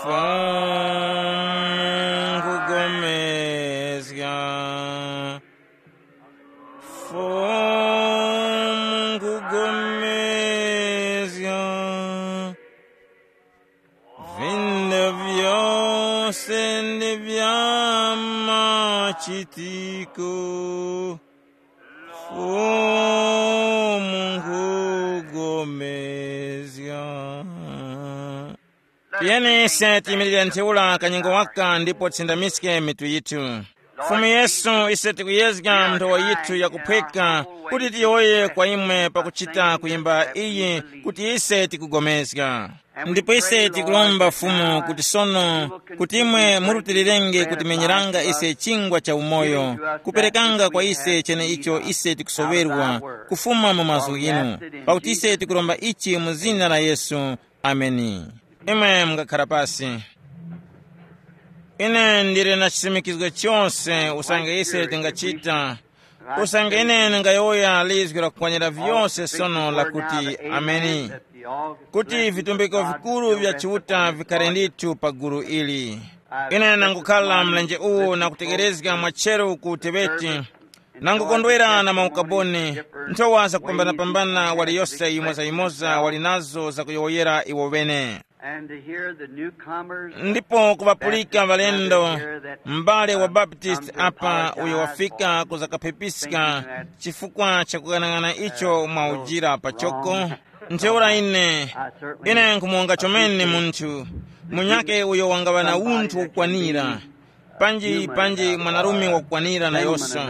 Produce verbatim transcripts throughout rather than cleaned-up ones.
Fumu nkugomezga. Fumu nkugomezga. Vinda vyose ndi vya machitiko. Fumu nkugomezga. Tiyeni ise tiyimirire ntheura kanyengo waka ndipo tisindamiske mitu yithu. Fumu Yesu, ise tikuyezga nthowa yithu yakuphweka kuti tiyowoye kwa imwe pakuchita kuyimba iyi kuti ise tikugomezga. Ndipo ise tikulomba Fumu kuti sono kuti imwe murutilirenge kutimenyeranga ise chingwa cha umoyo, kuperekanga kwa ise cheneicho ise tikusoŵerwa kufuma mu mazgu ghinu, pakuti ise tikuromba ichi mu zina la Yesu. Ameni. Imwe mungakhara pasi. Ine ndili na chisimikizgo chose usange ise tingachita, usange ine ndingayowoya lizwi lakukwanira vyose sono lakuti ameni, kuti vitumbiko vikuru vya Chiuta vikhare ndithu pa gulu ili. Ine nangukhala mlenje uwu na kutekerezga mwacheru ku Tebeti, nangukondwera na maukaboni, nthowa zakupambanapambana waliyose yimozayimoza wali nazo zakuyowoyera iwo bene. And to hear the newcomers, ndipo kuŵapulika ŵalendo, m'bale wa Baptist apa uyo wafika kuzakaphepiska chifukwa cha kukang'ana icho mwaujira pachoko. Ntheura ine, ine nkumuwonga chomene munthu munyake uyo wangaŵa na unthu wokwanira, panji panji mwanarume wakukwanira nayose,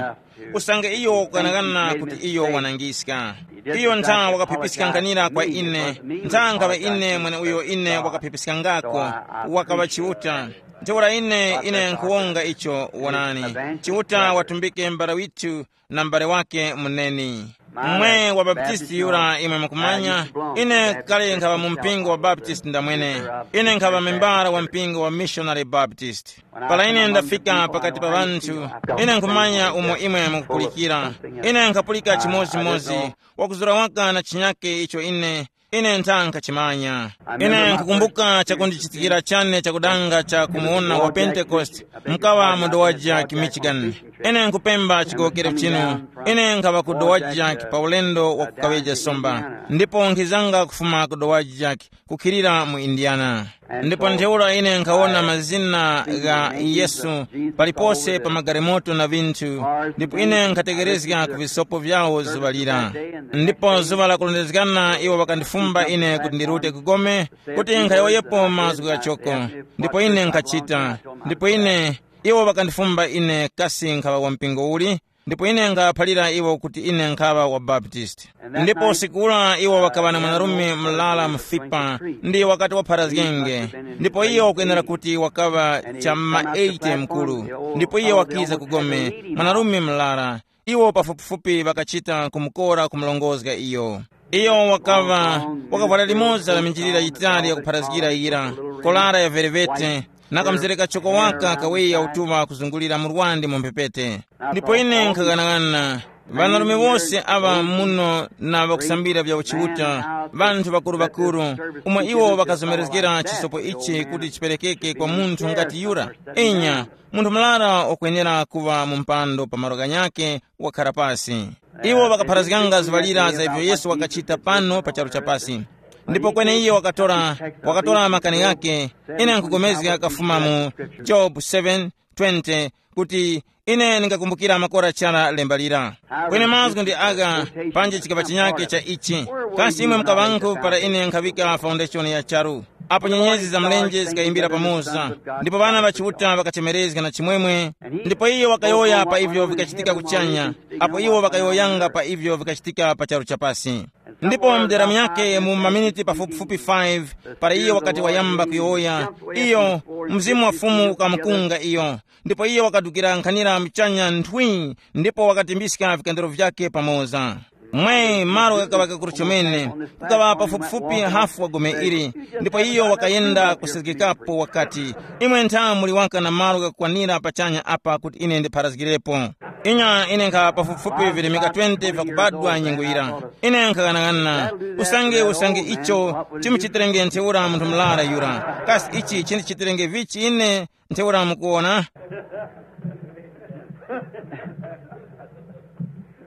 usange iyo wakughanaghana kuti iyo wanangiska. Iyo ntha wakaphipiska nkhanira kwa ine, ntha nkhaŵa ine mweneuyo ine wakaphipiskangako, wakaŵa Chiuta. Ntheura ine ine nkhuwonga icho. Wonani, Chiuta watumbike m'bale withu na m'bale wake muneni. Mwe wa Baptisti yura imwe mukumanya, ine kale nkhaŵa mu mpingo wa Baptisti ndamwene. Ine nkhaŵa membara wa mpingo wa Missionary Baptist. Para ine ndafika pakati pa ŵanthu, ine nkhumanya umo imwe mukupulikira. Ine nkhapulika chimodzimodzi, wakuzura waka na chinyake icho ine ine ntha nkhachimanya. Ine nkhukumbuka chakundichitikira chane chakudanga cha kumuwona wa Pentekoste, mkawa mu Dowagiac, Michigan. Ine nkhupemba chigowokero chinu. Ine nkhaŵa ku Dowagiac pa ulendo wa kukaŵeja somba, ndipo nkhizanga kufuma ku Dowagiac kukhilira mu Indiana. Ndipo ntheura ine nkhawona mazina gha Yesu palipose pa magalimoto na vinthu, ndipo ine nkhatekerezga ku visopo vyawo zuŵa lira. Ndipo zuŵa lakulondezgana iwo ŵakandifumba ine kuti ndirute ku gome, kuti nkhayowoyepo mazgu ghachoko. Ndipo ine nkhachita. Ndipo ine, iwo ŵakandifumba ine kasi nkhaŵa wa mpingo uli, ndipo ine nkhaphalira iwo kuti ine nkhaŵa wa Baptist. Ndipo usiku ula iwo ŵakaŵa na mwanarume mlala mufipa, ndi wakati wapharazgenge, ndipo iyo wakwenera kuti wakaŵa cha mma eighty mkulu. Ndipo iyo wakiza ku gome, mwanarume mlala. Iwo pafupifupi ŵakachita kumukora kumulongozga iyo. Iyo wakaŵa, wakavwara limoza la minjilira yitali yakupharazgira yira, kolara ya verevete, na kamzere kachoko waka kaweya utuŵa kuzungulira murwandi mu mphepete. Ndipo ine nkhaghanaghananga, ŵanarume wose aŵa muno na ŵakusambira vya uchiuta, ŵanthu ŵakuru-ŵakuru, umo iwo ŵakazomerezgera chisopo ichi kuti chiperekeke kwa munthu ngati yura. Inya, munthu murara wakwenera kuŵa mu mpando pa malo ghanyakhe wakhara pasi. Iwo ŵakapharazganga zuŵa lira za ivyo Yesu wakachita pano pa charu cha pasi. Ndipo kweneiyo wakatora, wakatora makani ghakhe. Ine nkugomezga kafuma mu Job seven twenty kuti, ine ndingakumbukira makora chara lemba lira. Kweni mazgu ndi agha, panje chikaŵa chinyake cha ichi. Kasi imwe mukaŵankhu para ine nkhaŵika foundation ya charu, apo nyenyezi za mlenje zikayimbira pamoza, ndipo ŵana ŵa Chiuta ŵakachemerezga na chimwemwe, ndipo iyo wakayowoya pa ivyo vikachitika kuchanya, apo iwo ŵakayowoyanga pa ivyo vikachitika pa charu chapasi. Ndipo mdera myake mu maminiti pafupifupi five, para iyo wakati wayamba kuyowoya, iyo, Mzimu wa Fumu ukamukunga iyo, ndipo iyo wakadukira nkhanira muchanya nthwi, ndipo wakatimbiska vikandiro vyake pamoza. Mwe malo ghakaŵa kakuru chomene, kukaŵa pafupifupi hafu wa gome ili. Ndipo iyo wakayenda kusezgekapo wakati, imwe ntha muli waka na malo ghakukwanira pachanya apa kuti ine ndipharazgirepo. Inya ine nkha pafupifupi virimika twenty vyakubadwa nyengo yira. Ine nkhaghanaghanana, usange usange icho chimuchitirenge ntheura munthu mlara yura, kasi ichi chindichitirenge vichi ine? Ntheura mukuwona,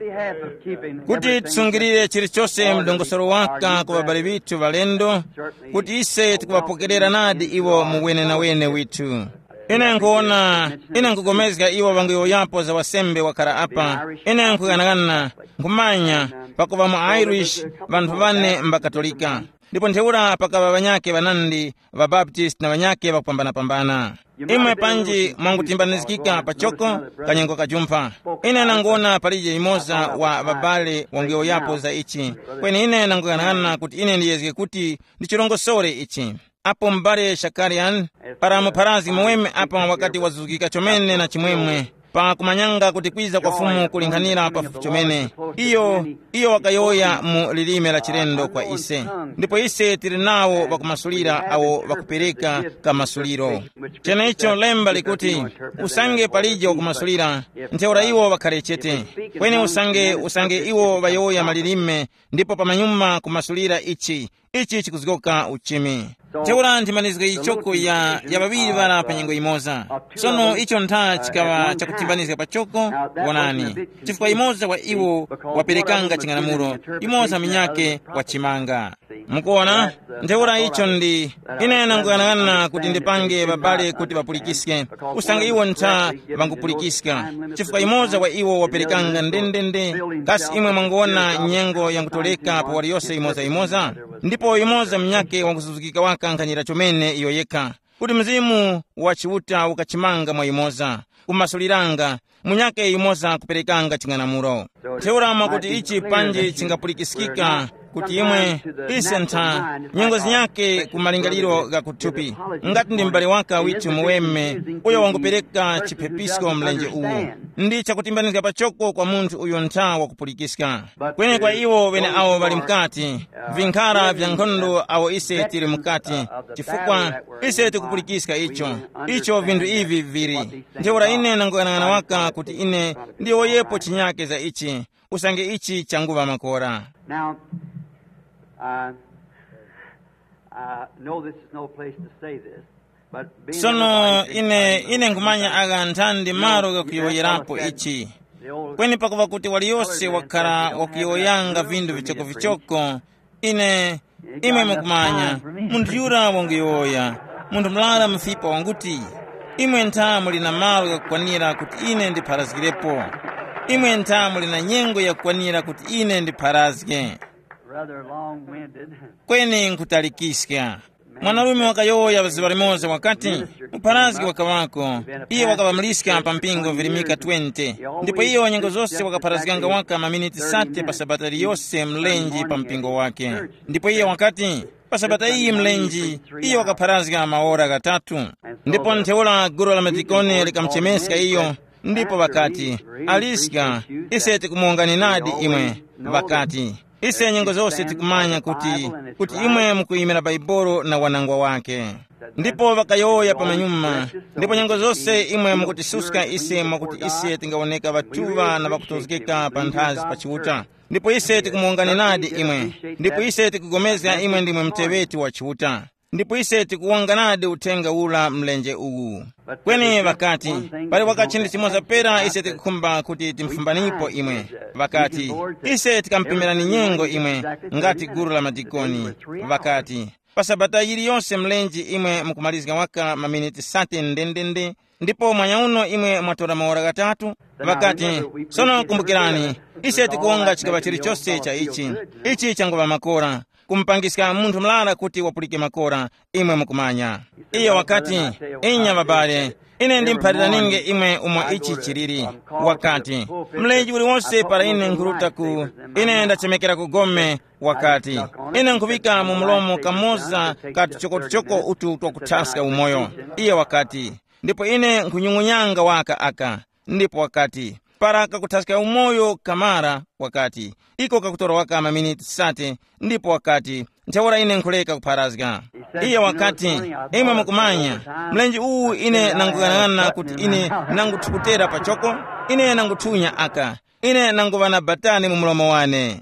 Behalf of keeping kuti tisungirire chilichose mdongosolo waka ku babali bithu balendo, kuti ise tikuŵapokerera nadi iwo mu wenenawene withu. Ine nkuwona, ine nkugomezga iwo ŵanguyowoyapo za wasembe wakhara apa. Ine nkughanagana, nkhumanya, pakuva mu Irish vanthu vane mbakatolika, ndipo ntheura pakaŵa ŵanyakhe ŵanandi, ŵabaptist na ŵanyakhe ŵakupambanapambana. Imwe panji mwangutimbanizgika pachoko kanyengo kajumpha. Ine nangona palije yumoza wa ŵabale wanguyowoyapo za ichi, kweni ine nanguyang'ana kuti ine ndiyezge kuti ndichirongosore ichi. Apo m'bale Shakarian, para mupharazgi muweme apa wakati wazuzgika chomene na chimwemwe, pa kumanyanga kuti kwiza kwa Fumu kulinkhanira pafupi chomene. Iyo, iyo wakayowoya mu lilime la chilendo kwa ise, ndipo ise tili nawo ŵakumasulira awo ŵakupereka kamasuliro. Chenecho lemba likuti, usange palije wakumasulira, ntheura iwo ŵakhare chete. Kweni usange usange iwo ŵayowoya malilime, ndipo pamanyuma kumasulira ichi, ichi chikuzgoka uchimi. Ntheura nthimanizgo yichoko ya ya ŵaŵiri ŵara pa nyengo yimoza. Sono icho ntha chikaŵa chakuthimbanizga pachoko. Wonani, chifukwa yumoza wa iwo waperekanga ching'anamulo, yumoza munyakhe wachimanga. Mukuona, ntheura icho ndi ine nanguyang'ana kuti ndipange babale kuti ŵapulikiske, usange iwo ntha ŵangupulikiska, chifukwa yumoza wa iwo waperekanga ndendende. Kasi imwe mwangowona nyengo yangutoleka pa wali yose yimoza yimoza? Ndipo yumoza munyakhe wangusuzukika waka nkhanira chomene iyo yekha, kuti Mzimu wa Chiuta ukachimanga mwa yumoza, kumasuliranga, munyakhe yumoza kuperekanga ching'anamulo. Ntheura mwakuti ichi panji chingapulikiskika kuti imwe, ise ntha, nyengo zinyakhe ku malingaliro gha kuthupi, ngati ndi m'bale waka withu muweme uyo wangupereka chiphepisko mlenje uwu, ndi chakutimbanizga pachoko kwa munthu uyo ntha wakupulikiska. Kweni kwa iwo ŵeneawo ŵali mukati, vinkhara vya nkhondo awo ise tili mukati, chifukwa ise tikupulikiska icho, icho vinthu ivi vili. Ntheura ine nanguyang'ana waka kuti ine ndiyowoyepo chinyake za ichi, usange ichi changuŵa makora. Now, uh, I know this is no place to say this, but being Sono everybody ine ine nkhumanya aka nthandi malo kakuyowoyerapo ichi, kweni pakuva kuti waliyose wakhala wakuyowoyanga vinthu vichokovichoko, ine imwe mukumanya, munthu yura wanguyowoya, munthu murara mufipa wanguti, imwe ntha muli na malo ghakukwanira kuti ine ndipharazgirepo. Imwe ntha muli na nyengo yakukwanira kuti ine ndipharazge. Rather long-winded. Kweni nkutalikiska. Mwanarume wakayowoya zuŵa limoza wakati, mupharazgi wakaŵako. Iye wakaŵamiliska pa mpingo virimika twenty, ndipo iyo nyengo zose wakapharazganga waka maminiti sate pa sabata liyose mlenji pa mpingo wake. Ndipo iye wakati, pa sabata iyi mlenji, iyo wakapharazga maora ghatatu. Ndipo ntheura gulu la madikoni likamuchemeska iyo, ndipo ŵakati, aliska, ise tikumuwongani nadi imwe. Ŵakati, ise nyengo zose tikumanya kuti, kuti imwe mukuyimira Bhaibuli na wanangwa wake. Ndipo ŵakayowoya pamanyuma, ndipo nyengo zose imwe mukutisuska ise mwakuti ise tingawoneka ŵatuŵa na ŵakutozgeka panthazi pa Chiuta. Ndipo ise tikumuwongani nadi imwe, ndipo ise tikugomezga imwe ndimwe muteŵeti wa Chiuta. Ndipo ise tikuwonga nadi uthenga ura mlenje uwu. Kweni ŵakati, pali wakachindi chimoza pera ise tikukhumba kuti timfumbanipo imwe. Ŵakati, ise tikamupimirani nyengo imwe, ngati gulu la madikoni. Ŵakati, pa sabata yiliyose mlenji imwe mukumalizga waka maminiti sate ndendende, ndipo mwanyauno imwe mwatora maora ghatatu. Ŵakati, sono kumbukirani, ise tikuwonga chikaŵa chilichose cha ichi. Ichi changuŵa makora, kumupangiska munthu murara kuti wapulike makora, imwe mukumanya. Iyo wakati, inya ŵabale, ine ndimuphaliraninge imwe umo ichi chiliri. Wakati, mlenji uliwonse para ine nkhuruta ku, ine ndachemekera ku gome, wakati, ine nkhuŵika mu mlomo kamoza ka tuchokotuchoko utu twakuthaska umoyo. Iye wakati, ndipo ine nkhunyung'unyanga waka aka. Ndipo wakati, Para kakuthaska umoyo kamara, wakati, iko kakutora waka maminiti sate, ndipo wakati, ntheura ine nkhureka kupharazga. Iye wakati, imwe mukumanya, mlenje uwu ine nanguyang'ana kuti ine nanguthukutera pachoko, ine nanguthunya aka, ine nanguŵa na batani mu mlomo wane.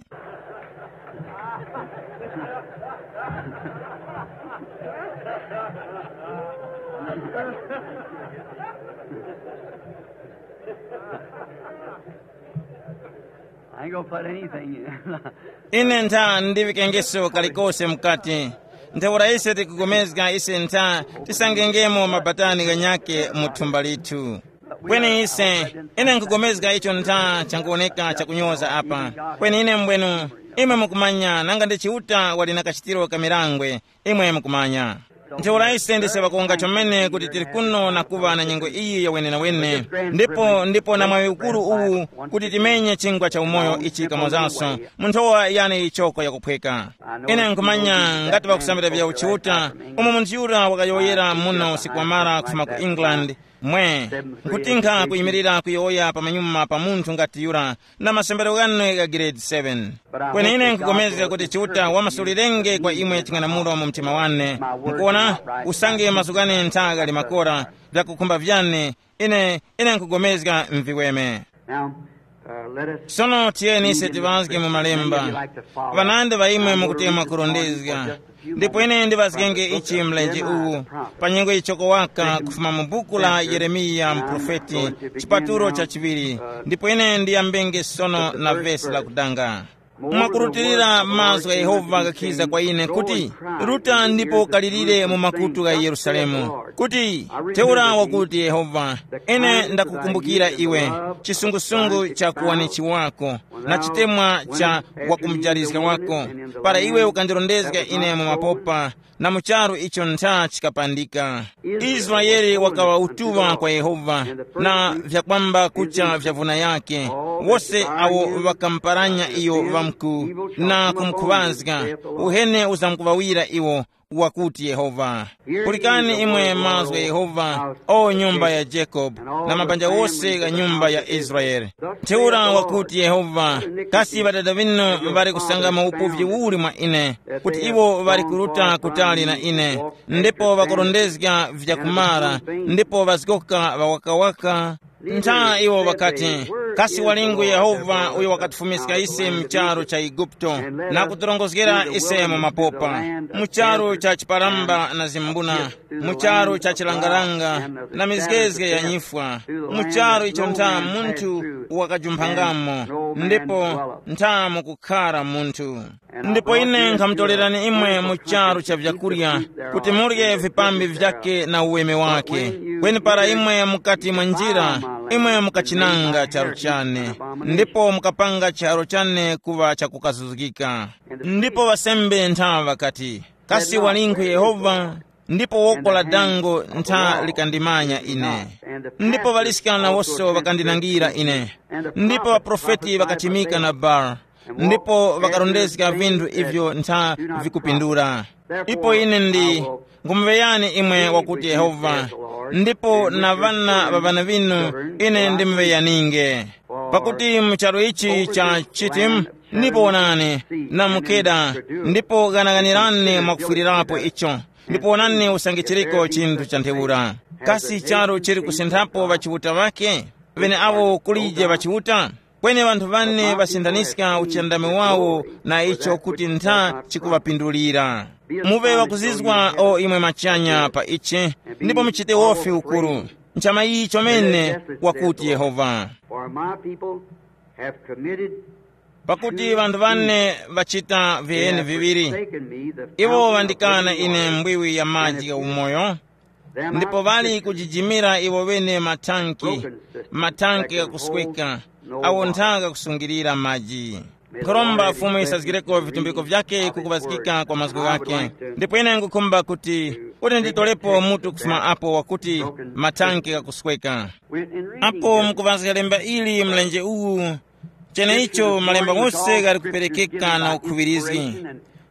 I ain't gonna put anything in. Ine ntha ndivikengeso kalikose mukati. Ntheura ise tikugomezga ise ntha tisangengemo mabatani ghanyake mu thumba lithu. Kweni ise, ine nkugomezga icho ntha changuwoneka chakunyoza apa. Kweni ine mbwenu, imwe mukumanya nanga ndi Chiuta wali na kachitiro ka mirangwe, imwe mukumanya. Ntheura ise ndise ŵakuwunga chomene kuti tili kuno na kuŵa na nyengo iyi ya wenenawene, ndipo ndipo na mwaŵi ukuru uwu kuti timenye chingwa cha umoyo ichi kamozanso mu nthowa yane yichoko yakuphweka. Ine nkhumanya ngati ŵakusambira vya uchiuta, umo munthu yura wakayowoyera muno usiku wamara kufuma ku England, mwe, nkutinkha kuyimirira kuyowoya pa manyuma pa munthu ngati yura na masambiro ghane gha grade seven. Kweni ine nkupulikana kuti Chiuta wamasulirenge kwa imwe ching'anamulo mu mtima wane. Mukuona, usange mazgu ghane ntha ghali makora, vyakukhumba vyane, ine, ine nkugomezga mviweme. Now, uh, let us sono tiyeni ise tiŵazge mu malemba. Ŵanandi ŵa imwe mukuti mwakurondezga, ndipo ine ndiŵazgenge ichi mlenje uwu, pa nyengo yichoko waka kufuma mu buku la Yeremiya muprofeti, chipatulo cha chiŵiri. Ndipo ine ndiyambenge sono na vesi lakudanga. Mwakurutilira mazgu gha Yehova ghakhiza kwa ine kuti, ruta ndipo kalirire mu makutu gha Yerusalemu, kuti, ntheura wakuti Yehova, ine ndakukumbukira iwe, chisungusungu cha kuwanichi wako, na chitemwa cha wakumujarizga wako, para iwe ukandirondezga ine mu mapopa, na mu charu icho ntha chikapandika. Israele wakaŵa utuŵa kwa Yehova, na vyakwamba kucha vya vuna yake, wose awo ŵakamuparanya iyo ŵamku na kumukhuŵazga, uhene uzamkuŵawira iwo, wakuti Yehova. Pulikani imwe mazgu gha Yehova, o nyumba ya Jacob, na mabanja wose gha nyumba ya Israele. Ntheura wakuti Yehova, kasi ŵadada ŵinu ŵali kusangamo upuvi uli mwa ine, kuti iwo ŵali kuruta kutali na ine, ndipo ŵakurondezga vyakumara, ndipo ŵazgoka ŵawakawaka? Ntha iwo ŵakati, kasi walingu Yehova uyo wakatifumiska ise mu charu cha Eguputo, na kutirongozgera ise mu mapopa, mu charu cha chiparamba na zimbuna, mu charu cha chilangalanga na mizgezge ya nyifwa, mu charu icho ntha munthu wakajumphangamo, ndipo ntha mukukhara munthu. Ndipo ine nkhamutorerani imwe mu charu cha vyakurya, kuti murye vipambi vyake na uweme wake. Kweni para imwe mukati mwa njira, imwe mukachinanga charu chane, ndipo mukapanga charu chane kuŵa chakukazuzgika. Ndipo ŵasembe ntha ŵakati, kasi walingu Yehova? Ndipo woko la dango ntha likandimanya ine. Ndipo ŵaliskana wose ŵakandinangira ine. Ndipo ŵaprofeti ŵakachimika na Baal, ndipo ŵakarondezga vinthu ivyo ntha vikupindura. Ipo ine ndi, ngumuŵeyani imwe wakuti Yehova, ndipo na ŵana ŵa ŵana ŵinu ine ndimuŵeyaninge. Pakuti mu charu ichi cha Chitimu, ndipo wonani, na mukeda, ndipo ghanaghanirani mwakufwirirapo icho, ndipo wonani usange chiriko chinthu cha ntheura. Kasi charu chili kusinthapo ŵachiuta ŵake? Ŵeneawo kulije ŵachiuta? Kweni ŵanthu ŵane ŵasindaniska uchindami wawo na icho kuti ntha chikuŵapindulira. Muŵe ŵakuzizwa o imwe machanya pa ichi, ndipo muchite wofi ukuru. Nchama iyi chomene, wakuti Yehova. For my people have committed. Pakuti ŵanthu ŵane ŵachita viheni viŵiri. Iwo ŵandikana ine mbwiwi ya maji gha umoyo, ndipo ŵali kujijimira iwo ŵene mathanki, mathanki ghakusweka, awo ntha ghakusungirira maji. Nkhoromba Fumu yisazgireko vitumbiko vyake kukuŵazgika kwa mazgu ghake. Ndipo ine ngukhumba kuti, kuti nditolepo mutu kufuma apo wakuti, mathanki ghakusweka. Apo mukuŵazga lemba ili mlenje uwu, cheneicho malemba ghose ghali kuperekeka na ukhuŵirizgi.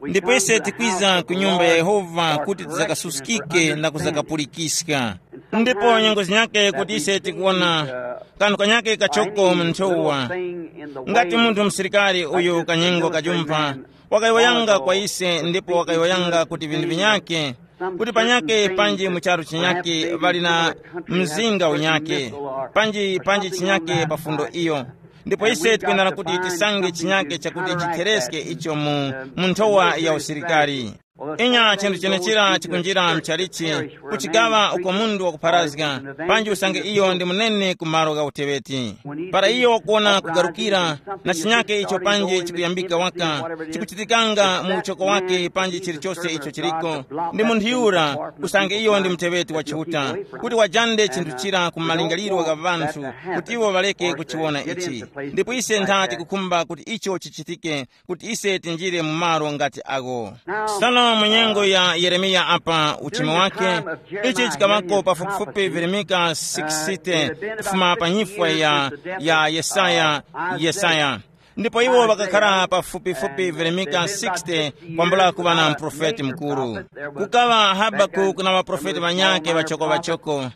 Ndipo ise tikwiza ku nyumba ya Yehova kuti tizakasuskike na kuzakapulikiska. Ndipo nyengo zinyake kuti ise tikuwona kanthu kanyake kachoko mu nthowa. Ngati munthu msilikari uyu kanyengo kajumpha, wakayowoyanga kwa ise ndipo wakayowoyanga kuti vinthu vinyake, kuti panyake panji mu charu chinyake ŵali na mzinga unyake, panji panji chinyake pa fundo iyo. Ndipo ise tikwenera kuti tisange chinyake chakuti chithereske icho mu, mu nthowa ya usilikari. Inya chinthu chenechira chikunjira mchalichi, kuchikaŵa uko mundu wakupharazga, panji usange iyo ndi munene ku malo gha uteŵeti. Para iyo wakuwona kugarukira, na chinyake icho panji chikuyambika waka, chikuchitikanga mu uchoko wake panji chilichose icho chiliko, ndi munthu yura, usange iyo ndi muteŵeti wa Chiuta, kuti wajande chinthu chira ku malingaliro gha ŵanthu, kuti iwo ŵaleke kuchiwona ichi. Ndipo ise nthati kukhumba kuti icho chichitike, kuti ise tinjire mu malo ngati agho. Sono mu nyengo ya Yeremiya apa uchimi wake, ichi chikaŵako pafupifupi virimika sixty kufuma pa nyifwa ya, ya Yesaya, Yesaya. Ndipo iwo ŵakakhara pafupifupi virimika sixty kwambula kuŵa na muprofeti mukuru. Kukaŵa Habakuku na ŵaprofeti ŵanyakhe ŵachoko-ŵachoko.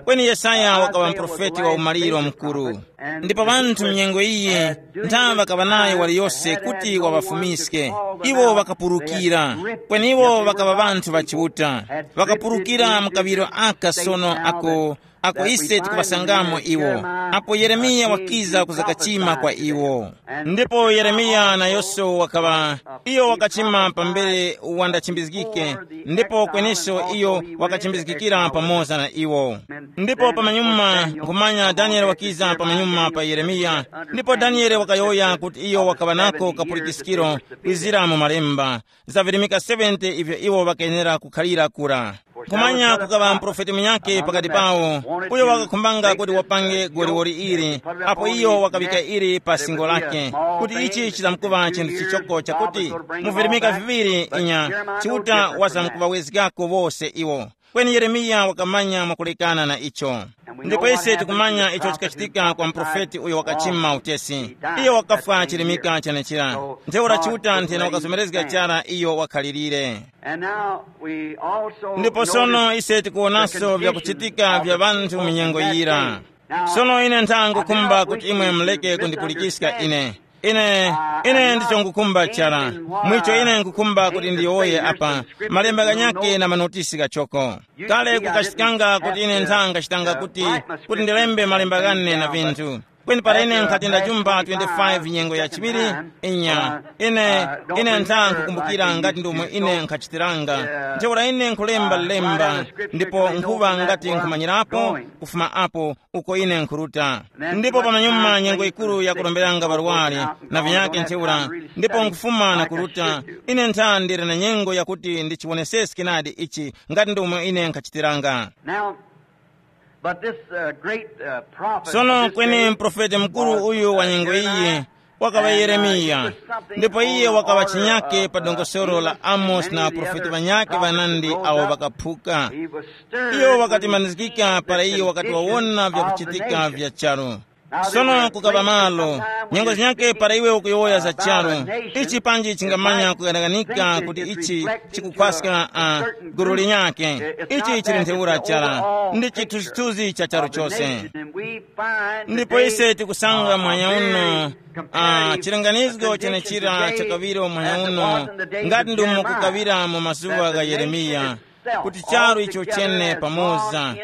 Kweni Yesaya wakaŵa muprofeti wa umaliro mukuru. Ndipo ŵanthu mnyengo iyi nthawe ŵakaŵa nayo waliyose kuti waŵafumiske. Iwo ŵakapurukira. Kweni iwo ŵakaŵa ŵanthu ŵa Chiuta. Ŵakapurukira mu kaŵiro aka sono ako, ako ise tikuŵasangamo iwo. Apo Yeremiya wakiza kuzakachima kwa iwo. Ndipo Yeremiya nayoso wakaŵa, iyo wakachima pambere wandachimbizgike, ndipo kweneso iyo wakachimbizgikira pamoza na iwo. Ndipo pamanyuma nkhumanya Daniele wakiza pamanyuma pa Yeremiya, ndipo Daniele wakayowoya kuti iyo wakaŵa nako kapulikiskiro kwizira mu malemba, za virimika seventy ivyo iwo ŵakayenera kukhalira kura. Kumanya kukaŵa muprofeti munyakhe pakati pawo, uyo wakakhumbanga kuti wapange goliwoli ili, apo iyo wakaŵika ili pa singo lake, kuti ichi chizamkuŵa chinthu chichoko chakuti mu virimika viŵiri inya, Chiuta wazamkuŵawezgako wose iwo. Kweni Yeremiya wakamanya mwakulekana na icho. Ndipo ise tikumanya icho chikachitika kwa muprofeti uyo wakachima utesi. Iyo wakafwa chirimika chenechira. Ntheura Chiuta nthena wakazomerezga chara iyo wakhalirire. Ndipo sono ise tikuwonanso vyakuchitika vya ŵanthu mu nyengo yira. Sono ine nthangukhumba kuti imwe muleke kundipulikiska ine. Ine, ine ndicho ngukhumba chara. Mwicho ine ngukhumba kuti ndiyowoye apa, malemba ghanyakhe na manotisi ghachoko. Kale kukachitikanga kuti ine nthanga chitanga kuti, kuti ndilembe malemba ghane na vinthu. Kweni para ine nkhati ndachumba twenty-five nyengo ya chiŵiri, inya, ine, ine ntha nkukumbukira ngati ndomwe ine nkhachitiranga. Ntheura ine nkhulemba lemba, ndipo nkhuŵa ngati nkhumanyirapo kufuma apo uko ine nkhuruta. Ndipo pamanyuma nyengo yikuru yakuromberanga ŵarwari na vinyake ntheura, ndipo nkufuma na kuruta, ine ntha ndili na nyengo yakuti ndichiwoneseske nadi ichi ngati ndomwe ine nkhachitiranga. Now, but this uh, great uh, prophet, sono this kweni day, mprofeti mukuru uyu wa nyengo iyi wakaŵa Yeremiya. Ndipo iye wakaŵa chinyake pa dongosolo la Amosi na aprofeti ŵanyakhe ŵanandi awo ŵakaphuka. Iyo wakatimanizgika para iyo wakati wawona vyakuchitika vya charu. Sono kukaŵa malo, nyengo zinyakhe para iwe ukuyowoya za charu, ichi panji chingamanya kughananika kuti ichi chikukhwaska uh, gulu linyakhe. Ichi chili ntheura chara, ndi chithunzithunzi cha charu chose. Ndipo ise tikusanga mwanya uno uh, chilinganizgo chenechira chakaŵiro mwanya uno, ngati ndumo kukaŵira mu mazuŵa gha Yeremiya, kuti charu icho chene pamoza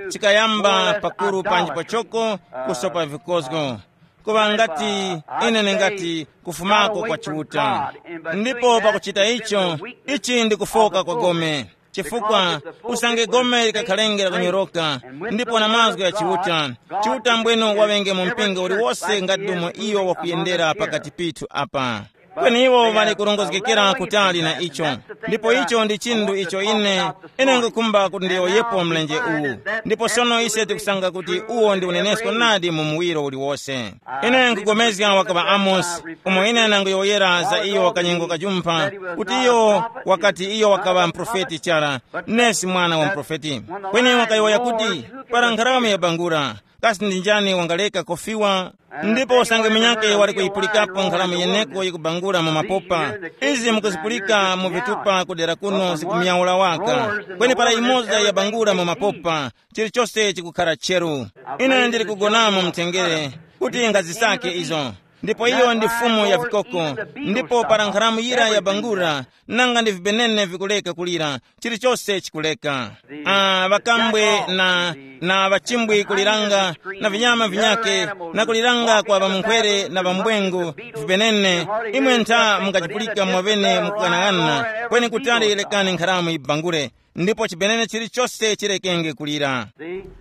chikayamba pakuru panji pachoko kusopa vikozgo, kuŵa ngati ine ningati kufumako kwa Chiuta. Ndipo pakuchita icho, ichi ndi kufoka kwa gome. Chifukwa usange gome likakhalenge lakunyoroka, ndipo na mazgu ya Chiuta, Chiuta mbwenu waŵenge mu mpingo uliwose ngati domwe iyo wakuyendera pakati pithu apa. Kweni iwo ŵali kurongozgekera kutali na icho. Ndipo icho ndi chinthu icho ine, ine ngukhumba kuti ndiyowoyepo mlenje uwu. Ndipo sono ise tikusanga kuti uwo ndi unenesko nadi mu muwiro uliwose. Ine nkupulikana wakaŵa Amosi, umo ine nanguyowoyera za iyo kanyengo kajumpha, kuti iyo wakati iyo wakaŵa mprofeti chara, nesi mwana wa mprofeti. Kweni wakayowoya kuti, para nkharamu yabangula, Kasi ndi njani wangaleka kofiwa? Ndipo usange munyakhe wali kuyipulikapo nkhalamu yeneko yikubangula mu mapopa. Izi mukuzipulika mu vitupa kudera kuno zikumyaula waka. Kweni para imoza yabangula mu mapopa, chilichose chikukhala cheru. Ine ndili kugonamo mtengere kuti ngazisake izo. Ndipo iyo ndi fumu ya vikoko. Ndipo para nkhalamu yira yabangula, nanga ndi vibenene vikuleka kulira, chilichose chikuleka. Ah, ŵakambwe na na ŵachimbwi kuliranga, na vinyama vinyake, na kuliranga kwa ŵamunkhwere na ŵambwengo, vipenene. Imwe ntha mungachipulika mwaŵene mukughanaghanana, kweni kutali lekani nkharamu yibangule, ndipo chipenene chilichose chirekenge kulira.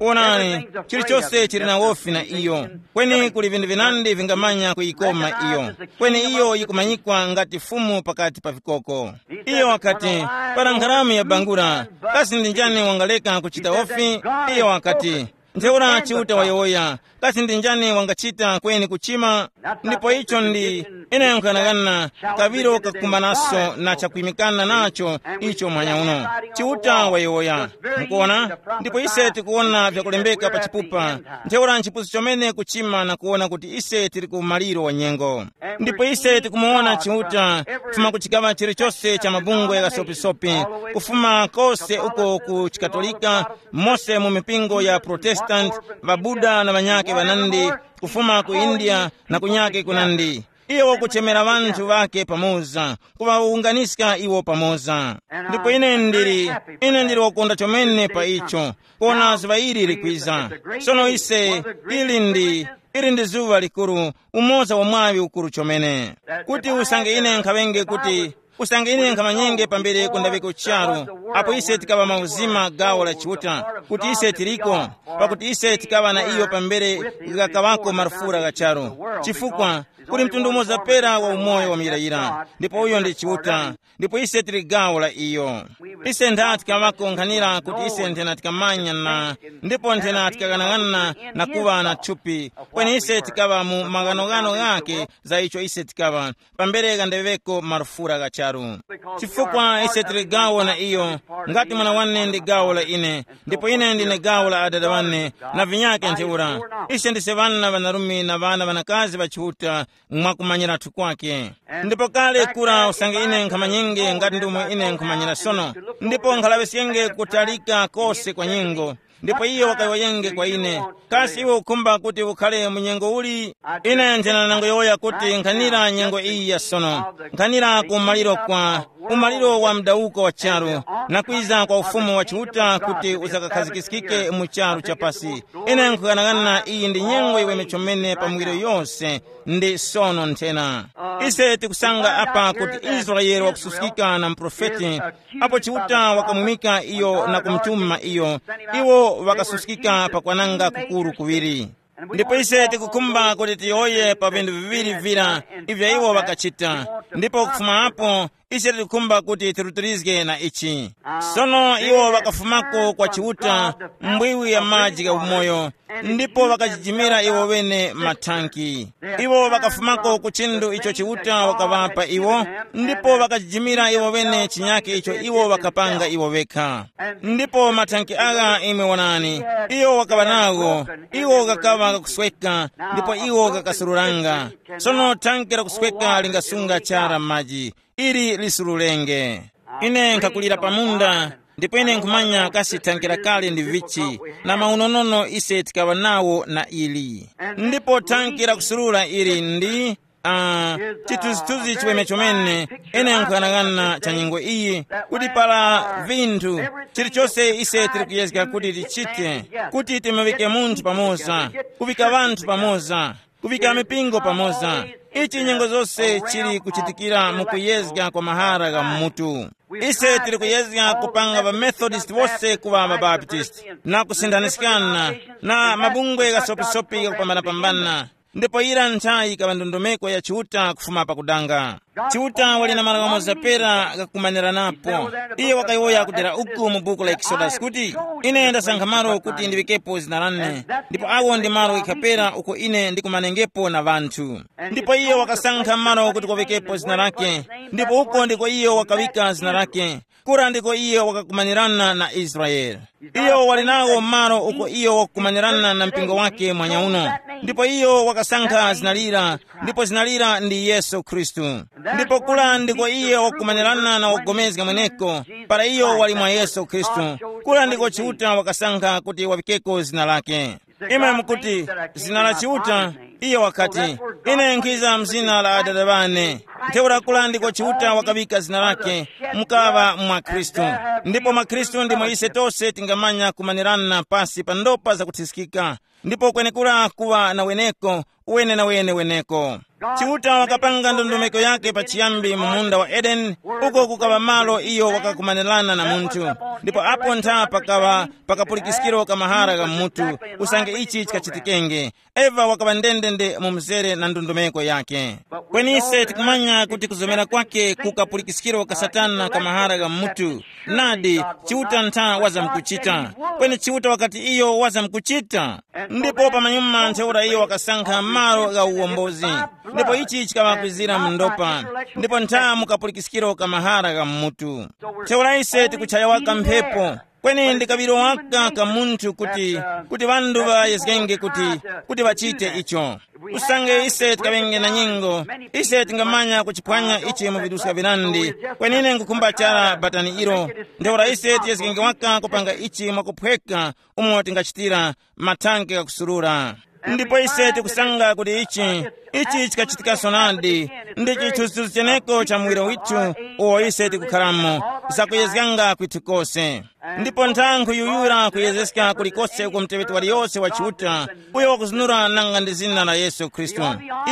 Onani, chilichose chili na wofi na iyo, kweni kuli vinthu vinandi vingamanya kuyikoma iyo, kweni iyo yikumanyikwa ngati fumu pakati pa vikoko. Iyo wakati, para nkharamu yabangula, kasi ndi njani wangaleka kuchita wofi? Iyo wakati, ntheura Chiuta wayowoya, kasi ndi njani wangachita kweni kuchima? Ndipo icho ndi, ine nkhanakana, kaŵiro kakukumbanaso na chakwimikana nacho icho mwanya uno. Chiuta wayowoya. Mukuona? Ndipo ise tikuwona vyakulembeka pa chipupa, ntheura nchipusi chomene kuchima na kuwona kuti ise tili ku maliro wa nyengo. Ndipo ise tikumuwona Chiuta kufuma ku chikaŵa chilichose cha mabungwe ghasopisopi, kufuma kose uko ku Chikatolika, mose mu mipingo ya Protestant, ŵaBuda na ŵanyakhe ŵanandi, kufuma ku India na kunyakhe kunandi. Iyo wakuchemera ŵanthu ŵakhe pamoza, kuŵawunganiska iwo pamoza. Ndipo ine ndili, ine ndili wakukonda chomene pa icho, kona zuŵa ili likwiza. Sono ise, ili ndi, ili ndi zuŵa likuru, umoza wa mwaŵi ukuru chomene. Kuti usange ine nkhaŵenge kuti, usange ine nkhamanyenge pambere kundaŵeko charu, apo ise tikaŵa mauzima gawo la Chiuta, kuti ise tiliko, pakuti ise tikaŵa na iyo pambere ghakaŵako marufura gha charu. Chifukwa, kuli mtundu umoza pera wa umoyo wa muyirayira, ndipo uyo ndi Chiuta, ndipo ise tili gawo la iyo. Ise ntha tikaŵako nkhanira kuti ise nthena tikamanya na, ndipo nthena tikaghanaghanana na kuŵa na thupi, kweni ise tikaŵa mu maghanoghano ghake za icho ise tikaŵa, pambere ghandaŵeko marufura gha charu. Chifukwa ise tili gawo na iyo, ngati mwana wane ndi gawo la ine, ndipo ine ndine gawo la adada wane, na vinyake ntheura. Ise ndise ŵana ŵanarume na ŵana ŵanakazi ŵa Chiuta, mwakumanyiratu kwake. Ndipo kale kura usange ine nkhamanyenge ngati ndomwe ine nkhumanyira sono, ndipo nkhalaŵiskenge kutalika kose kwa nyengo. Ndipo iyo wakayowoyenge kwa ine, kasi iwe ukhumba kuti ukhale mu nyengo uli? Ine nthena nangoyowoya kuti nkhanira nyengo iyi ya sono, nkhanira ku maliro kwa umaliro wa mdawuko wa charu, na kwiza kwa ufumu wa Chiuta kuti usakakhazikiskike mu charu cha pasi. Ine nkughanagana iyi ndi nyengo yiweme chomene pa miwiro yose, ndi sono nthena. Ise tikusanga apa kuti Israele wakususkika na muprofeti, apo Chiuta wakamwimika iyo na kumutuma iyo, iwo ŵakasuskika pakwananga kukuru kuŵiri. Ndipo ise tikukhumba kuti tiyowoye pa vinthu viŵiri vira ivyo iwo ŵakachita, ndipo kufuma apo ise tikukhumba kuti tirutilizge na ichi. Sono iwo ŵakafumako kwa Chiuta, mbwiwi ya maji gha umoyo, ndipo ŵakajijimira iwo ŵene mathanki. Iwo ŵakafumako ku chinthu icho Chiuta wakaŵapa iwo, ndipo ŵakajijimira iwo ŵene chinyake icho iwo ŵakapanga iwo ŵekha. Ndipo mathanki agha imwe wonani, iwo wakaŵa nawo, iwo ghakaŵa ghakusweka, ndipo iwo ghakasururanga. Sono thanki lakusweka lingasunga chara maji, ili lisururenge. Ine nkhakulira pa munda, ndipo ine nkhumanya kasi thanki lakale ndi vichi, na maunonono ise tikaŵa nawo na ili. Ndipo thanki lakusurura ili ndi, ah, chithunzithunzi chiweme chomene. Ine nkughanagana cha nyengo iyi, kuti para vinthu, chilichose ise tili kuyezga kuti tichite, kuti timuŵike munthu pamoza, kuŵika ŵanthu pamoza, kuŵika mipingo pamoza. Ichi nyengo zose chili kuchitikira mu kuyezga kwa mahara gha mmutu. Ise tili kuyezga kupanga ŵamethodist wose kuŵa ŵabaptist, na kusinthaniskana na mabungwe ghasopisopi ghakupambanapambana. Ndipo yira nthayi yikaŵa ndondomeko ya Chiuta kufuma pakudanga. Chiuta wali na malo ghamoza pera ghakumaniranapo. Iye wakayowoya kudera uku mu buku la Exodus kuti, "Ine ndasankha malo kuti ndiŵikepo zina lane, ndipo awo ndi malo ghekha pera uko ine ndikumanengepo na ŵanthu." Ndipo iye wakasankha malo kuti kwaŵikepo zina lake, ndipo uko ndiko iye wakaŵika zina lake. Kura ndiko iye wakakumanirana na Israele. Iyo wali nawo malo uko iyo wakukumanirana na mpingo wake mwanyauno. Ndipo iyo wakasankha zina lira, ndipo zina lira ndi Yesu Khristu. Ndipo kula ndiko iye wakukumanirana na wogomezga mweneko, para iyo wali mwa Yesu Khristu. Kula ndiko Chiuta wakasankha kuti waŵikeko zina lake. Imwe mukuti, "Zina la Chiuta?" Iyo wakati, "Ine nkhiza mzina la Adada ŵane." Ntheura kula ndiko Chiuta wakaŵika zina lake, mukaŵa mwa Khristu. Ndipo mwa Khristu ndimo ise tose tingamanya kumanirana pasi pa ndopa zakuthiskika, ndipo kwenekura kuŵa na weneko, wene na wene weneko. Chiuta wakapanga ndondomeko yake pachiyambi mu munda wa Edeni, uko kukaŵa malo iyo wakakumanirana na munthu. Ndipo apo ntha pakaŵa pakapulikiskiro ka mahara gha mutu, usange ichi chikachitikenge. Eva wakaŵa ndendende mu mzere na ndondomeko yake. Kweni ise tikumanya kuti kuzomera kwake ku kapulikiskiro ka Satana ka mahara gha mutu. Nadi, Chiuta ntha wazamkuchita. Kweni Chiuta wakati iyo wazamkuchita. Ndipo pamanyuma ntheura iyo wakasankha malo gha uwombozi. Ndipo ichi chikaŵakwizira mu ndopa. Ndipo ntha mu kapulikiskiro ka mahara gha mutu. Ntheura ise tikuchaya waka mphepo. Kweni ndi kaŵiro waka ka munthu kuti, kuti ŵanthu ŵayezgenge kuti, kuti ŵachite icho. Usange ise tikaŵenge na nyengo, ise tingamanya kuchiphwanya ichi mu viduska virandi. Kweni ine nkukhumba chara batani ilo. Ntheura ise tiyezgenge waka kupanga ichi mwakuphweka, umo tingachitira mathanke ghakusurura. Ndipo ise tikusanga kuti ichi, ichi chikachitikaso nadi, ndi chithunzithunzi cheneko cha muwiro withu, uwo ise tikukharamo, zakuyezganga kwithu kose. Ndipo nthankhu yuyura kuyezeska kulikose uko muteŵeti waliyose wa Chiuta, uyo wakuzunura nanga ndi zina la Yesu Khristu.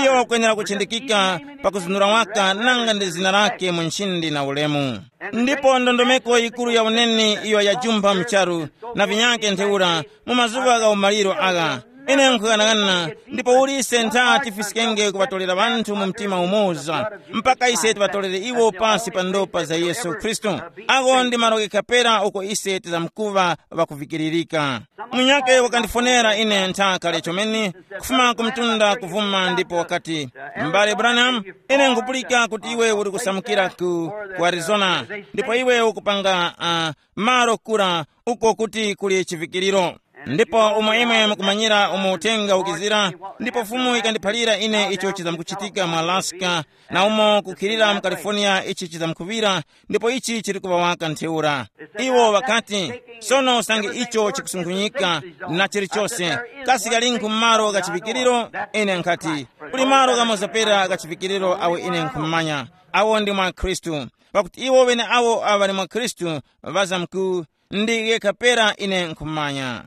Iyo wakwenera kuchindikika pakuzunura waka nanga ndi zina lake mu nchindi na ulemu. Ndipo ndondomeko yikuru ya uneni iyo yajumpha mcharu na vinyake ntheura mu mazuŵa gha umaliro agha. Ine nkhughanaghana, ndipo uli ise ntha tifiskenge kuŵatolera ŵanthu mu mtima umoza, mpaka ise tiŵatolere iwo pasi pa ndopa za Yesu Khristu. Ako ndi malo ghekha pera uko ise tizamkuŵa ŵakuvikiririka. Munyakhe wakandifonera ine ntha kale chomene, kufuma ku mtunda kuvuma ndipo wakati, "M'bale Branham, ine nkupulika kuti iwe uli kusamukira ku, ku Arizona, ndipo iwe ukupanga uh, malo kura uko kuti kuli chivikiriro. Ndipo umo imwe mukumanyira umo uthenga ukizira, ndipo Fumu ikandiphalira ine icho chizamkuchitika mu Alaska, na umo kukhilira mu California ichi chizamkuŵira, ndipo ichi chili kuŵa waka ntheura." Iwo ŵakati, "Sono usange icho chikusunkhunyika na chilichose, kasi kalinkhu malo gha chivikiriro?" Ine nkhati, "Kuli malo ghamoza pera gha chivikiriro awo ine nkhumanya, awo ndi mwa Khristu, pakuti iwo ŵeneawo awo ŵali mwa Khristu ŵazamku ndi ghekha pera ine nkhumanya."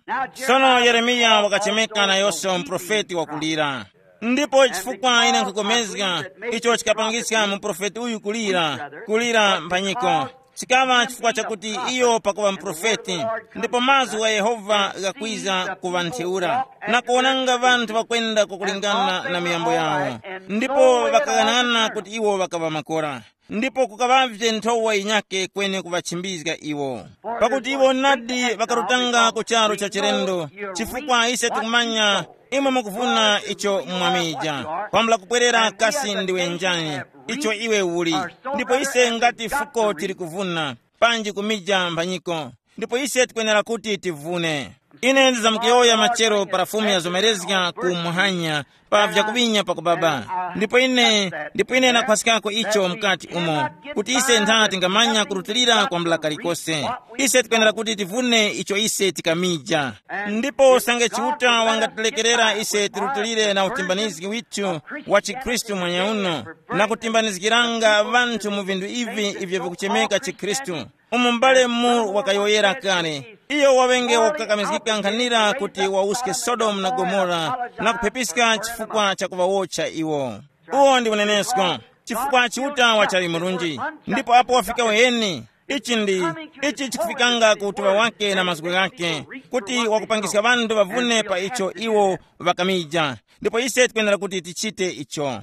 Sono Yeremiya wakachemeka nayonso muprofeti wakulira. Ndipo chifukwa ine nkhukomezga icho chikapangiska muprofeti uyu kulira, kulira mphanyiko, chikaŵa chifukwa chakuti iyo pakuŵa muprofeti, ndipo mazgu gha Yehova ghakwiza kuŵa ntheura, na kuwonanga ŵanthu ŵakwenda kwakulingana na miyambo yawo, ndipo ŵakaghanaghanana kuti iwo ŵakaŵa makora. Ndipo kukaŵavye nthowa yinyakhe kweni kuŵachimbizga iwo. Pakuti iwo nadi ŵakarutanga ku charu cha chilendo, chifukwa ise tikumanya imwe mukuvuna icho mwamija, kwambula kupwerera kasi ndiwe njani, icho iwe uli. Ndipo ise ngati fuko tili kuvuna, panji kumija mphanyiko, ndipo ise tikwenera kuti tivune. Ine ndizamkuyowoya machero para Fumu yazomerezga ku muhanya pa vyakuŵinya pakubaba. Ndipo ine, ndipo ine nakhwaskako icho mukati umo, kuti ise ntha tingamanya kurutilira kwambula kalikose. Ise tikwenera kuti tivune icho ise tikamija. Ndipo usange Chiuta wangatilekerera ise tirutilire na utimbanizgi withu wa chikhristu mwanyauno, na kutimbanizgiranga ŵanthu mu vinthu ivi ivyo vikuchemeka chikhristu. Umo m'bale Moore wakayowoyera kale, iyo waŵenge wakukakamizgika nkhanira kuti wawuske Sodomu na Gomora na kuphepiska chifukwa cha kuŵawotcha iwo. Uwo ndi unenesko, chifukwa Chiuta wachali murunji, ndipo apo wafika uheni, ichi ndi, ichi chikufikanga ku utuŵa wake na mazgu ghake, kuti wakupangiska ŵanthu ŵavune pa icho iwo ŵakamija. Ndipo ise tikwenera kuti tichite icho.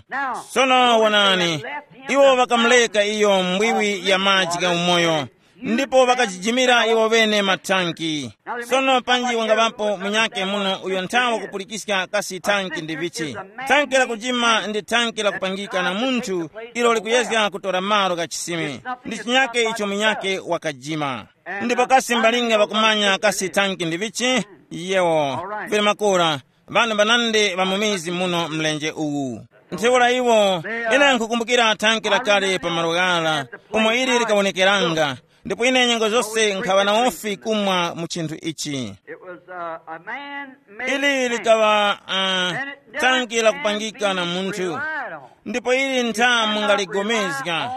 Sono wonani, iwo ŵakamuleka iyo mbwiwi ya maji gha umoyo, ndipo ŵakajijimira iwo ŵene mathanki. Sono panji wangaŵapo munyake muno uyo nthawe kupulikiska kasi thanki ndi vichi? Thanki la kujima ndi thanki la kupangika na munthu, ilo likuyezga kutora malo gha chisime. Ndi chinyake icho munyake wakajima. Ndipo kasi mbalinga ŵakumanya kasi thanki ndi vichi? Yewo, vili makora, ŵanthu ŵanandi ŵa mu mizi muno mlenje uwu. Ntheura iwo, ine nkhukumbukira thanki lakale pa malo ghara, umo ili likawonekeranga, ndipo ine nyengo zose nkhaŵa na ufi kumwa mu chinthu ichi. It was uh, a man made ili man. Likaŵa uh, thanki lakupangika na munthu. Ndipo ili nthamu ngaligomezga.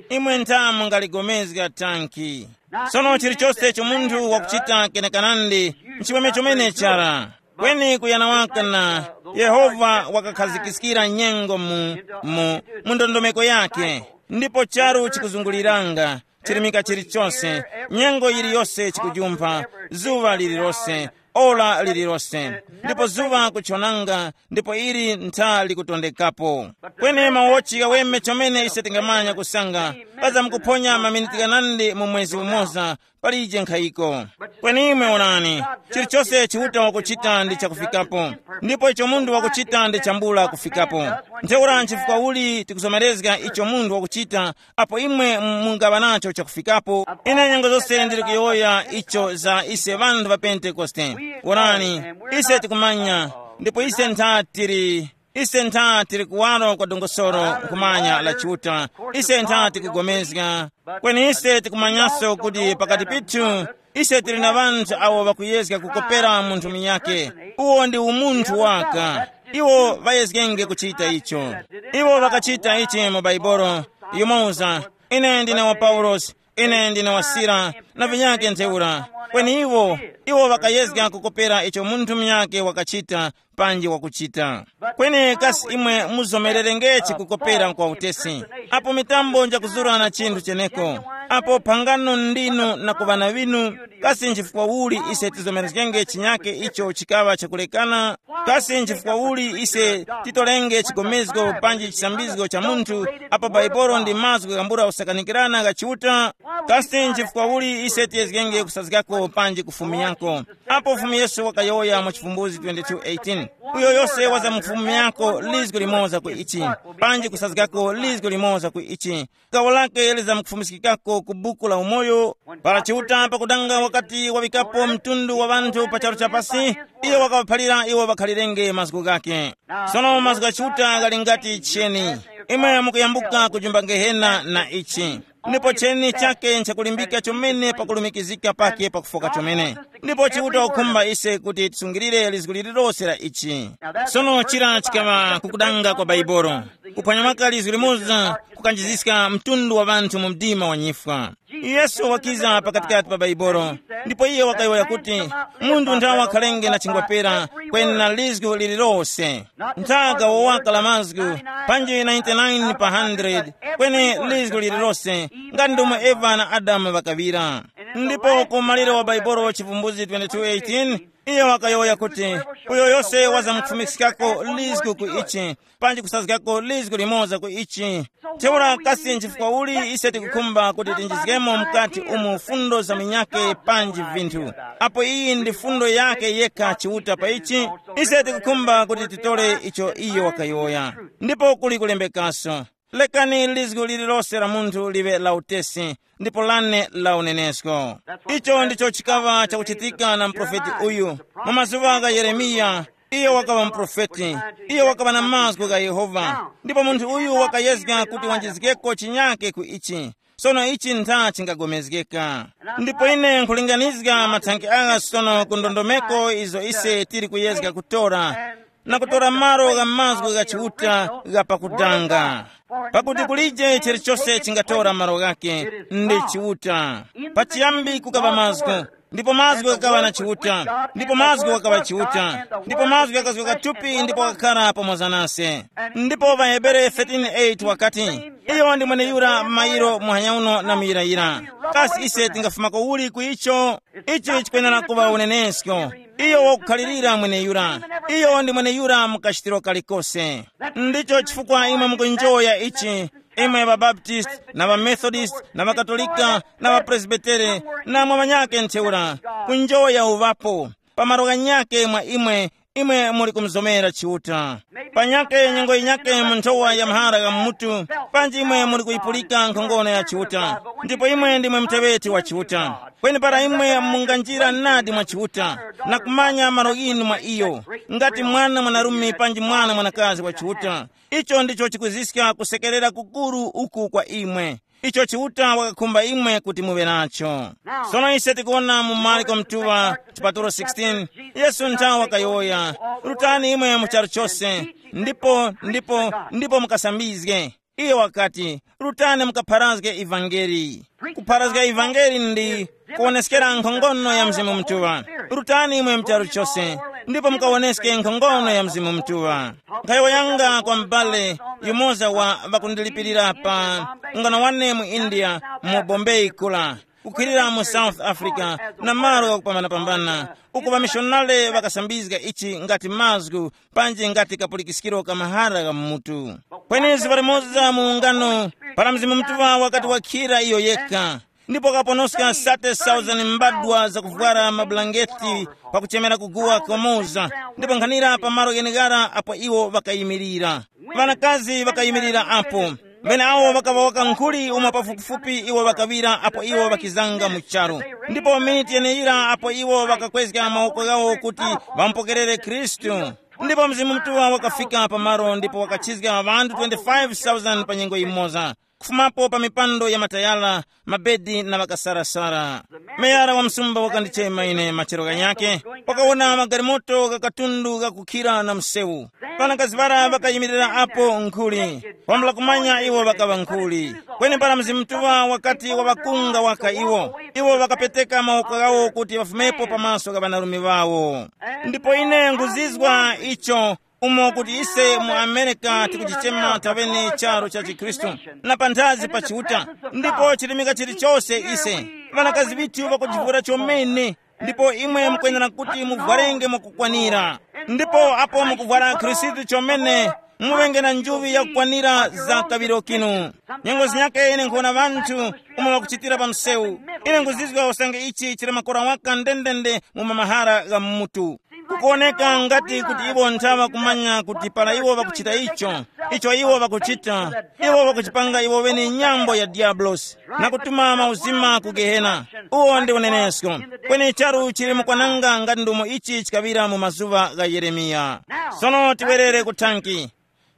Imwe nthamu ngaligomezga thanki. Sono chilichonse icho munthu wakuchita kenekanandi nchimweme chomene chara. Kweni kuyana waka na Yehova wakakhazikiskira nyengo mu, mu, mu ndondomeko yake. Ndipo charu chikuzunguliranga, chirimika chilichonse, nyengo yiliyose chikujumpha, zuŵa lililose, ora lililose. Ndipo zuŵa kuchonanga, ndipo ili ntha likutondekapo. Kweni mawochi ghaweme chomene ise tingamanya kusanga, paza mukuphonya maminiti ghanandi mu mwezi umoza, palije nkhayiko. Kweni imwe onani, chilichose Chiuta wakuchita ndi chakufikapo, ndipo icho munthu wakuchita ndi chambula kufikapo. Ntheura nchifukwa uli tikuzomerezga icho munthu wakuchita, apo imwe mungaŵa nacho chakufikapo? Ine nyengo zose ndili kuyowoya icho za ise ŵanthu ŵa Pentekoste. Wonani, ise tikumanya, ndipo ise ntha tili ise ntha tili kuwaro kwa dongosolo nkhumanya la Chiuta. Ise ntha tikugomezga. Kweni ise tikumanyaso kuti pakati pithu ise tili na ŵanthu awo ŵakuyezga kukopera munthu munyakhe. Uwo ndi umunthu waka. Iwo ŵayezgenge kuchita icho. Iwo ŵakachita ichi mu Baibolo. Yumoza, ine ndine wa Paulosi, ine ndine wa Sila, na vinyakhe ntheura. Kweni iwo, iwo ŵakayezga kukopera icho munthu munyakhe wakachita, panji wakuchita. Kweni kasi imwe muzomererengeti kukopera kwa utesi? Apo mitambo njakuzurana chinthu cheneko, apo phangano ndinu na ku ŵana ŵinu, kasi nchifukwa uli ise tizomerezgenge chinyake icho chikaŵa chakulekana? Kasi nchifukwa uli ise titolenge chigomezgo panji chisambizgo cha munthu, apo Baibolo ndi mazgu ghambula usakanikirana gha Chiuta? Kasi nchifukwa uli ise tiyezgenge kusazgako panji kufumiyako? Apo Fumu Yesu wakayowoya mu Chivumbuzi twenty-two eighteen, uyo yose waza mu Fumu yako lizgo limoza ku ichi, panji kusazgako lizgo limoza ku ichi, gawo lake lizamkufumiskikako ku buku la umoyo. Para Chiuta pakudanga wakati waŵikapo mtundu wa ŵanthu pa charu cha pasi, iyo wakaŵaphalira iwo ŵakhalirenge mazgu ghake. Sono mazgu gha Chiuta ghali ngati cheni. Imwe mukuyambuka kujumba Gehena na ichi. Ndipo cheni chake nchakulimbika chomene pakulumikizika pake pakufoka chomene. Ndipo Chiuta wakukhumba ise kuti tisungilire lizgu lililose la ichi. Sono chira chikaŵa kukudanga kwa Baibolo. Kuphwanya maka lizgu limoza kukanjiziska mtundu wa ŵanthu mu mdima wa nyifwa. Yesu wakiza pakatikati pa Baibolo, ndipo iye wakayowoya kuti, munthu nthawe wakhalenge na chingwapera kweni na lizgu lililose. Nthaga wowaka la mazgu, panji ninety-nine pa hundred, kweni lizgu lililose, ngati ndomwe Eva na Adamu ŵakaŵira. Ndipo ku maliro wa Baibolo Chivumbuzi twenty-two eighteen, iye wakayowoya kuti, uyo yose wazamkufumikiskako lizgu ku ichi, panji kusazgako lizgu limoza ku ichi. Ntheura kasi nchifukwa uli ise tikukhumba kuti tinjizgemo mukati umu fundo za minyake panji vinthu? Apo iyi ndi fundo yake yekha Chiuta pa ichi, ise tikukhumba kuti titole icho iyo wakayowoya. Ndipo kuli kulembekaso, lekani lizgu lililose la munthu liŵe la utesi, ndipo lane la unenesko. Icho ndicho chikaŵa chakuchitika na muprofeti uyu. Mu mazuŵa gha Yeremiya, iyo wakaŵa muprofeti. Iyo wakaŵa na mazgu gha Yehova, ndipo munthu uyu wakayezga kuti wanjizgeko chinyake ku ichi. Sono ichi ntha chingagomezgeka. Ndipo ine nkhulinganizga mathanki agha sono ku ndondomeko izo ise tili kuyezga kutora, na kutora malo gha mazgu gha Chiuta gha pakudanga. Pakuti kulije chilichose chingatora malo ghake, ndi Chiuta. Pachiyambi kukaŵa mazgu, ndipo mazgu ghakaŵa na Chiuta, ndipo mazgu ghakaŵa Chiuta, ndipo mazgu ghakazgoka thupi ndipo ghakakhala pamoza nase. Ndipo pa Hebere thirteen eight wakati, Iyo ndi mweneyura mairo muhanya uno na muyirayira. Kasi ise tingafumako uli ku icho? Ichi chikwenera kuŵa unenesko. Iyo wakukhalirira mweneyura. Iyo ndi mweneyura mu kachitiro kalikose. Ndicho chifukwa imwe mukunjoya ichi, imwe ŵabaptist, na ŵamethodist, na ŵakatolika, na ŵapresbitere, na mwa ŵanyake ntheura, kunjoya uŵapo. Pa malo ghanyake mwa imwe, imwe muli kumuzomera Chiuta. Panyake nyengo yinyake mu nthowa ya mahara gha mmutu, panji imwe muli kuyipulika nkhongono ya Chiuta, ndipo imwe ndimwe muteŵeti wa Chiuta. Kweni para imwe munganjira nadi mwa Chiuta, na kumanya malo ghinu mwa iyo, ngati mwana mwanarume panji mwana mwanakazi wa Chiuta, icho ndicho chikuziska kusekerera kukuru uku kwa imwe. Icho Chiuta wakakhumba imwe kuti muŵe nacho. Sono ise tikuona mu Marko mtuŵa, chipatulo sixteen, Yesu nthawi wakayowoya, rutani imwe mu charu chose, ndipo ndipo ndipo mukasambizge. Iye wakati, rutani mukapharazge ivangeli. Kupharazga ivangeli ndi kuwoneskera nkhongono ya Mzimu Mutuŵa. Rutani imwe mu charu chose, ndipo mukawoneske nkhongono ya Mzimu Mutuŵa. Nkhayowoyanga kwa m'bale yumoza wa ŵakundilipirira pa ungano wane mu India, mu Bombay kula, kukhwirira mu South Africa, na malo ghakupambanapambana, uku ŵamishonale ŵakasambizga ichi ngati mazgu, panji ngati kapulikiskiro ka mahara gha mu mutu. Kweni zuŵa limoza mu ungano, para Mzimu Mutuŵa wakati wakhira iyo yekha, ndipo wakaponoska sate thousand mbadwa zakuvwara mabulangeti pakuchemera kuguwa komoza, ndipo nkhanira pa malo gheneghara apo iwo ŵakayimirira. Ŵanakazi ŵakayimirira apo. Ŵeneawo ŵakaŵa waka nkhuli umo pafupifupi iwo ŵakaŵira apo iwo ŵakizanga mu charu. Ndipo miniti yeneyira apo iwo ŵakakwezga mawoko ghawo kuti ŵamupokerere Khristu. Ndipo Mzimu Mutuŵa wakafika pamalo ndipo wakachizga ŵanthu twenty-five thousand pa nyengo yimoza, kufumapo pa mipando ya matayala, mabedi na ŵakasarasara. Meyara wa msumba wakandichema ine machero ghanyakhe, wakawona magalimoto gha katundu ghakukhira na msewu. Ŵanakazi ŵara ŵakayimirira apo nkhuli, kwambula kumanya iwo ŵakaŵa nkhuli. Kweni para Mzimu Mutuŵa wakati waŵakunga waka iwo, iwo ŵakapeteka mawoko ghawo kuti ŵafumepo pamaso gha ŵanarume ŵawo. Ndipo ine nguzizwa icho, umo kuti ise mu Amerika tikuchichema tawene charu cha chikhristu, na panthazi pa Chiuta, ndipo chirimika chilichose ise, ŵanakazi ŵithu ŵakujivura chomene, ndipo imwe mukwenera kuti muvwarenge mwakukwanira. Ndipo apo mukuvwara Khristu chomene, muŵenge na njuŵi yakukwanira za kaŵiro kinu. Nyengo zinyakhe ine nkhona ŵanthu umo ŵakuchitira pa msewu. Ine nguzizwa usange ichi chili makora waka ndendende mu mamahara gha mutu. Kukuwoneka ngati kuti iwo nthawa kumanya kuti para iwo ŵakuchita icho, icho iwo ŵakuchita, iwo ŵakuchipanga iwo ŵene nyambo ya Diablosi, na kutuma mauzima ku Gehena. Uwo ndi unenesko. Kweni charu chili mukwananga ngati ndumo ichi chikaŵira mu mazuŵa gha Yeremiya. Sono tiwerere ku thanki.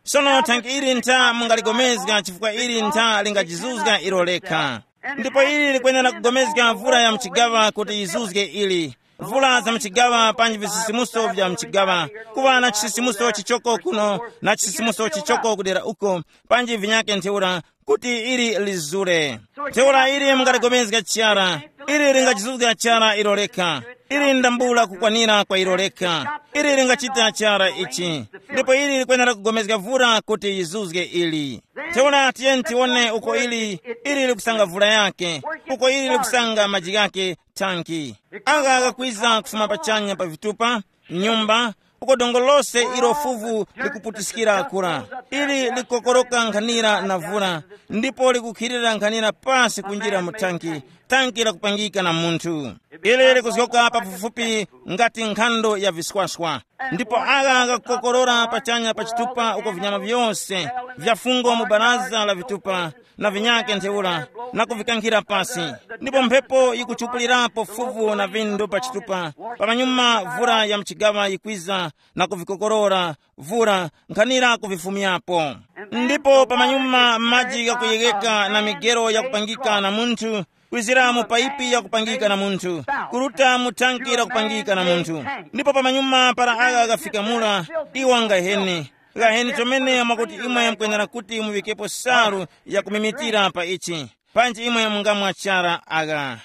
Sono thanki ili ntha mungaligomezga chifukwa ili ntha lingajizuzga ilo lekha. Ndipo ili likwenera kugomezga mvura ya mchigaŵa kuti yizuzge ili. Mvula za mchigaŵa panji visisimuso vya mchigaŵa. Kuŵa na chisisimuso chichoko kuno na chisisimuso chichoko kudera uko, panji vinyake ntheura kuti ili lizure. Ntheura ili mungaligomezga chara, ili lingachizuzga chara ilo lekha. Ili ndambula kukwanira kwa ilo lekha. Ili lingachita chara ichi. Ndipo ili likwenera kugomezga vura kuti yizuzge ili. Ntheura tiyeni tiwone uko ili, ili likusanga vura yake, uko ili likusanga maji ghake, thanki. Agha ghakwiza kufuma pachanya pa vitupa, nyumba, uko dongo lose ilo fuvu likuputiskira kura. Ili likokoroka nkhanira na vura, ndipo likukhirira nkhanira pasi kunjira mu thanki, thanki lakupangika na munthu. Ili likuzgoka pafupifupi ngati nkhando ya viswaswa. Ndipo agha ghakukokorora pachanya pa chitupa uko vinyama vyose vya fungo mu baraza la vitupa na vinyake ntheura, na kuvikankhira pasi. Ndipo mphepo yikuchupulirapo fuvu na vindu pa chitupa. Pamanyuma vura ya mchigaŵa yikwiza na kuvikokorora, vura nkhanira kuvifumyapo. Ndipo pamanyuma maji ghakuyegheka na migero yakupangika na munthu, kwizira mu paipi yakupangika na munthu, kuruta mu thanki lakupangika na munthu. Ndipo pamanyuma para agha ghafika mura, iwo angahene. Ghaheni chomene mwakuti imwe mukwenera kuti muŵikepo salu yakumimitira pa ichi, panji imwe mungamwa chara agha.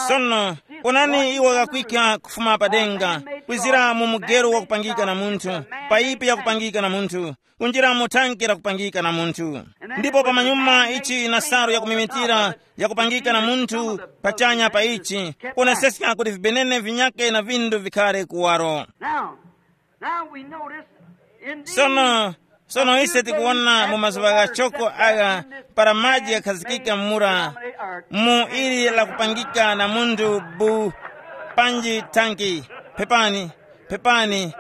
Sono, onani iwo ghakwika kufuma pa denga, kwizira mu mugero wakupangika na munthu, paipi yakupangika na munthu, kunjira mu thanke lakupangika na munthu. Ndipo pamanyuma ichi na salu yakumimitira yakupangika na munthu pachanya pa ichi, kuoneseska kuti vibenene vinyake na vindu vikhare kuwaro. Now, now we notice in these sono sono ise tikuwona mu mazuŵa ghachoko agha, para maji ghakhazikika mura mu ili lakupangika na munthu bu panji thanki, pepani, pepani,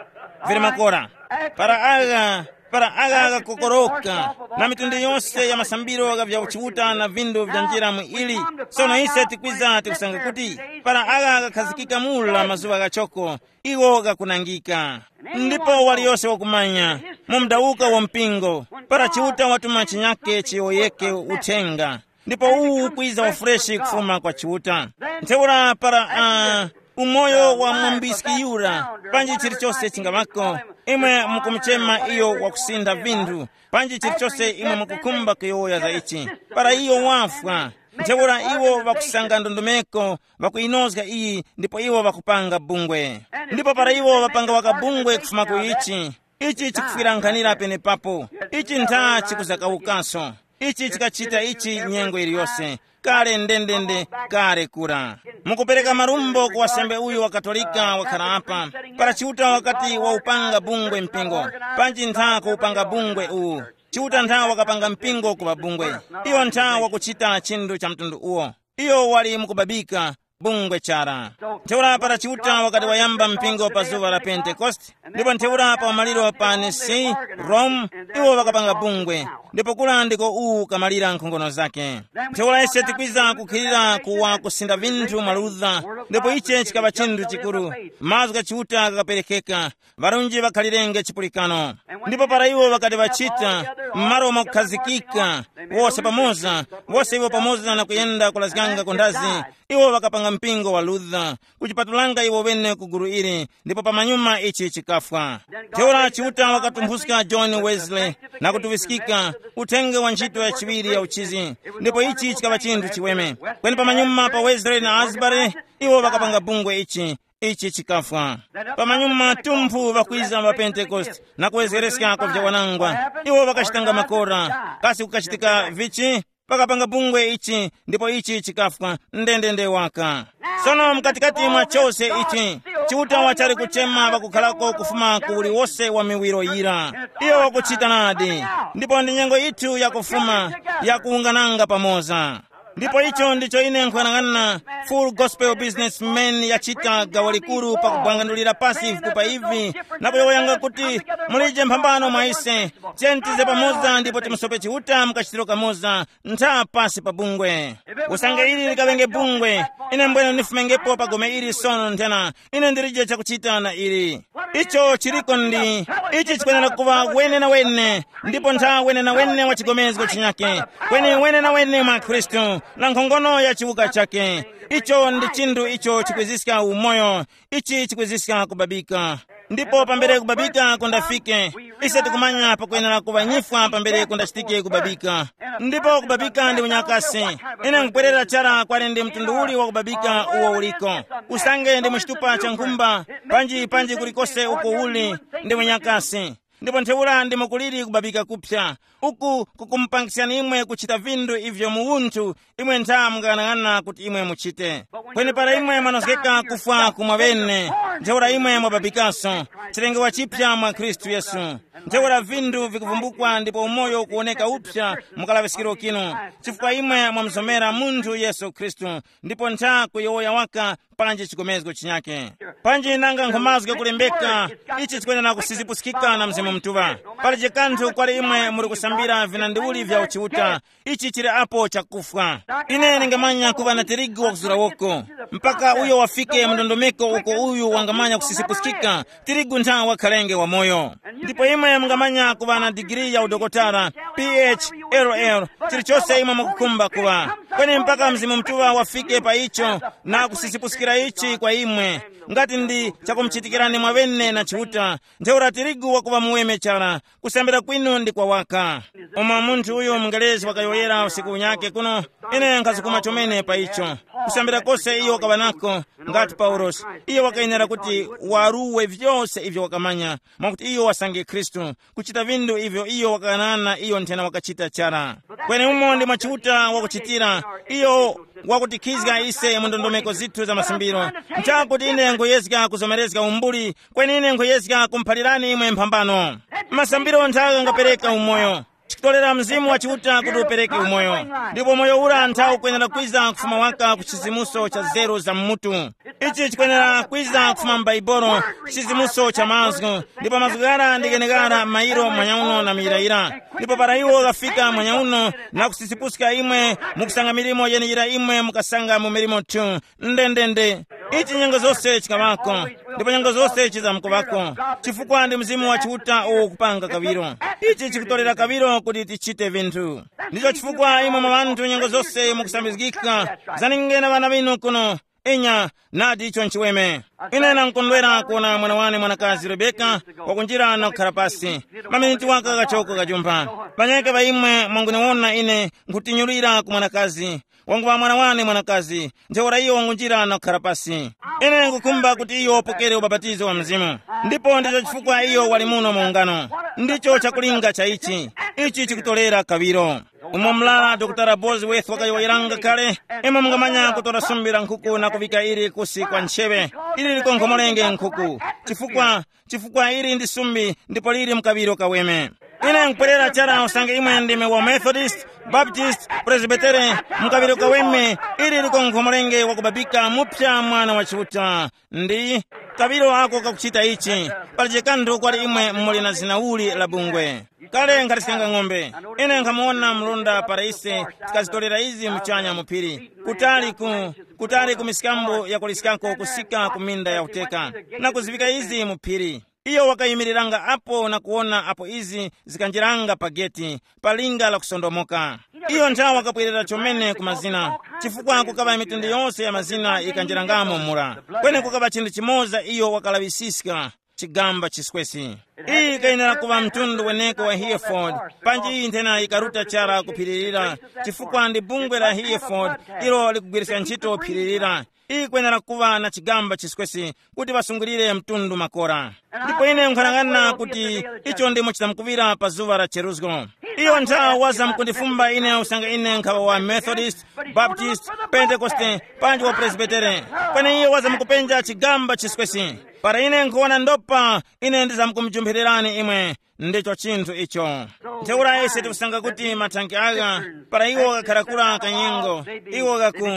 vili makora. Para agha, para agha ghakokoroka, na mitundu yose ya masambiro gha vya uchiuta na vindu vya njira mu ili. Sono ise tikwiza tikusanga kuti para agha ghakhazikika mura mazuŵa ghachoko, iwo ghakunangika. Ndipo waliyose wakumanya, mu mdawuka wa mpingo, para Chiuta watuma chinyake chiyowoyeke uthenga, ndipo uwu ukwiza wafureshi kufuma kwa Chiuta. Ntheura para uh, umoyo wa mwambiski yura, panji chilichose chingaŵako, imwe mukumuchema iyo wakusintha vinthu, panji chilichose imwe mukukhumba kuyowoya za ichi, para iyo wafwa, ntheura iwo ŵakusanga ndondomeko, ŵakuyinozga iyi, ndipo iwo ŵakupanga bungwe. Ndipo para iwo ŵapanga waka bungwe kufuma ku ichi, ichi chikufwirankhanira penepapo. Ichi ntha chikuzakawukanso. Ichi chikachita ichi nyengo iliyose, kale ndendende, kale kura. Mukupereka marumbo ku wasembe uyu wa Katolika wakhala apa, para Chiuta wakati waupanga bungwe mpingo, panji ntha kuupanga bungwe uwu. Chiuta ntha wakapanga mpingo kuŵa bungwe. Iyo ntha wakuchita chinthu cha mtundu uwo. Iyo wali mukubabika bungwe chara. Ntheura para Chiuta wakati wayamba mpingo pa zuŵa la Pentekoste, ndipo ntheura pa umaliro pa Nisi, Rome, iwo ŵakapanga bungwe, ndipo kura ndiko uwu kamalira nkhongono zake. Ntheura ise tikwiza kukhilira kuwa kusinda vinthu mwa Luther, ndipo iche chikaŵa chinthu chikuru. Mazgu gha Chiuta ghakaperekeka, ŵarunji ŵakhalirenge chipulikano. Ndipo para iwo ŵakati ŵachita, m'malo mwakukhazikika, wose pamoza, wose iwo pamoza na kuyenda kulazganga ku nthazi, iwo ŵakapanga mpingo wa Luther, kuchipatulanga iwo wene ku gulu ili, ndipo pamanyuma ichi chikafwa. Ntheura Chiuta wakatumphuska John Wesley na kutuŵiskika uthenga wa ntchito ya chiŵiri ya uchizi, ndipo ichi chikaŵa chinthu chiweme. Kweni pamanyuma pa Wesley na Asbury, iwo ŵakapanga bungwe ichi, ichi chikafwa. Pamanyuma tumphu ŵakwiza ŵa Pentekoste na kuwezgereska kwa vyawanangwa. Iwo ŵakachitanga makora. Kasi kukachitika vichi? Pakapanga bungwe ichi, ndipo ichi chikafwa ndendende waka. Sono mkatikati mwa chose ichi, Chiuta wachali kuchema ŵakukhalako kufuma ku uliwose wa miwiro yira. Iyo wakuchita nadi. Ndipo ndi nyengo yithu yakufuma, yakuwungananga pamoza. Ndipo icho ndicho ine nkhuyang'ana Full Gospel Businessman yachita gawo likuru pakubwangandulira pasi vikupa ivi, na kuyowoyanga kuti mulije mphambano mwa ise, tiyeni tize pamoza ndipo timusope Chiuta mukachitiro kamoza, ntha pasi pa bungwe. Usange ili likaŵenge bungwe, ine mbwene ndifumengepo pa gome ili sono nthena, ine ndilije chakuchita na ili. Icho chiliko ndi, ichi chikwenera kuŵa wenenawene, ndipo ntha wenenawene wa chigomezgo chinyake, kweni wenenawene mwa Khristu, na nkhongono ya chiwuka chake. Icho ndi chinthu icho chikwiziska umoyo, ichi chikwiziska kubabika. Ndipo pambere kubabika kundafike, ise tikumanya pakwenera kuŵa nyifwa pambere kundachitike kubabika. Ndipo kubabika ndi unyakasi. Ine nkupwerera chara kwali ndi mtundu uli wa kubabika uwo uliko. Usange ndi muchitupa cha nkhumba, panji panji kulikose uko uli, ndi unyakasi. Ndipo ntheura ndimo kuliri kubabika kuphya, uku kukumupangisyani imwe kuchita vinthu ivyo mu unthu imwe ntha mungayang'ana kuti imwe muchite. Kweni para imwe mwanozgeka kufwa kumwa bene, ntheura imwe mwababikaso, chilengewa chiphya mwa Khristu Yesu. Ntheura vinthu vikuvumbukwa ndipo umoyo ukuwoneka uphya mu kalaŵiskiro kinu, chifukwa imwe mwamuzomera munthu Yesu Khristu, ndipo ntha kuyowoya waka panji chikomezgo chinyake. Panji nanga nkhumazge kulembeka, ichi chikwenera kusizipuskika na Mzimu Mutuŵa. Palije kanthu kwali imwe muri kusambira vinandiuli vya uchiuta, ichi chili apo chakufwa. Ine ningamanya kuŵa na tirigu wakuzura woko, mpaka uyo wafike mu ndondomeko uko uyu wangamanya kusizipuskika, tirigu ntha wakhalenge wamoyo. Ndipo imwe mungamanya kuŵa na digiri ya udokotala, P H, Ero ero, chilichose imwe mukukhumba kuŵa, kweni mpaka Mzimu Mutuŵa wafike pa icho na kusisipuskira ichi kwa imwe, ngati ndi chakumuchitikirani mwaŵene na Chiuta, ntheura tirigu wakuŵa muweme chara. Kusambira kwinu ndi kwa waka. Umo munthu uyo mungerezi wakayowoyera usiku unyake kuno, ine nkhasukuma chomene pa icho. Kusambira kose iyo wakaŵa nako, ngati Paulosi, iyo wakayenera kuti waruwe vyose ivyo wakamanya, mwakuti iyo wasange Khristu, kuchita vindu ivyo iyo wakakanana iyo nthena wakachita chara. Kweni umo ndi mwa Chiuta wakuchitira, iyo wakutikhizga ise mu ndondomeko zithu za masimbiro. Nchakuti ine nkuyezga kuzomerezga umbuli, kweni ine nkuyezga kumuphalirani imwe mphambano. Masambiro nthaka ngapereka umoyo. Chikutorera Mzimu wa Chiuta kuti upereke umoyo. Ndipo moyo ura nthawi ukwenera kwiza kufuma waka ku chizimuso cha zeru za mmutu. Ichi chikwenera kwiza kufuma m'Baibulo, chizimuso cha mazgu. Ndipo mazgu ghara ndi gheneghara mairo mwanyauno na muyirayira. Ndipo para iwo ghafika mwanyauno na kusisipuska imwe, mukusanga milimo yeneyira imwe mukasanga mu milimo tu. Ndendende. Ichi nyengo zose chikaŵako, ndipo nyengo zose chizamkuŵako, chifukwa ndi Mzimu wa Chiuta uwo ukupanga kaŵiro. Ichi chikutorera kaŵiro kuti tichite vinthu. Ndicho chifukwa imwe mwa ŵanthu nyengo zose mukusambizgika. Zaningeni ŵana ŵinu kuno. Inya, nadi icho nchiweme. Ine nankondwera kuwona mwana wane mwanakazi Rebeka wakunjira na kukhala pasi. Maminiti waka kachoko kajumpha. Panyeke pa imwe mwanguniwona ine, nkhutinyulira ku mwanakazi. Wanguŵa mwana wane mwanakazi, ntheura iyo wangunjira na kukhala pasi. Ine ngukhumba kuti iyo wapokere ubapatizo wa Mzimu. Ndipo ndicho chifukwa iyo wali muno mu ungano. Ndicho chakulinga cha ichi. Ichi chikutorera kaŵiro. Umo mlala Dr Bosworth wakayowoyeranga kale, imwe mungamanya kutora sumbi la nkhuku na kuvika ili kusi kwa ntcheŵe, ili likonkhomorenge nkhuku. Chifukwa chifukwa ili ndi sumbi ndipo lili mkaŵiro kaweme. Ine nkupwerera chara usange imwe ndime wa Methodist, Baptist, Presbytere, mkaŵiro kaweme, ili liko nkhomolenge wakubabika mupya mwana wa Chiuta. Ndi kaŵiro ako kakuchita ichi, palije kanthu kwali imwe muli na zina uli la bungwe. Kale nkhatiskanga ng'ombe. Ine nkhamuwona mlonda para ise tikazitorera izi muchanya mu phiri, kutali ku kutali ku miskambo yakuliskako kusika ku minda ya uteka, na kuzivika izi mu phiri. Iyo wakayimiriranga apo na kuwona apo izi zikanjiranga pa geti, pa linga la kusondomoka. Iyo nthawe wakabwerera chomene ku mazina, chifukwa kukaŵa mitundu yonse ya mazina yikanjirangamo mura. Kweni kukaŵa chinthu chimoza iyo wakalaŵisiska, chigamba chiswesi. Iyi ikayenera kuŵa mtundu weneko wa Hereford, panji iyi nthena yikaruta chara kuphiririra, chifukwa ndi bungwe la Hereford ilo likugwiriska ntchito phirira. Iyi kwenera kuŵa na chigamba chiswesi kuti ŵasungulire mtundu makora. Ndipo ine nkhanang'ana kuti icho ndimo chitamkuŵira pa zuŵa la cheruzgo. Iyo nthawa waza mukundifumba ine usanga ine nkhawa wa Methodist, Baptist, Pentekoste, panji wa Presbytere. Kweni iyo waza mukupenja chigamba chiswesi. Para ine nkhuwona ndopa, ine ndizamkumujumphirirani imwe. Ndicho chinthu icho. Ntheura ise tikusanga kuti mathanki agha, para iwo ghakharakura kanyengo, iwo ghaku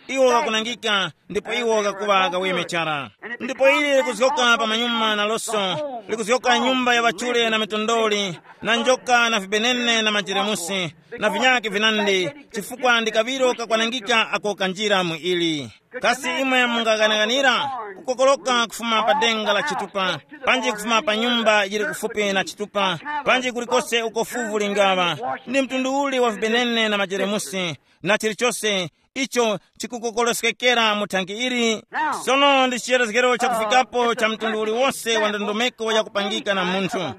iwo ghakunangika, ndipo iwo ghakuŵa ghaweme chara. Ndipo ili likuzgoka pa manyuma na loso, likuzgoka nyumba ya ŵachule na mitondoli, na njoka na vibenene na majeremusi, na vinyake vinandi, chifukwa ndi kaŵiro kakwanangika ako kanjira mu ili. Kasi imwe mungaghanaghanira kukokoloka kufuma pa denga la chitupa, panji kufuma pa nyumba yili kufupi na chitupa, panji kulikose uko fuvu lingaŵa? Ndi mtundu uli wa vibenene na majeremusi na chilichose icho chikukokoloskekera mu thanki ili? Sono ndi chiyerezgero chakufikapo cha mtundu uliwonse wa ndondomeko yakupangika na munthu.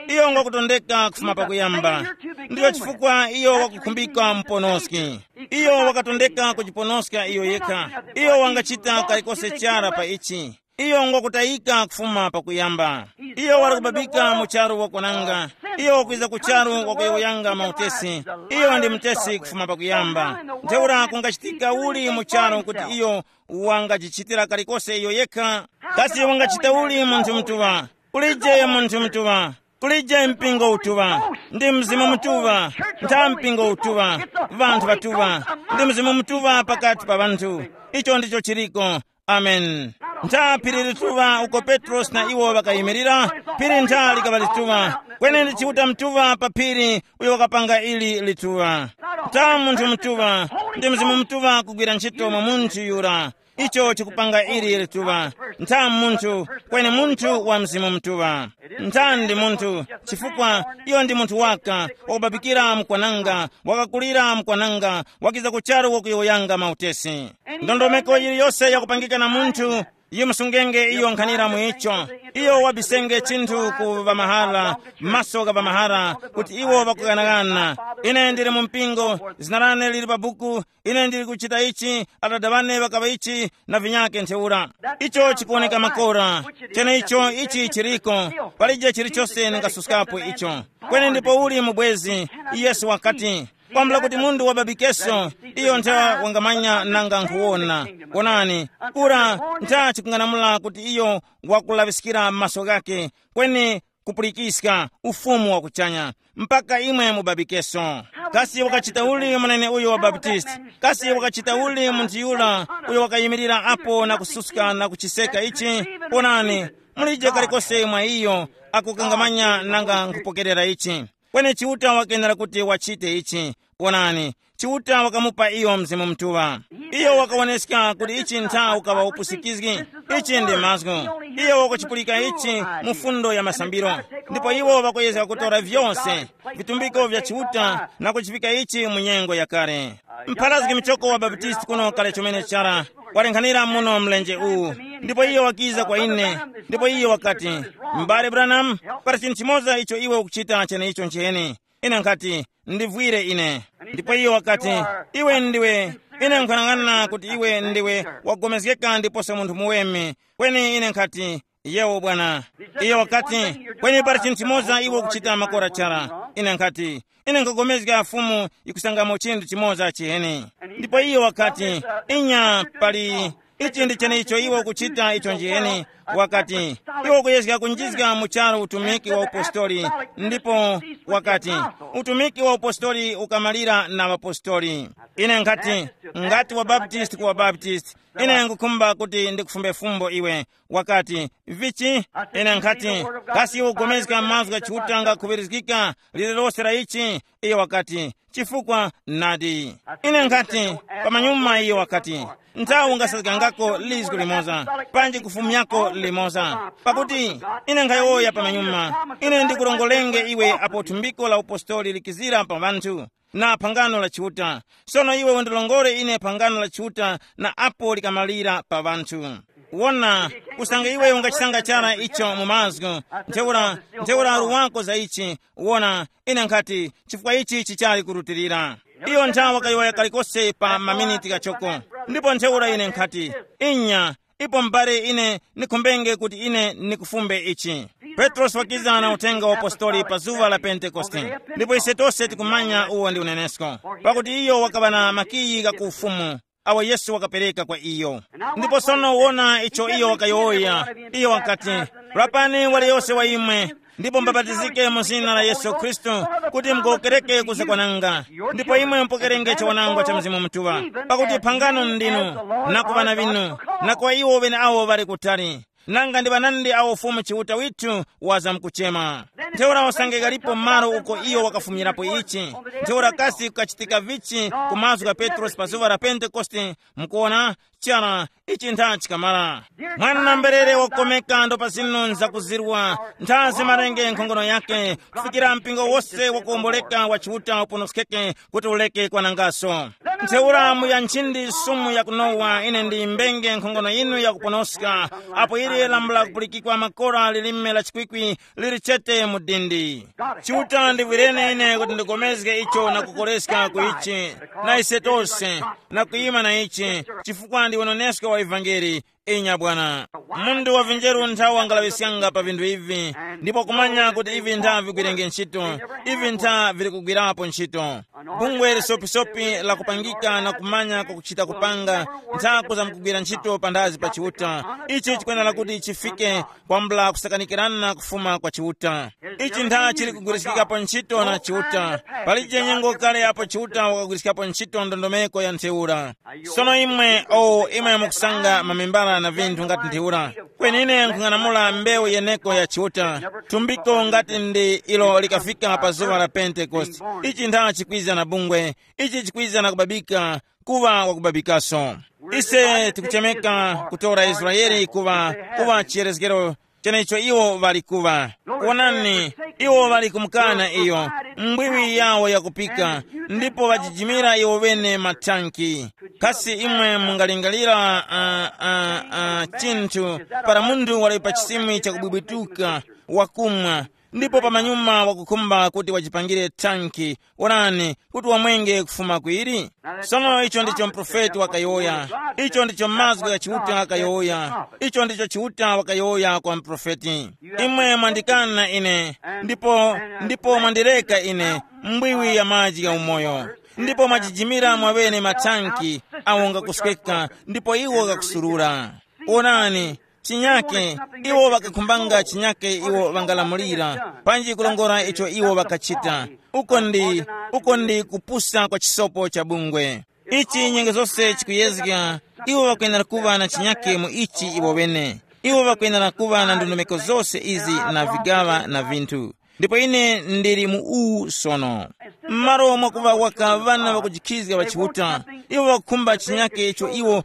Iyo ngwakutondeka kufuma pakuyamba. Ndicho chifukwa iyo wakukhumbika muponoski. Iyo wakatondeka kujiponoska iyo yekha. Iyo wangachita kalikose chara pa ichi. Iyo ngwakutayika kufuma pakuyamba. Iyo wali kubabika mu charu wakwananga. Iyo wakwiza ku charu wakuyowoyanga mautesi. Iyo ndi mutesi kufuma pakuyamba. Ntheura kungachitika uli mu charu kuti iyo wangajichitira kalikose iyo yekha? Kasi wangachita uli munthu mutuŵa? Kulije munthu mutuŵa. Kulije mpingo utuŵa, ndi Mzimu Mutuŵa, ntha mpingo utuŵa, ŵanthu ŵatuŵa, ndi Mzimu Mutuŵa pakati pa ŵanthu. Icho ndicho chiriko. Amen. Ntha phiri lituŵa uko Petrosi na iwo ŵakayimirira, phiri ntha likaŵa lituŵa, kweni ndi Chiuta Mutuŵa pa phiri uyo wakapanga ili lituŵa. Ntha munthu mutuŵa, ndi Mzimu Mutuŵa kugwira ntchito mwa munthu yura. Icho chikupanga ili lituŵa. Ntha munthu, kweni munthu wa Mzimu Mutuŵa. Ntha ndi munthu, chifukwa iyo ndi munthu waka, wakubabikira mukwananga, wakakulira mukwananga, wakiza ku charu wakuyowoyanga mautesi. Ndondomeko yiliyose yakupangika na munthu, yimusungenge iyo nkhanira mu icho. Iyo wabisenge chinthu ku ŵamahara, maso gha ŵamahara, kuti iwo ŵakughanaghana. Ine ndili mu mpingo, zina lane lili pa buku, ine ndili kuchita ichi, adada ŵane ŵakaŵa ichi, na vinyake ntheura. Icho chikuwoneka makora. Cheneicho ichi chiriko. Palije chilichose ningasuskapo icho. Kweni ndipo uli mubwezi, Yesu wakati, kwambula kuti munthu wababikeso, iyo ntha wangamanya nanga nkhuwona. Wonani, ura ntha chikung'anamula kuti iyo wakulaŵiskira maso ghake, kweni kupulikiska ufumu wa kuchanya, mpaka imwe mubabikeso. Kasi wakachita uli munene uyo wa Baptisti? Kasi wakachita uli munthu yura uyo wakayimirira apo na kususka na kuchiseka ichi? Ponani, mulije kalikose mwa iyo akukangamanya nanga nkhupokerera ichi. Kweni Chiuta wakenera kuti wachite ichi. Wonani, Chiuta wakamupa iyo Mzimu Mutuŵa. Iyo wakawoneska kuti ichi ntha ukaŵa upusikizgi. Ichi ndi mazgu. Iyo wakuchipulika ichi mu fundo ya masambiro. Ndipo iwo ŵakuyezga kutora vyose vitumbiko vya Chiuta na kuchipika ichi mu nyengo yakale. Mpharazgi muchoko wa Baptisti kuno kale chomene chara, walenghanira muno mlenje uwu. Ndipo iyo wakiza kwa ine, ndipo iyo wakati, m'bale Branham, pali chinthu chimoza icho iwe ukuchita cheneicho ncheni. Ine nkhati, ndivwire ine. Ndipo iyo wakati, iwe ndiwe, ine nkhanang'ana kuti iwe ndiwe wagomezgeka ndiposo munthu muweme. Kweni ine nkhati, yewo bwana. Iyo wakati, kweni pali chinthu chimoza iwe ukuchita makora chara. Ine nkhati, ine nkhapulikana Fumu yikusangamo chinthu chimoza chiheni. Ndipo iyo wakati, inya, pali, ichi ndi cheneicho iwe ukuchita icho njiheni. Wakati, iwe ukuyezga kunjizga mu charu utumiki wa upostori. Ndipo wakati, utumiki wa upostori ukamalira na ŵapostori. Ine nkhati, ngati wa Baptist ku wa Baptist, ine ngukhumba kuti ndikufumbe fumbo iwe. Wakati, vichi? Ine nkhati, kasi iwe ugomezga mazgu gha Chiuta ngakhuŵirizgika lililose la ichi? Iyo wakati, chifukwa nadi. Ine nkhati, pamanyuma iyo wakati, nthawi ungasazgangako lizgu limoza, panji kufumyako limoza. Pakuti ine nkhayowoya pamanyuma, ine ndikurongolenge iwe apo thumbiko la upostoli likizira pa ŵanthu, na phangano la Chiuta. Sono iwe undilongore ine phangano la Chiuta na apo likamalira pa ŵanthu. Wona, kusanga iwe ungachisanga chara icho mu mazgu, ntheura, ntheura uru wako za ichi. Wona, ine nkhati, chifukwa ichi chichali kurutilira. Iyo nthawa kayowoya kalikose pa maminiti ghachoko. Ndipo ntheura ine nkhati, inya, ipo m'bale ine nikhumbenge kuti ine nikufumbe ichi. Petrosi wakiza na uthenga wa apostoli pa zuŵa la Pentekoste. Ndipo ise tose tikumanya uwo ndi unenesko. Pakuti iyo wakaŵa na makiyi gha ku ufumu, awo Yesu wakapereka kwa iyo. Ndipo sono wona icho iyo wakayowoya. Iyo wakati, lapani waliyose wa imwe, ndipo mbabatizike mu zina la Yesu Khristu, kuti mugowokereke kuzakwananga. Ndipo imwe mupokerenge chiwanangwa cha Mzimu Mutuŵa, pakuti phangano ndinu, na ku ŵana ŵinu, na kwa iwo ŵeneawo ŵali kutali. Nanga ndi ŵanandi awo Fumu Chiuta withu wazamkuchema? Ntheura usange ghalipo malo uko iyo wakafumirapo ichi, ntheura kasi kukachitika vichi ku mazgu gha Petrosi pa zuŵa la Pentekoste? Mukuona, chara, ichi ntha chikamala. Mwana mberere wakomeka ndo pa zinu nzakuzirwa, ntha zimarenge nkhongono yake, kufikira mpingo wose wakuwomboleka wa Chiuta uponoskeke kuti uleke kwanangaso. Ntheura mu ya nchindi sumu yakunowa ine ndiyimbenge nkhongono yinu yakuponoska, apo ili lambula kupulikikwa makora lilime la chikwikwi lili chete mu dindi. Chiuta ndiwireni ine kuti ndigomezge icho na kukoleska ku ichi, na ise tose, na kuyima na ichi, chifukwa ndi unenesko wa ivangeli. Inya bwana. Munthu wa vinjeru nthawi wangalaŵiskanga pa vinthu ivi, ndipo kumanya kuti ivi ntha vigwirenge ntchito, ivi ntha vili kugwirapo ntchito. Bungwe lisopisopi la kupangika na kumanya kwakuchita kupanga, ntha kuzamkugwira ntchito panthazi pa Chiuta. Ichi chikwenera kuti chifike kwambula kusakanikirana kufuma kwa Chiuta. Ichi ntha chili kugwiriskikapo ntchito na Chiuta. Palije nyengo kale apo Chiuta wakagwiriskapo ntchito ndondomeko ya ntheura. Sono imwe, o imwe mukusanga mamembala na vinthu ngati ntheura, Penine nkhung'anamula mbewu yeneko ya Chiuta, thumbiko ngati ndi ilo likafika pa zuŵa la Pentekoste. Ichi ntha chikwiza na bungwe, ichi chikwiza na kubabika, kuŵa wakubabikaso. Ise tikuchemeka kutora Israeli kuŵa, kuŵa chiyerezgero chenecho iwo ŵali kuŵa. Wonani, iwo ŵali kumukana iyo, mbwiwi yawo yakupika, ndipo ŵajijimira iwo ŵene mathanki. Kasi imwe mungalingalira uh, uh, uh, chinthu para munthu wali pa chisimi chakubwibwituka, wakumwa, ndipo pamanyuma wakukhumba kuti wachipangire thanki, onani, kuti wamwenge kufuma kwiri? Sono icho ndicho mprofeti wakayowoya. Icho ndicho mazgu gha Chiuta gakayowoya. Icho ndicho Chiuta wakayowoya kwa mprofeti. Imwe mwandikana ine, ndipo ndipo mwandireka ine, mbwiwi ya maji ya umoyo, ndipo mwajijimira mwaŵene mathanki awo ngakusweka, ndipo iwo ghakusurura. Onani, chinyake, iwo ŵakakhumbanga chinyake iwo ŵangalamulira, panji kulongora icho iwo ŵakachita. Uko ndi, uko ndi kupusa kwa chisopo cha bungwe. Ichi nyengo zose chikuyezga. Iwo ŵakwenera kuŵa na chinyake mu ichi iwo ŵene. Iwo ŵakwenera kuŵa na ndondomeko zose izi na vigaŵa na vinthu. Ndipo ine ndili mu uwu sono. M'malo mwakuva waka ŵana ŵakujikhizga ŵa Chiuta, iwo ŵakukhumba chinyake icho iwo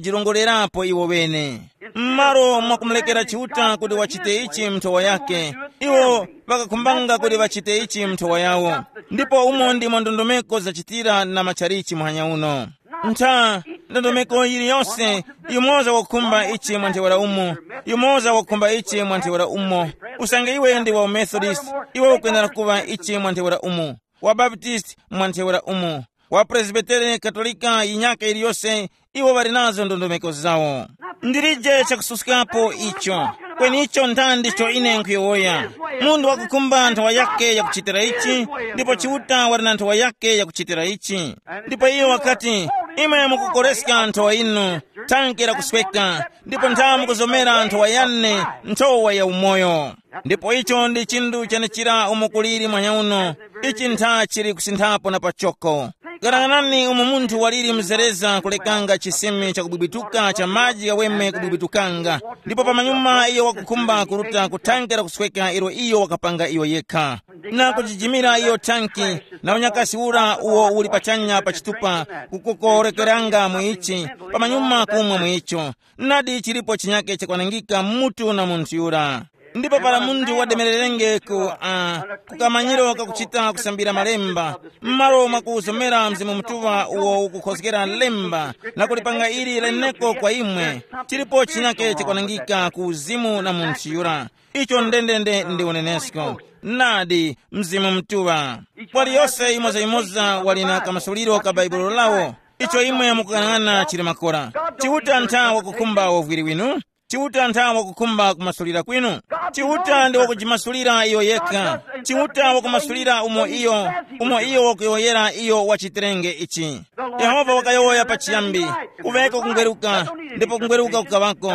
ŵangajirongolerapo iwo ŵene. M'malo mwakumulekera Chiuta kuti wachite ichi mnthowa yake, iwo ŵakakhumbanga kuti ŵachite ichi mnthowa yawo. Ndipo umo ndimo ndondomeko zachitira na matchalichi muhanya uno. Ntha, ndondomeko yiliyonse, yumoza wakukhumba ichi mwa ntheura umo, yumoza wakukhumba ichi mwa ntheura umo. Usange iwe ndi wa umethodist, iwe ukwenera kuŵa ichi mwa ntheura umo, wa baptist mwa ntheura umo, wa presbitere, katolika, yinyaka yiliyonse, iwo ŵali nazo ndondomeko zawo. Ndilije chakususkapo icho. Kweni icho ntha ndicho ine nkhuyowoya. Munthu wakukhumba nthowa yake yakuchitira ichi, ndipo Chiuta wali na nthowa yake yakuchitira ichi. Ndipo iyo wakati, imwe mukukoreska nthowa inu, thanke lakusweka, ndipo ntha mukuzomera nthowa yane, nthowa ya umoyo. Ndipo icho ndi chinthu chenechira umo kuliri mwanya uno, ichi ntha chili kusinthapo na pachoko. Ghanaghanani umo munthu waliri mzereza kulekanga chisimi chakubwibwituka cha maji ghaweme kubwibwitukanga, ndipo pamanyuma iyo wakukhumba kuruta ku thanke lakusweka ilo iyo wakapanga iyo yekha, na kujijimira iyo thanki, na unyakasi ura uwo uli pachanya pa chitupa kukokorekeranga mu ichi, pamanyuma kumwa mu icho. Nadi chilipo chinyake chakwanangika mutu na munthu yura. Ndipo para munthu wademererenge ku uh, kukamanyiro kakuchita kusambira malemba, m'malo mwa kuzomera Mzimu Mutuŵa uwo ukukhozgera lemba na kulipanga ili leneko kwa imwe, chilipo chinyake chakwanangika ku uzimu na munthu yura. Icho ndendende ndi unenesko. Nadi, Mzimu Mutuŵa. Waliyose yimoza-yimoza wali na kamasuliro ka Baibulo lawo. Icho imwe mukuyang'ana chili makora. Chiuta ntha wakukhumba uvwiri winu. Chiuta ntha wakukhumba kumasulira kwinu. Chiuta ndi wakujimasulira iyo yekha. Chiuta wakumasulira umo iyo, umo iyo wakuyowoyera iyo wachitirenge ichi. Yehova wakayowoya pachiyambi, kuveko kungweruka, ndipo kungweruka kukaŵako.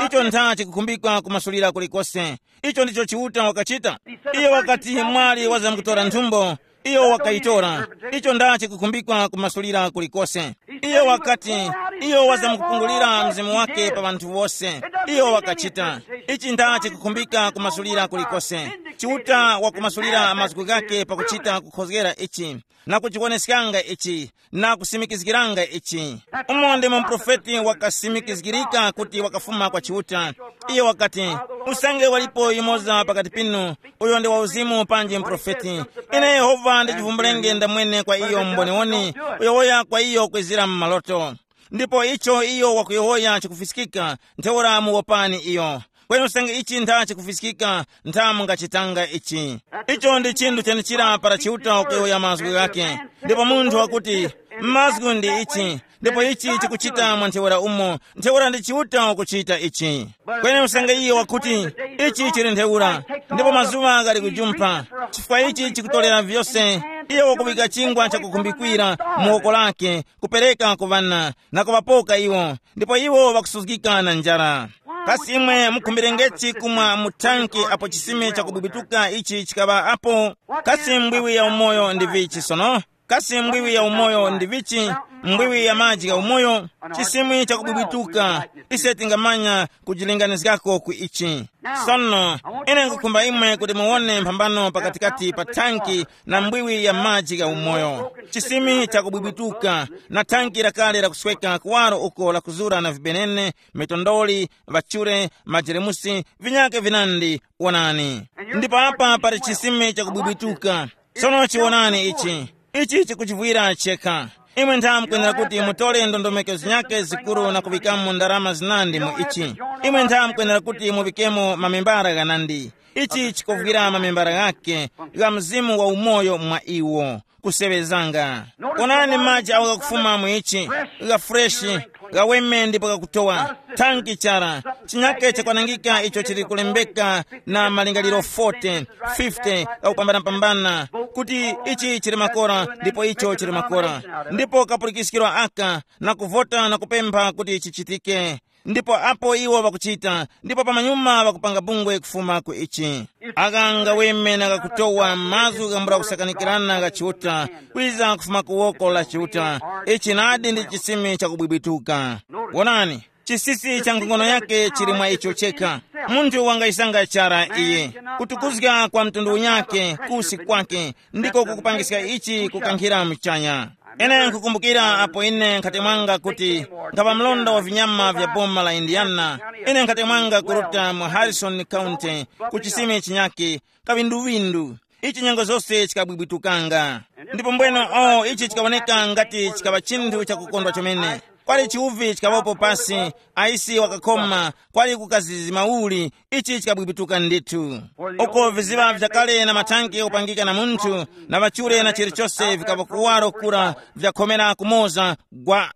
Icho ntha chikukhumbikwa kumasulira kulikose. Icho ndicho Chiuta wakachita. Iyo wakati mwali wazamkutora nthumbo, iyo wakayitora. Icho nda chikukhumbikwa kumasulira kulikose. Iyo wakati, iyo wazamkupungulira mzimu wake pa ŵanthu wose. Iyo wakachita. Ichi nda chikukhumbika kumasulira kulikose. Chiuta wakumasulira mazgu ghake pakuchita kukhozgera ichi, na kuchiwoneskanga ichi, na kusimikizgiranga ichi. Umo ndimo muprofeti wakasimikizgirika kuti wakafuma kwa Chiuta. Iyo wakati, usange walipo yumoza pakati pinu, uyo ndi wauzimu panji muprofeti, ine Yehova ndichivumbulenge ndamwene kwa iyo mboniwoni, kuyowoya kwa iyo kwezira mu maloto. Ndipo icho iyo wakuyowoya chikufiskika, ntheura muwopani iyo. Kweni usange ichi ntha chikufiskika, ntha mungachitanga ichi. Icho ndi chinthu chenichira para Chiuta wakuyowoya mazgu ghake. Ndipo munthu wakuti, mazgu ndi ichi, ndipo ichi chikuchita mwa ntheura umo, ntheura ndi Chiuta wakuchita ichi. Kweni usange iye wakuti, ichi chili ntheura, ndipo mazuŵa ghali kujumpha, chifukwa ichi chikutorera vyose, iye wakuŵika chingwa chakukhumbikira mu woko lake, kupereka ku ŵana, na kuŵapoka iwo, ndipo iwo ŵakusuzgika na njara. Kasi imwe mukhumbirengeti kumwa mu thanki apo chisime chakubwibwituka ichi chikaŵa apo? Kasi mbwiwi ya umoyo ndi vichi sono? Kasi mbwiwi ya umoyo ndi vichi? Mbwiwi ya maji ya umoyo, chisimi chakubwibwituka. Ise tingamanya kujilinganizgako ku ichi. Sono, ine nkukhumba imwe kuti muwone mphambano pakatikati pa thanki na mbwiwi ya maji ya umoyo. Chisimi chakubwibwituka, na thanki lakale lakusweka kuwaro uko lakuzura na vibenene, mitondoli, ŵachure, majeremusi, vinyake vinandi. Wonani. Ndipo apa pali chisime chakubwibwituka. Sono chiwonani ichi. Ichi chikuchivwira chekha. Imwe ntha mukwenera kuti mutole ndondomeko zinyake zikuru na kuŵikamo ndarama zinandi mu ichi. Imwe ntha mukwenera kuti muŵikemo mamembara ghanandi. Ichi chikuvwira mamembara ghake, gha mzimu wa umoyo mwa iwo. Kuseŵezanga. Onani maji awo ghakufuma mu ichi, gha freshi, gha weme ndipo ghakutowa. Thanki chara, chinyake chakwanangika icho chili kulembeka na malingaliro forty, fifty ghakupambanapambana, kuti ichi chili makora ndipo icho chili makora. Ndipo kapulikiskiro aka, na kuvota na kupempha kuti chichitike. Ndipo apo iwo ŵakuchita, ndipo pamanyuma ŵakupanga bungwe kufuma ku ichi. Aka ngaweme na kakutowa mazgu gambula kusakanikirana gha Chiuta, kwiza kufuma ku woko la Chiuta. Ichi nadi ndi chisime chakubwibwituka. Wonani, chisisi cha nkhongono yake chili mwa icho chekha. Munthu wangayisanga chara iye, kutukuzga kwa mtundu unyake kusi kwake, ndiko kukupangiska ichi kukankhira muchanya. Ine nkukumbukira apo ine nkhati mwanga kuti, nkhaŵa mlonda wa vinyama vya boma la Indiana. Ine nkhati mwanga kuruta mu Harrison County, ku chisime chinyake, kavinduvindu. Ichi nyengo zose chikabwibwitukanga. Ndipo mbweno, o ichi chikawoneka ngati chikaŵa chinthu chakukondwa chomene. Kwali chiwuvi chikaŵapo pasi, aisi wakakhoma, kwali kukazizima uli. Ichi chikabwibwituka ndithu. Uko viziŵa vyakale na mathanki okupangika na munthu, na ŵachure na chilichose vikapa kuwaro kura vyakhomera kumoza, gwa.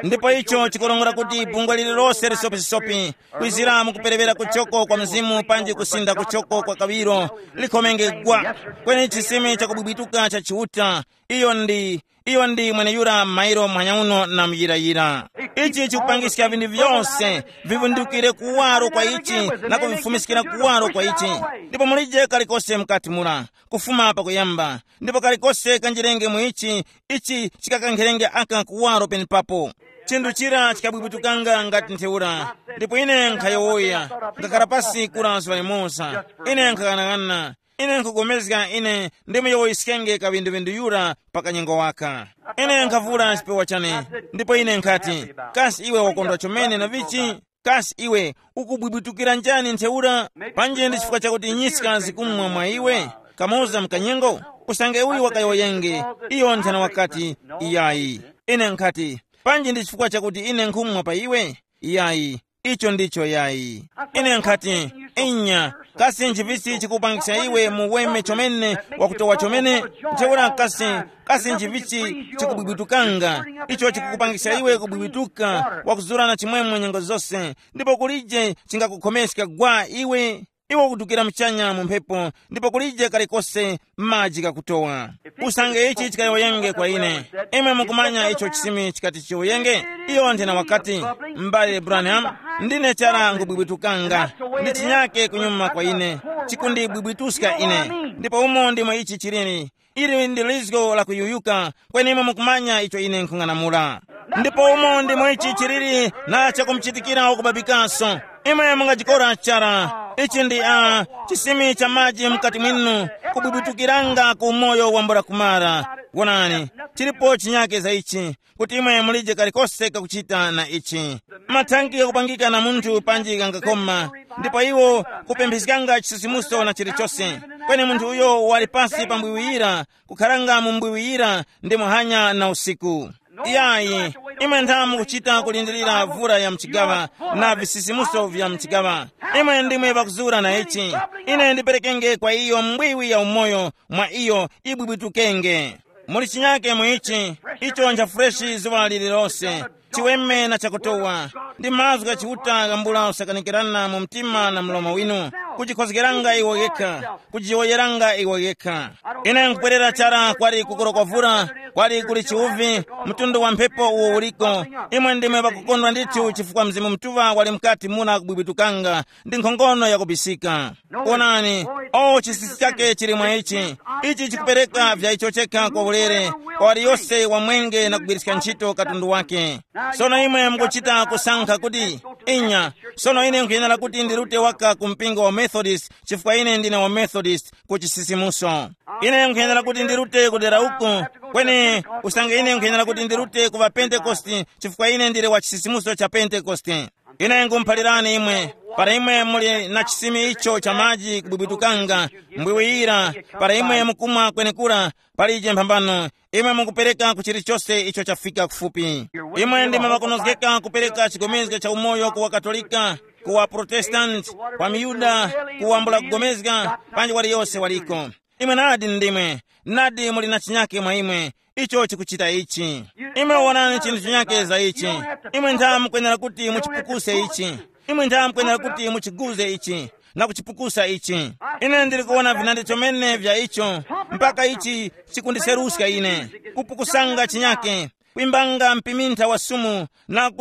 Ndipo icho chikurongora kuti bungwe lililose lisopisopi, kwizira mukuperewera kuchoko kwa mzimu panji kusinda kuchoko kwa kawiro, likhomenge gwa. Kweni chisime chakubwibwituka cha Chiuta, iyo ndi iyo ndi mweneyura mairo muhanya uno na muyirayira. Ichi chikupangiska vinthu vyose vivundukire kuwaro kwa ichi, na kuvifumiskira kuwaro kwa ichi. Ndipo mulije kalikose mukati mura, kufuma pakuyamba, ndipo kalikose kanjirenge mu ichi, ichi chikakankherenge aka kuwaro penepapo. Chinthu chira chikabwibwitukanga ngati ntheura. Ndipo ine nkhayowoya, ngakhara pasi kura zuŵa limoza. Ine nkhaghanaghananga. Ine nkhupulikana ine ndimuyowoyeskenge kaŵinduŵindu yura pa kanyengo waka. Ine nkhavura chipewa chane, ndipo ine nkhati, kasi iwe wakondwa chomene na vichi? Kasi iwe ukubwibwitukira njani ntheura? Panji ndi chifukwa chakuti nyiska zikumwa mwa iwe, kamoza mkanyengo? Usange uyu wakayowoyenge, iyo nthena wakati, iyayi. Ine nkhati, panji ndi chifukwa chakuti ine nkhumwa pa iwe? Iyayi. Icho ndicho yayi. Ine nkhati, inya, kasi nchivichi chikupangisa iwe muweme chomene, wakutowa chomene? Ntheura kasi, kasi nchivichi chikubwibwitukanga, icho chikukupangisa iwe kubwibwituka, wakuzura na chimwemwe nyengo zose, ndipo kulije chingakukhomeska gwa iwe? Iwe ukudukira muchanya mu mphepo, ndipo kulije kalikose maji ghakutowa. Usange ichi chikayowoyenge kwa ine, imwe mukumanya icho chisimi chikati chiyowoyenge? Iyo nthena wakati, m'bale Branham, ndine chara ngubwibwitukanga, ndi chinyake kunyuma kwa ine, chikundibwibwituska ine. Ndipo umo ndimo ichi chiliri. Ili ndi lizgo la kuyuyuka, kweni imwe mukumanya icho ine nkhung'anamula. Ndipo umo ndimo ichi chiliri na chakumuchitikira wakubabikaso. Imwe mungajikora chara. Ichi ndi a chisimi cha maji mkati mwinu, kubwibwitukiranga ku umoyo wambula kumara. Wonani, chilipo chinyake za ichi, kuti imwe mulije kalikose kakuchita na ichi. Mathanki ghakupangika na munthu panji ghangakoma, ndipo iwo kupempheskanga chisisimuso na chilichose. Kweni munthu uyo wali pasi pa mbwiwiyira, kukharanga mu mbwiwiyira ndi muhanya na usiku. Iyayi, imwe ntha mukuchita kulindirira vura ya mchigaŵa na visisimuso vya mchigaŵa. Imwe ndimwe ŵakuzura na ichi. Ine ndiperekenge kwa iyo mbwiwi ya umoyo, mwa iyo ibwibwitukenge. Muli chinyake mu ichi, icho ncha freshi zuŵa lililose, chiweme na chakutowa. Ndi mazgu gha Chiuta ghambula usakanikirana mu mtima na mlomo winu, kujikhozgeranga iwo ghekha, kujiyowoyeranga iwo ghekha. Ine nkupwerera chara kwali kukoro kwa vura, kwali kuli chiwuvi, mtundu wa mphepo uwo uliko. Imwe ndimwe ŵakukondwa ndithu chifukwa Mzimu Mutuŵa wali mukati muna kubwibwitukanga, ndi nkhongono yakubisika. Onani, O, chisisi chake chili mwa ichi. Ichi chikupereka vya icho chekha kwa ulere kwa waliyose wamwenge na kugwiriska ntchito katundu wake. Sono imwe mukuchita kusankha kuti, inya, sono ine nkhuyenera kuti ndirute waka ku mpingo wa Methodist chifukwa ine ndine wa Methodist ku chisisimuso. Ine nkhuyenera kuti ndirute kudera uku, kweni usange ine nkhuyenera kuti ndirute ku ŵapentekoste chifukwa ine ndili wa chisisimuso cha Pentekoste. Ine nkhumuphalirani imwe, para imwe muli na chisimi icho cha maji kubwibwitukanga, mbwiwiyira, para imwe mukumwa kwenekura, palije mphambano, imwe mukupereka ku chilichose icho chafika kufupi. Imwe ndimwe makonozgeka kupereka chigomezga cha umoyo ku waKatolika, ku waProtestanti, kwa miYuda, ku wambula kugomezga, panji waliyose waliko. Imwe nadi ndimwe, nadi muli na chinyake mwa imwe, icho chikuchita ichi. Imwe wonani chinthu chinyake za ichi. Imwe ntha mukwenera kuti muchipukuse ichi. Imwe ntha mukwenera kuti muchiguze ichi na kuchipukusa ichi. Ine ndili kuwona vinandi chomene vya icho, mpaka ichi chikundiseruska ine, kupukusanga chinyake, kwimbanga mpimintha wa sumu na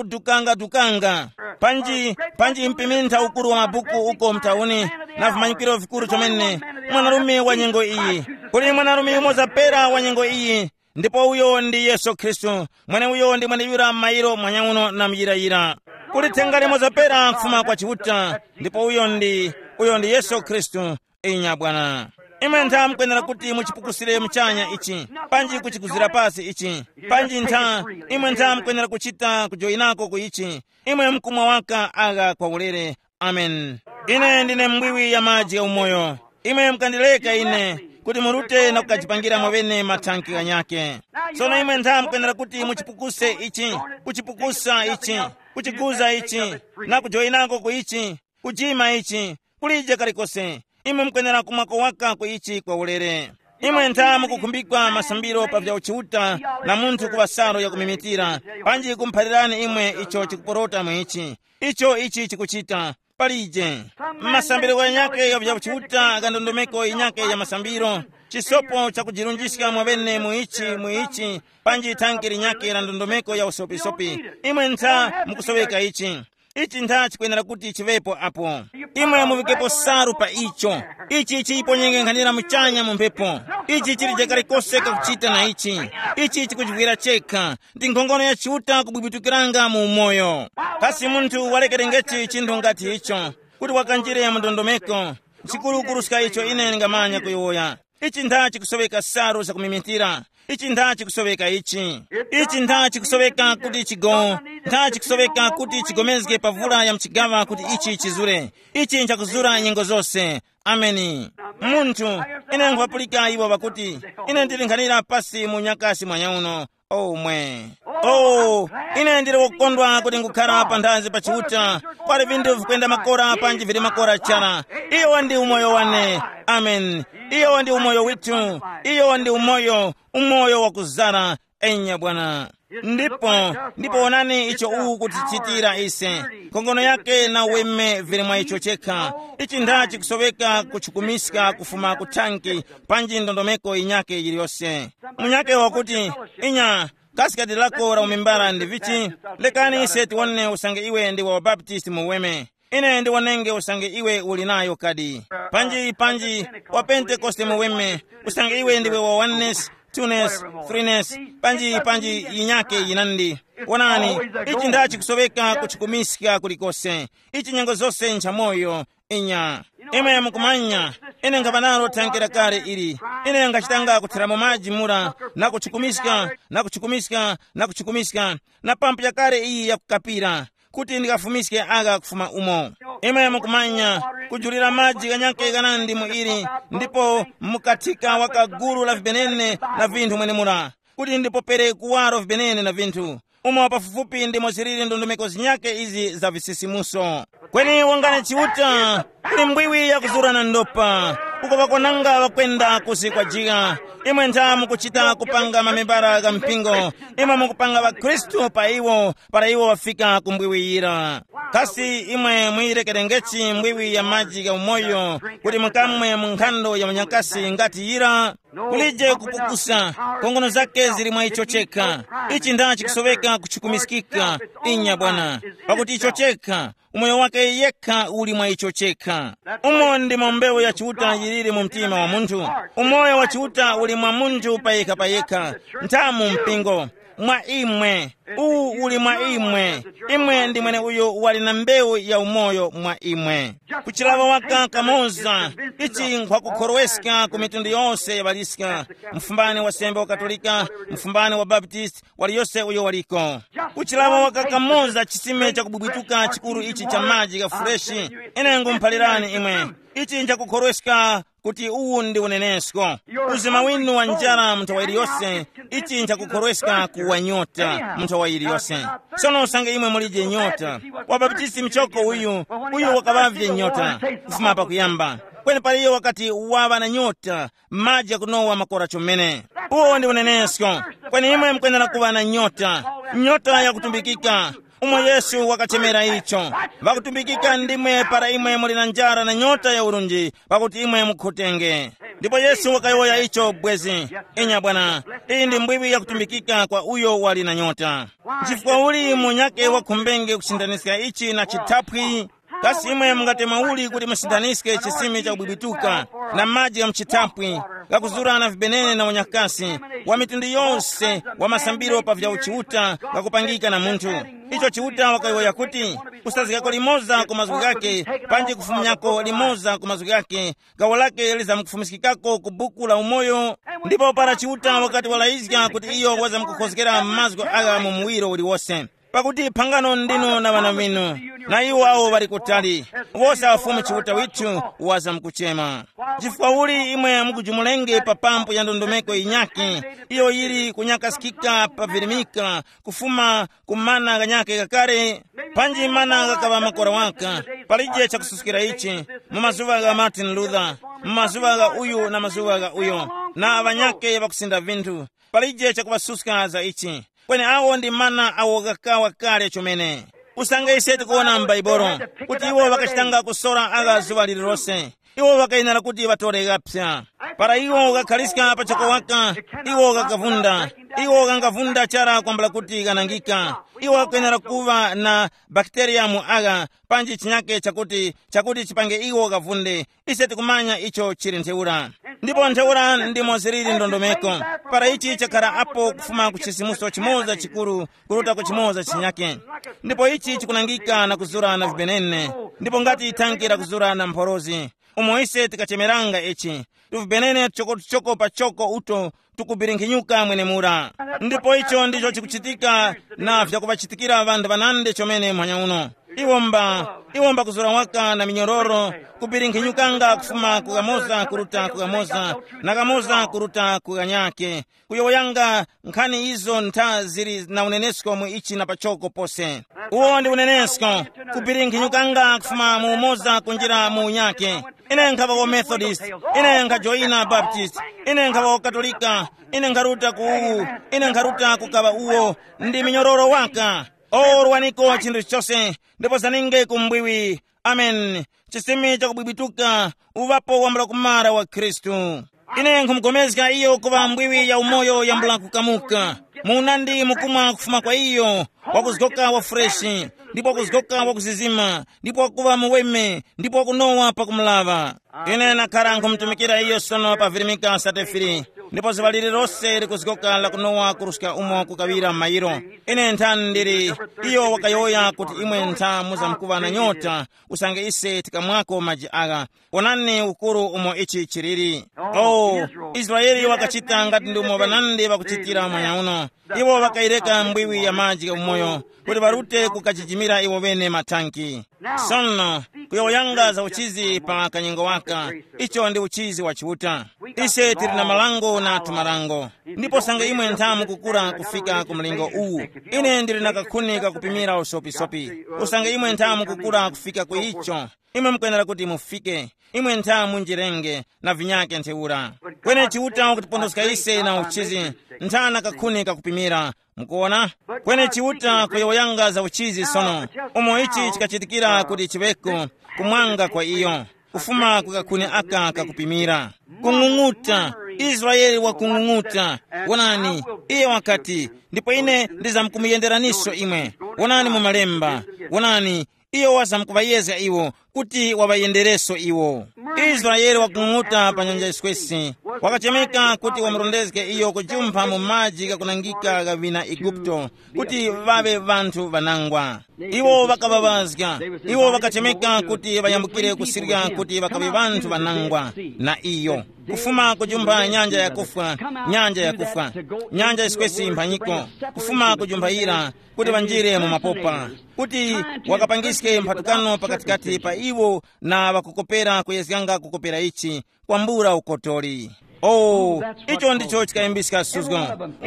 kudukanga-dukanga. Panji, panji mpimintha ukuru wa mabuku uko mtauni, na vimanyikiro vikuru chomene. Mwanarume wa nyengo iyi, kuli mwanarume yumoza pera wa nyengo iyi, ndipo uyo ndi Yesu Khristu. Mweneuyo ndi mweneyura m'mayiro mwanyauno na muyirayira. Kuli thenga limoza pera kufuma kwa Chiuta, ndipo uyo ndi, uyo ndi Yesu Khristu. Inya bwana. Imwe ntha mukwenera kuti muchipukusire muchanya ichi, panji kuchikuzira pasi ichi, panji ntha, imwe ntha mukwenera kuchita kujoyinako ku ichi. Imwe mkumwa waka agha kwa ulere. Amen. Ine ndine mbwiwi ya maji ya umoyo. Imwe mukandileka ine kuti murute na kukajipangira mwaŵene mathanki ghanyake. Sono imwe ntha mukwenera kuti muchipukuse ichi, kuchipukusa ichi, kuchiguza ichi, na kujoyinako ku ichi, kujima ichi, kulije kalikose. Imwe mukwenera kumwako waka ku ichi kwa ulere. Imwe ntha mukukhumbikwa masambiro pa vya uchiuta na munthu kuŵa salu yakumimitira, panji kumuphalirani imwe icho chikuporota mu ichi. Icho ichi chikuchita. Palije. Masambiro ghanyakhe gha vya uchiuta gha ndondomeko yinyakhe ya masambiro, chisopo chakujirunjiska mwaŵene mu ichi mu ichi, panji thanki linyakhe la ndondomeko ya usopisopi. Imwe ntha mukusoweka ichi. Ichi ntha chikwenera kuti chiŵepo apo. Imwe muvikepo salu pa icho. Ichi chiyiponyenge nkhanira muchanya mu mphepo. Ichi chilije kalikose kakuchita na ichi. Ichi chikujivwira chekha. Ndi nkhongono ya Chiuta kubwibwitukiranga mu umoyo. Kasi munthu walekerengechi chinthu ngati icho, kuti wakanjire mu ndondomeko? Chikuru kuruska icho ine ndingamanya kuyowoya. Ichi ntha chikusoweka salu zakumimitira. Ichi ntha chikusoweka ichi. Ichi ntha chikusoweka kuti chigo, ntha chikusoweka kuti chigomezge pa vula ya mchigawa kuti ichi chizure. Ichi nchakuzura nyengo zose. Ameni. Munthu, ine nkhupapulika iwo pakuti ine ndili nkhanira pasi mu nyakasi mwanyauno. Omwe. Oh, ine ndili wokondwa kuti ngukhara panthazi pa Chiuta. Kwali vinthu vikwenda makora panji vili makora chara. Iyo ndi umoyo wane. Amen. Iyo ndi umoyo withu. Iyo ndi umoyo, umoyo wakuzara. Enya bwana. Ndipo, ndipo wonani icho uwu kutichitira ise. Nkhongono yake na weme vili mwa icho chekha. Ichi nda chikusoweka kuchukumiska kufuma ku thanki, panji ndondomeko yinyake yiliyose. Munyake wakuti, inya, kasi kadi lako la umimbara ndi vichi? Lekani ise tiwone usange iwe ndi wa Baptist mu weme. Ine ndiwonenge usange iwe uli nayo kadi. Panji, panji, wa Pentekoste mu weme, usange iwe ndiwe wa oneness, twoness, threeness, panji, panji yinyake yinandi. Wonani, ichi nda chikusoweka kuchukumiska kulikose. Ichi nyengo zose nchamoyo. Inya. Imwe mukumanya, ine nkhapa nalo thanke la kale ili. Ine nkhachitanga kutheramo maji mura, na kuchukumiska, na kuchukumiska, na kuchukumiska, na pampu yakale iyi yakukapira, kuti ndikafumiske agha kufuma umo. Imwe mukumanya, kujulira maji ghanyake ghanandi mu ili, ndipo mukathika waka gulu la vibenene na vinthu mwenemura, kuti ndipopere kuwaro vibenene na vinthu. Umo pafupifupi ndimo ziliri ndondomeko zinyake izi za visisimuso. Kweni wongani Chiuta, kuli mbwiwi yakuzura na ndopa, uko ŵakwananga ŵakwenda kusi kwa jiga. Imwe ntha mukuchita kupanga mamembara gha mpingo, imwe mukupanga ŵakhristu pa iwo, para iwo ŵafika ku mbwiwi yira. Kasi imwe muyirekerengechi mbwiwi ya maji gha umoyo, kuti mukamwe mu nkhando ya munyakasi ngati yira? Kulije kupukusa. Nkhongono zake zili mwa icho chekha. Ichi nda chikusoweka kuchikumiskika. Inya bwana. Pakuti icho chekha, umoyo wake yekha uli mwa icho chekha. Umo ndimo mbewu ya Chiuta yiliri mu mtima wa munthu. Umoyo wa Chiuta uli mwa munthu payekha payekha. Nthamu mpingo, mwa imwe. Uwu uli mwa imwe. Imwe ndi mwene uyo wali na mbewu ya umoyo mwa imwe. Kuchilava waka kamoza. Ichi nkhwakukhorweska ku mitundu yose ya ŵaliska, mfumbani wa sembe wa katolika, mfumbani wa baptist, wali yose uyo waliko. Kuchilava waka kamoza chisime chakubwibwituka chikuru ichi cha maji gha fureshi. Ine ngumuphalirani imwe, ichi nchakukhorweska kuti uwu ndi unenesko. Uzima winu wa njara mu nthawa iliyose. Ichi nchakukhorweska kuwa nyota mu nthawa iliyose. Sono usange imwe mulije nyota, wabaptisi mchoko uyu, uyu wakaŵavye nyota kufuma pakuyamba. Kweni paliyo wakati waŵa na nyota, maji akunowa makora chomene. Uwo ndi unenesko. Kweni imwe mukwenera kuŵa na nyota, nyota yakutumbikika, umo Yesu wakachemera icho. Ŵakutumbikika ndimwe para imwe muli na njara na nyota ya urunji, pakuti imwe mukhutenge. Ndipo Yesu wakayowoya icho bwezi. Inya bwana, iyi ndi mbwiwi yakutumbikika kwa uyo wali na nyota. Chifukwa uli munyake wakhumbenge kusindaniska ichi na chithaphwi? Kasi imwe mungatema uli kuti musindaniske chisime chakubwibwituka na maji gha muchithaphwi, gakuzura na vibenene na unyakasi, wa mitundu yose wa masambiro pa vya uchiuta gakupangika na munthu? Icho Chiuta wakayowoya kuti, kusazgako limoza ku mazgu ghake, panji kufumyako limoza ku mazgu ghake, gawo lake lizamkufumiskikako ku buku la umoyo. Ndipo para Chiuta wakati walayizga kuti iyo wazamkukhozgera mazgu agha mu muwiro uliwose. Pakuti phangano ndinu na ŵana ŵinu, na iwo awo ŵali kutali, wose afumu Chiuta withu wazamkuchema. Chifukwa uli imwe mukujumulenge pa pampu ya ndondomeko yinyakhe, iyo yili kunyakaskika pa virimika, kufuma ku mana ghanyakhe ghakale, panji mana ghakaŵa makora waka, palije chakususkira ichi, mu mazuŵa gha Martin Luther, mu mazuŵa gha uyu na mazuŵa gha uyo, na ŵanyakhe ŵakusinda vinthu, palije chakuŵasuska za ichi. Kweni awo ndi mana awo ghakawa kale chomene. Usange ise tikuwona m'Baibolo kuti iwo ŵakachitanga kusora agha zuŵa lililose, iwo ŵakayenera kuti ŵatore ghapsa. Para iwo ghakhaliska pachoko waka, iwo ghakavunda. Iwo ghangavunda chara kwambula kuti ghanangika. Iwo ghakwenera kuŵa na bakiteriya mu agha, panji chinyake chakuti, chakuti chipange iwo ghavunde. Ise tikumanya icho chili ntheura. Ndipo ntheura ndimo ziliri ndondomeko. Para ichi chakhala apo kufuma ku chisimuso chimoza chikuru kuruta ku chimoza chinyake. Ndipo ichi chikunangika na kuzura na vibenene. Ndipo ngati thanki lakuzura na mphorozi, umo ise tikachemeranga ichi, tuvibenene tuchoko-tuchoko pachoko uto tukubirinkhinyuka mwenemura. Ndipo icho ndicho chikuchitika na vyakuŵachitikira ŵanthu ŵanandi chomene mphanya uno. Iwo mba, iwo mbakuzura waka na minyororo, kubirinkhinyukanga kufuma ku kamoza kuruta ku kamoza, na kamoza kuruta ku kanyake, kuyowoyanga nkhani izo ntha zili na unenesko mu ichi na pachoko pose. Uwo ndi unenesko, kubirinkhinyukanga kufuma mu umoza kunjira mu unyake. Ine nkhaŵa wa Methodist, ine nkhajoyina Baptist, ine nkhaŵa wa Katolika, ine nkharuta ku uwu, ine nkharuta kukaŵa uwo, ndi minyororo waka. O rwaniko chinthu chose, ndipo zaninge ku mbwiwi. Amen. Chisimi chakubwibwituka, uŵapo wambula kumara wa Khristu. Ine nkhumugomezga iyo kuŵa mbwiwi ya umoyo yambula kukamuka. Munandi mukumwa kufuma kwa iyo, wakuzgoka wa freshi, ndipo wakuzgoka wakuzizima, ndipo wakuŵa muweme, ndipo wakunowa pakumulaŵa. Ine nakhala nkhumutumikira iyo sono pa virimika satefiri, ndipo zuŵa lililose likuzgoka lakunowa kuruska umo kukaŵira mayiro. Ine nthani ndili, iyo wakayowoya kuti imwe ntha muzamkuŵa na nyota, usange ise tikamwako maji agha. Wonani ukuru umo ichi chiliri. Oh, Israeli wakachita ngati ndi umo ŵanandi ŵakuchitira manya uno. Iwo ŵakayireka mbwiwi ya maji gha umoyo kuti ŵarute kukachijimira iwo ŵene mathanki. Sono, kuyowoyanga za uchizi pa kanyengo waka, icho ndi uchizi wa Chiuta. Ise tili na malango na tumalango. Ndipo usange imwe ntha mukukura kufika ku mlingo uwu, ine ndili na kakhuni kakupimira usopisopi. Usange imwe ntha mukukura kufika ku icho, imwe mukwenera kuti mufike. Imwe ntha munjirenge na vinyake ntheura. Kweni Chiuta wakutipondoska ise na uchizi, ntha na kakhuni kakupimira. Mukuona? Kweni Chiuta kuyowoyanga za uchizi sono, umo ichi chikachitikira kuti chiŵeko kumwanga kwa iyo, kufuma ku kakhuni aka kakupimira. Kung'ung'uta, Israele wakung'ung'uta. Wonani, iye wakati, ndipo ine ndizamkumuyenderaninso imwe. Wonani mu malemba. Wonani, iyo wazamkuŵayezga iwo kuti waŵayendereso iwo. Israele wakung'ung'uta pa nyanja yiswesi. Wakachemeka kuti wamurondezge iyo kujumpha mu maji ghakunangika gha vina Eguputo, kuti ŵaŵe ŵanthu ŵanangwa. Iwo ŵakaŵaŵazga. Iwo ŵakachemeka kuti ŵayambukire kusirya kuti ŵakaŵe ŵanthu ŵanangwa. Na iyo kufuma kujumpha nyanja yakufwa, nyanja yakufwa, nyanja yiswesi mphanyiko, kufuma kujumpha yira, kuti ŵanjire mu mapopa, kuti wakapangiske mphatukano pakatikati pa iwo na ŵakukopera kuyezganga kukopera ichi, kwambula ukotori. Oh, icho ndicho chikayimbiska suzgo.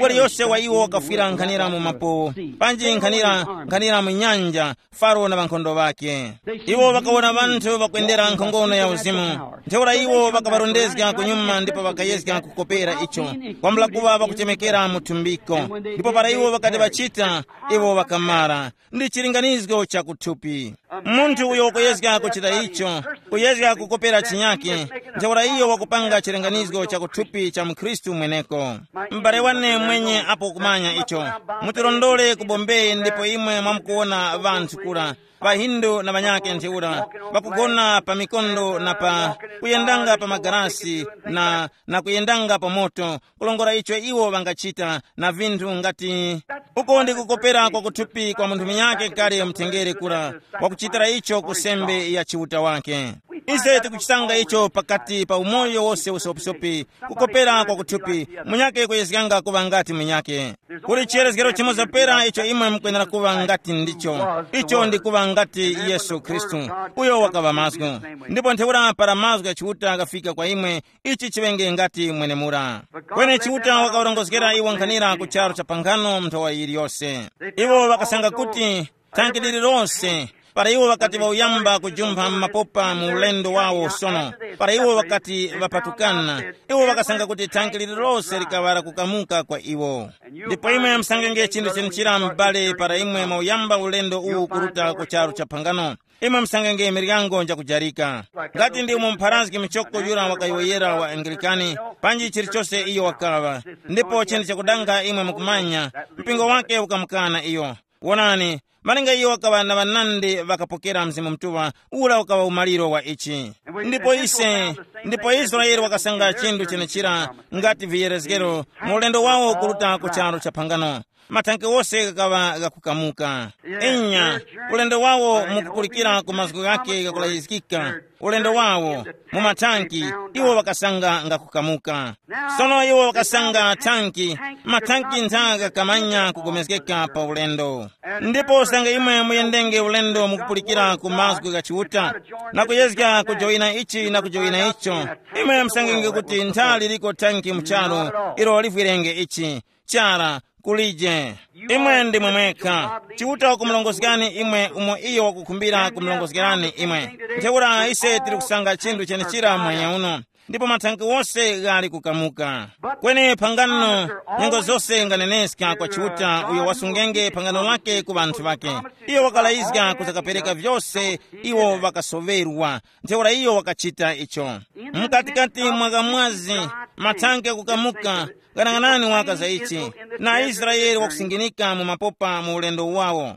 Waliyose wa iwo wakafwira nkhanira mu mapowo, panji nkhanira nkhanira mu nyanja, Faro na ŵankhondo ŵakhe. Iwo ŵakawona ŵanthu ŵakwendera nkhongono ya uzimu. Ntheura iwo ŵakaŵarondezga kunyuma ndipo ŵakayezga kukopera icho, kwambula kuŵa ŵakuchemekera mu thumbiko. Ndipo para iwo ŵakati ŵachita, iwo ŵakamara. Ndi chilinganizgo cha kuthupi. Munthu uyo wakuyezga kuchita icho, kuyezga kukopera chinyake, ntheura iyo wakupanga chilinganizgo cha kuthupi cha mkhristu mweneko. M'bale wane mwenye apo kumanya icho, mutirondole ku Bombay ndipo imwe mwamukuwona ŵanthu kura, ŵahindu na ŵanyake ntheura, ŵakugona pa mikondo na pa kuyendanga pa magarasi na na kuyendanga pa moto, kulongora icho iwo ŵangachita na vinthu ngati uko ndi kukopera kwa kuthupi kwa munthu munyake kale mutengere kura, wakuchitira icho ku sembe ya chiuta wake. Ise tikuchisanga icho pakati pa umoyo wose usopisopi, kukopera kwa kuthupi, munyake kuyezganga kuŵa ngati munyake. Kuli chiyerezgero chimoza pera icho imwe mukwenera kuŵa ngati ndicho, icho ndi kuŵa ngati Yesu Khristu, uyo wakaŵa mazgu. Ndipo ntheura para mazgu ya Chiuta ghafika kwa imwe, ichi chiŵenge ngati mwenemura. Kweni Chiuta wakawarongozgera iwo nkhanira ku charu cha pangano nthowa yiliyose. Iwo ŵakasanga kuti thanki lililonse, para iwo ŵakati ŵauyamba kujumpha mu mapopa mu ulendo wawo sono, para iwo ŵakati ŵapatukana, iwo ŵakasanga kuti thanki lililonse likaŵa lakukamuka kwa iwo. Ndipo imwe musangenge chinthu chenechira m'bale para imwe mwauyamba ulendo uwu kuruta ku charu cha phangano. Imwe musangenge miryango njakujarika. Ngati ndi umo mpharazgi muchoko yura wakayowoyera wa Angilikani, panji chilichose iyo wakaŵa. Ndipo chinthu chakudanga imwe mukumanya, mpingo wake ukamukana iyo. Wonani, malinga iyo wakaŵa na ŵanandi ŵakapokera Mzimu Mutuŵa, ura ukaŵa umaliro wa ichi. Ndipo ise, ndipo Israele wakasanga chinthu chenechira ngati viyerezgero mu ulendo wawo kuruta ku charu cha phangano. Mathanke wose ghakaŵa ghakukamuka. Inya, ulendo wawo mukupulikira ku mazgu ghake ghakulayizgika, ulendo wawo mu mathanki, iwo ŵakasanga ngakukamuka. Sono iwo ŵakasanga thanki, mathanki ntha ghakamanya kugomezgeka pa ulendo. Ndipo sanga imwe muyendenge ulendo mukupulikira ku mazgu gha Chiuta, na kuyezga kujoyina ichi na kujoyina icho, imwe musangenge kuti ntha liliko thanki mu charu ilo livwirenge ichi. Chara, kulije. Imwe ndimwe mwekha. Chiuta wakumulongozgani imwe umo iyo wakukhumbira kumulongozgerani imwe. Ntheura ise tili kusanga chinthu chenechira mwanya uno, ndipo mathanki wose ghali kukamuka. Kweni phangano, nyengo zose nganeneska kwa Chiuta uyo wasungenge phangano lake ku ŵanthu ŵake. Iyo wakalayizga kuzakapereka vyose iwo ŵakasoŵerwa. Ntheura iyo wakachita icho. Mkatikati mwa kamwazi, mathanke kukamuka, ghanang'anani waka za ichi, na Israele wakusinginika mu mapopa mu ulendo wawo.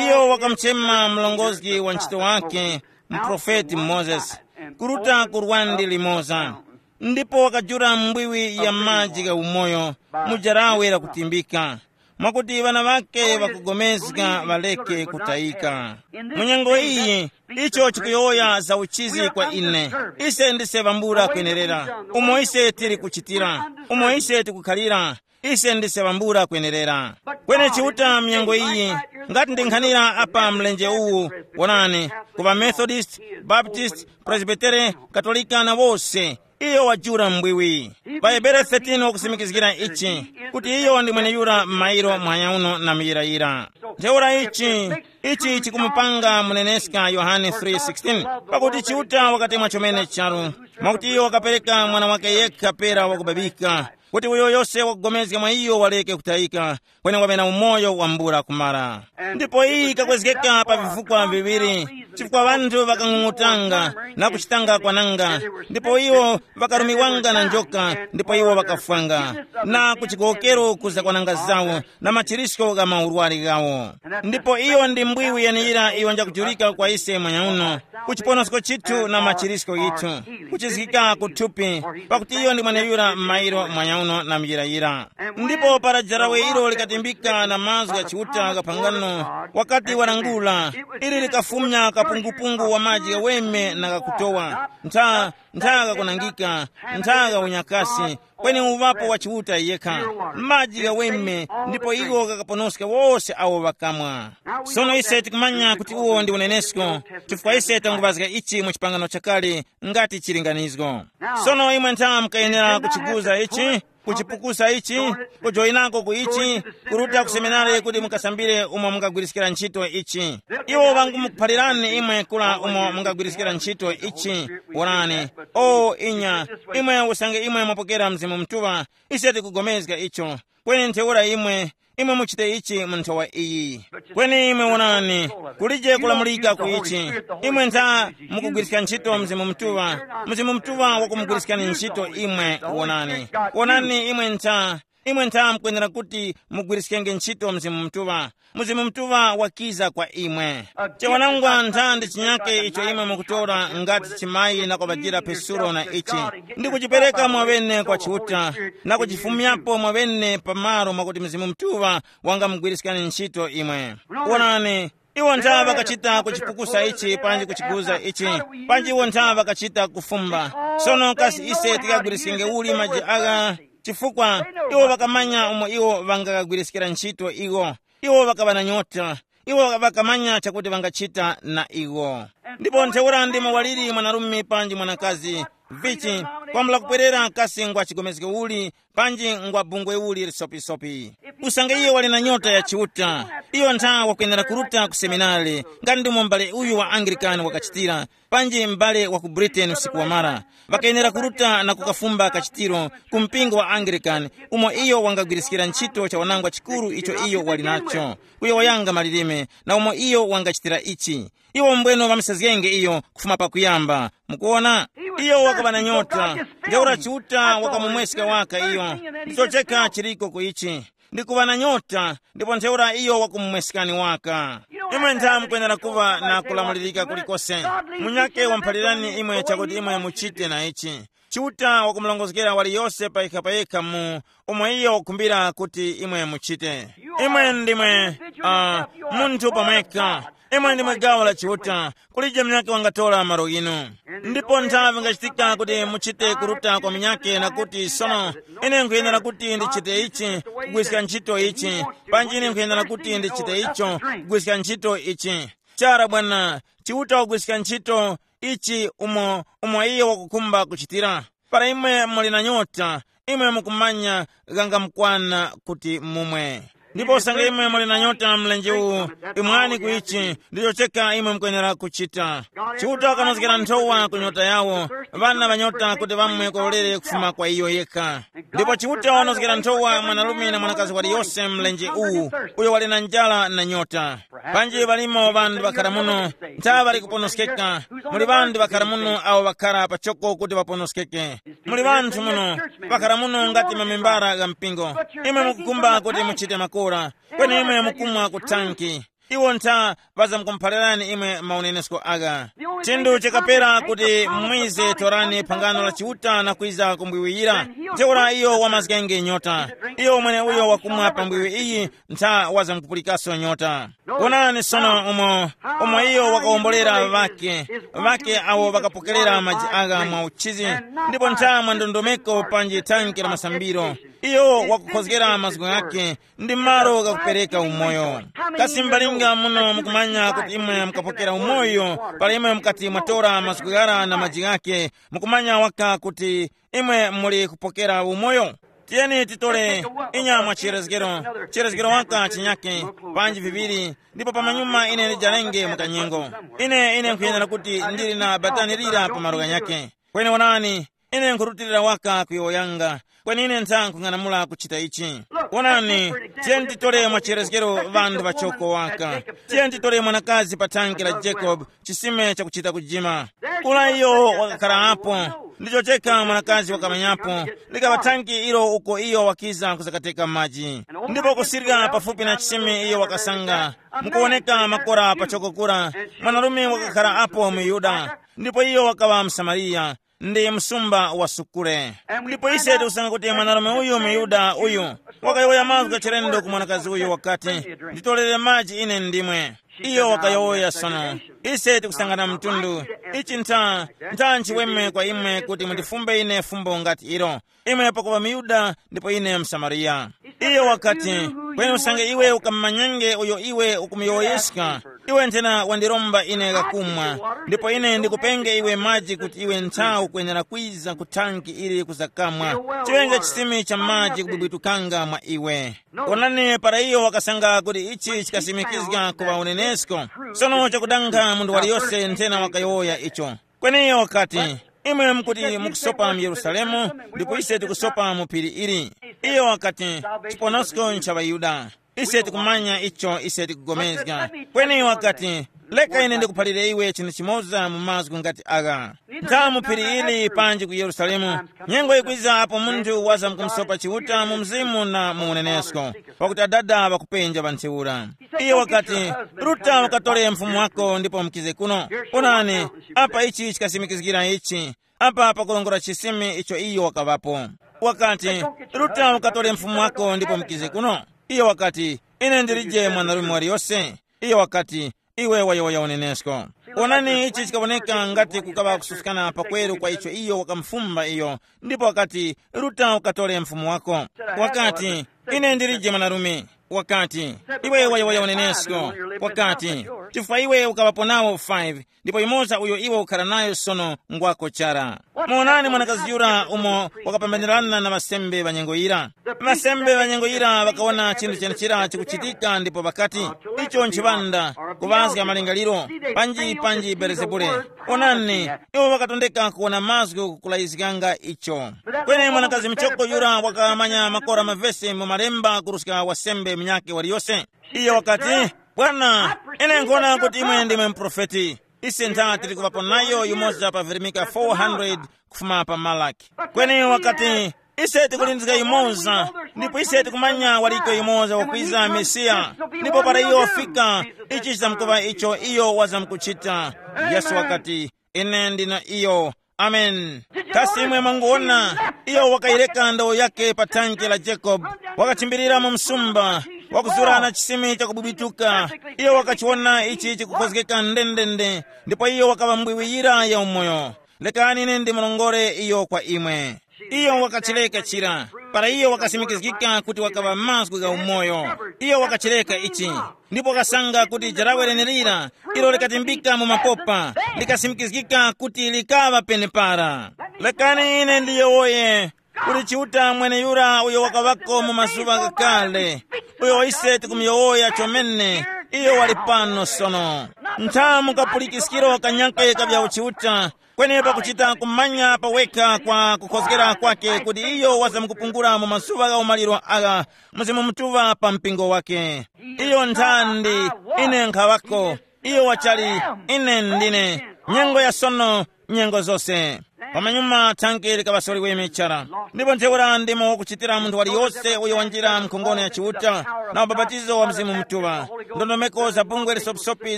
Iyo wakamuchema mlongozgi wa ntchito wake, muprofeti Mozesi, kuruta ku lwandi limoza, ndipo wakajula mbwiwi ya maji gha umoyo mu jarawe lakutimbika, mwakuti ŵana ŵake ŵakugomezga ŵareke kutayika. Mu nyengo iyi, icho chikuyowoya za uchizi kwa ine. Ise ndise ŵambula kwenerera, umo ise tili kuchitira, umo ise tikukhalira, ise ndise ŵambula kwenerera. Kweni Chiuta mnyengo iyi, ngati ndinkhanira apa mlenje uwu, wonani, ku ŵaMethodist, Baptist, Presbytere, Katolika na wose, iyo wajula mbwiwi. Pa Hebere thirteen wakusimikizgira ichi, kuti iyo ndi mweneyura m'mairo muhanya uno na muyirayira. Ntheura ichi, ichi chikumupanga muneneska Yohane three sixteen, pakuti Chiuta wakatemwa chomene charu, mwakuti iyo wakapereka mwana wake yekha pera wakubabika, kuti uyo yose wakugomezga mwa iyo wareke kutayika, kweni waŵe na umoyo wambula kumara. Ndipo iyi ikakwezgeka pa vifukwa viŵiri, chifukwa ŵanthu ŵakang'ung'utanga na kuchitanga kwananga, ndipo iwo ŵakarumiwanga na njoka, ndipo iwo ŵakafwanga, na ku chigowokero kuza kwananga zawo, na machirisko gha maurwari ghawo. Ndipo iyo ndi mbwiwi yeneyira iyo njakujulika kwa ise mwanyauno, ku chiponosko chithu na machirisko yithu, kuchizgika ku thupi, pakuti iyo ndi mweneyura m'mairo mwanyauno na muyirayira. Ndipo para jarawe ilo likatimbika na mazgu gha Chiuta gha phangano, wakati walangula, ili likafumya kapungupungu wa maji ghaweme na ghakutowa, ntha, ntha ghakunangika, ntha gha unyakasi, kweni uŵapo wa Chiuta yekha, maji ghaweme, ndipo iwo ghakaponoska wose awo ŵakamwa. Sono ise tikumanya kuti uwo ndi unenesko, chifukwa ise tanguŵazga ichi mu chipangano chakale, ngati chilinganizgo. Sono imwe ntha mukayenera kuchiguza ichi, kuchipukusa ichi, kujoyinako ku ichi, kuruta ku seminari kuti mukasambire umo mungagwiriskira ntchito ichi. Iwo ŵangumukuphalirani imwe kula umo mungagwiriskira ntchito ichi. Wonani, o inya, imwe usange imwe mwapokera Mzimu Mutuŵa, ise tikugomezga icho. Kweni ntheura imwe, imwe muchite ichi mu nthowa iyi. Kweni imwe wonani, kulije kulamulika ku ichi. Imwe ntha mukugwiriska ntchito Mzimu Mutuŵa, Mzimu Mutuŵa wakumugwiriskani ntchito imwe. Wonani, wonani imwe ntha, imwe ntha mukwenera kuti mugwiriskenge ntchito Mzimu Mutuŵa. Mzimu Mutuŵa wakiza kwa imwe. Chiwanangwa ntha ndi chinyake icho imwe mukutora ngati chimayi na kubadira Pesulo na ichi, ndi kuchipereka mwaŵene kwa Chiuta, na kuchifumyapo mwaŵene pamalo mwakuti Mzimu Mutuŵa wangamugwiriskani ntchito imwe. Wonani, iwo ntha ŵakachita kuchipukusa ichi panji kuchiguza ichi, panji iwo ntha ŵakachita kufumba. Sono kasi ise tikagwiriskenge uli maji agha? Chifukwa iwo ŵakamanya umo iwo ŵangagwiriskira ntchito iwo. Iwo ŵakaŵa na nyota. Iwo ŵakamanya chakuti ŵangachita na iwo. Ndipo ntheura ndimo waliri mwanarume panji mwanakazi, vichi, kwambula kupwerera kasi ngwa chigomezge uli, panji ngwa bungwe uli lisopisopi. Usange iyo wali na nyota ya Chiuta, iyo ntha wakwenera kuruta ku seminari, ngati ndimo m'bale uyu wa Anglikani wakachitira, panji m'bale wa ku Britain usiku wamara. Ŵakayenera kuruta na kukafumba kachitiro ku mpingo wa Anglican, umo iyo wangagwiriskira ntchito cha wanangwa chikuru icho iyo wali nacho, kuyowoyanga malilime, na umo iyo wangachitira ichi. Iwo mbweno ŵamsezgenge iyo kufuma pakuyamba. Mukuona, iyo wakaŵa na nyota. Ntheura Chiuta wakamumweska waka iyo. Ndicho chekha chiriko ku ichi. Ndi kuŵa na nyota, ndipo ntheura iyo wakumumweskani waka. Imwe ntha mukwenera kuŵa na kulamulirika kulikose. Munyake wamphalirani imwe chakuti imwe muchite na ichi. Chiuta wakumulongozgera waliyose payekha payekha mu umo iyo wakukhumbira kuti imwe muchite. Imwe ndimwe uh, munthu pamwekha. Imwe ndimwe gawo la Chiuta. Kulije munyakhe wangatora malo inu. Ndipo nthawi ingachitika kuti muchite kuruta kwa munyakhe na kuti, sono, ine nkhuyenera kuti ndichite ichi, kugwiska ntchito ichi, panji ine nkhuyenera kuti ndichite icho, kugwiska ntchito ichi. Chara bwana, Chiuta wagwiska ntchito ichi umo umo iye wakukhumba kuchitira. Para imwe muli na nyota, imwe mukumanya ghangamukwana kuti mumwe. Ndipo usange imwe muli na nyota mlenje uwu, imwani ku ichi, ndicho cheka imwe mukwenera kuchita. Chiuta wakanozgera nthowa ku nyota yawo, ŵana ŵa nyota kuti ŵamwe kwalolere kufuma kwa iyo yekha. Ndipo Chiuta wanozgera nthowa mwanarume na mwanakazi waliyose mlenje uwu, uyo wali na njala na nyota. Panji ŵalimo ŵanthu ŵakhara muno, ntha ŵali kuponoskeka. Muli ŵanthu ŵakhara muno awo ŵakhara pachoko kuti ŵaponoskeke. Muli ŵanthu muno, ŵakhara muno ngati mamembara gha mpingo. Imwe mukukhumba kuti muchite makora, kweni imwe mukumwa ku thanki. Iwo ntha ŵazamkumphalirani imwe maunenesko agha. Chinthu chikapera kuti mwize torani phangano la Chiuta na kwiza kumbwiwiyira, ntheura iyo wamazgenge nyota. Iyo umwene uyo wakumwa pa mbwiwi iyi ntha wazamkupulikaso nyota. Wonani sono umo, umo iyo wakawombolera ŵake, ŵake awo ŵakapokerera maji agha mwa uchizi, ndipo ntha mwa ndondomeko panji thanki la masambiro. Iyo wakukhozgera mazgu ghake ndi malo ghakupereka umoyo. Kasi mbalinga muno mukumanya kuti imwe mukapokera umoyo, pala imwe mukati mwatora mazgu ghara na maji ghake, mukumanya waka kuti imwe muli kupokera umoyo? Tiyeni titole inya mwa chiyerezgero, chiyerezgero waka chinyake, panji viŵiri, ndipo pamanyuma ine ndijalenge mu kanyengo. Ine, ine nkhuyenera kuti ndili na batani lira pa malo ghanyake. Kweni wonani, ine nkhurutilira waka kuyowoyanga, Kweni ine nthanga nkhung'anamula kuchita ichi. Wonani, tiyeni titore mwacherezgero ŵanthu ŵachoko waka. Tiyeni titore mwanakazi pa thanki la Jacob, chisime chakuchita kujima. Kula iyo wakakhala apo, ndicho cheka mwanakazi wakamanyapo, likaŵa thanki ilo uko iyo wakiza kuzakateka maji. Ndipo kusirika pafupi na chisime iyo wakasanga, mukuwoneka makora pachoko kura, mwanarume wakakhala apo mu Yuda, ndipo iyo wakaŵa Msamariya, ndi msumba wa sukule. Ndipo ise tikusanga kuti mwanarume uyu muyuda uyu wakayowoya mazgu gachilendo ku mwanakazi uyu wakati, nditolere maji ine ndimwe. Iyo wakayowoya sono, ise tikusangana mtundu. Ichi ntha, ntha nchiweme kwa imwe kuti mundifumbe ine fumbo ngati ilo, imwe pakuva muyuda ndipo ine msamariya. Iyo wakati, kweni usange iwe ukamumanyenge uyo iwe ukumuyowoyeska, iwe nthena wandiromba ine kakumwa, ndipo ine ndikupenge iwe maji kuti iwe nthawi ukwenera kwiza ku thanki ili kuzakamwa. Chiŵenge chisimi cha maji kubwibwitukanga mwa iwe. Onani, para iyo wakasanga kuti ichi chikasimikizga kuŵa unenesko, sono chakudanga munthu waliyose nthena wakayowoya icho. Kweni iyo wakati, imwe mukuti mukusopa mu Yerusalemu, ndipo ise tikusopa mu phiri ili. Iyo wakati, chiponosko ncha ŵaYuda. Ise tikumanya icho ise tikugomezga. Kweni wakati, leka ine ndikuphalire iwe chinthu chimoza mu mazgu ngati agha. Ntha mu phiri ili panji ku Yerusalemu, nyengo yikwiza apo munthu waza mkumusopa Chiuta mu mzimu na mu unenesko, pakuti Adada ŵakupenja pa ntheura. Iyo wakati, ruta ukatore mfumu wako ndipo mukize kuno. Onani, apa ichi chikasimikizgira ichi. Apa pakulongora chisimi icho iyo wakaŵapo. Wakati, ruta ukatore mfumu wako ndipo mukize kuno. Iyo wakati, ine ndilije mwanarume waliyose. Iyo wakati, iwe wayowoya unenesko. Onani, ichi chikawoneka ngati kukaŵa kususkana pakweru kwa icho iyo wakamufumba iyo, ndipo wakati, ruta ukatore mfumu wako. Wakati, ine ndilije mwanarume. Wakati, iwe wayowoya unenesko. Wakati, chifukwa iwe ukaŵapo nawo five, ndipo yumoza uyo iwe ukhala nayo sono ngwako chara. Muonani mwanakazi yura umo wakapambanirana na ŵasembe ŵa nyengo yira. Ŵasembe ŵa nyengo yira ŵakawona chinthu chenechira chikuchitika ndipo ŵakati, icho nchiŵanda, kuŵazga malingaliro, panji panji Belezebule. Onani, iwo ŵakatondeka kuwona mazgu kukulayizganga icho. Kweni mwanakazi muchoko yura wakamanya makora mavesi mu malemba kuruska wasembe munyakhe waliyose. Iyo wakati, bwana, ine nkhona kuti imwe ndimwe muprofeti. Ise ntha tili kuŵapo nayo yumoza pa virimika four hundred kufuma pa Malaki. Kweni wakati, ise tikulindizga yumoza, ndipo ise tikumanya waliko yumoza wakwiza Mesiya. Ndipo para iyo wafika, ichi chizamkuŵa icho iyo wazamkuchita. Yesu wakati, ine ndina iyo. Amen. Kasi imwe mwanguwona, iyo wakayireka ndawo yake pa thanke la Jacob, wakachimbirira mu msumba, wakuzura na chisime chakubwibwituka. Iyo wakachiwona ichi chikukhozgeka ndendende, ndipo iyo wakaŵa mbwiwiyira ya umoyo. Lekani ine ndimurongore iyo kwa imwe. Iyo wakachileka chira, para iyo wakasimikizgika kuti wakaŵa mazgu gha umoyo. Iyo wakachileka ichi, ndipo wakasanga kuti jarawe lenelira, ilo likatimbika mu mapopa, likasimikizgika kuti likaŵa penepara. Lekani ine ndiyowoye, kuti Chiuta mweneyura uyo wakaŵako mu mazuŵa ghakale, uyo ise tikumuyowoya chomene, iyo wali pano sono. Ntha mukapulikiskiro kanyake kabya uchiuta, kweni pakuchita kumanya pawekha kwa kukhozgera kwake kuti iyo wazamkupungula mu mazuŵa gha umaliro agha, Mzimu Mutuŵa pa mpingo wake. Iyo nthandi, ine nkhaŵako. Iyo wachali, ine ndine. Nyengo ya sono, nyengo zose. Pamanyuma thanke likaŵasoliweme chara. Ndipo ntheura ndimo wakuchitira munthu waliyose uyo wanjira mkhongono ya Chiuta na ubapatizo wa Mzimu Mutuŵa. Ndondomeko za bungwe lisopisopi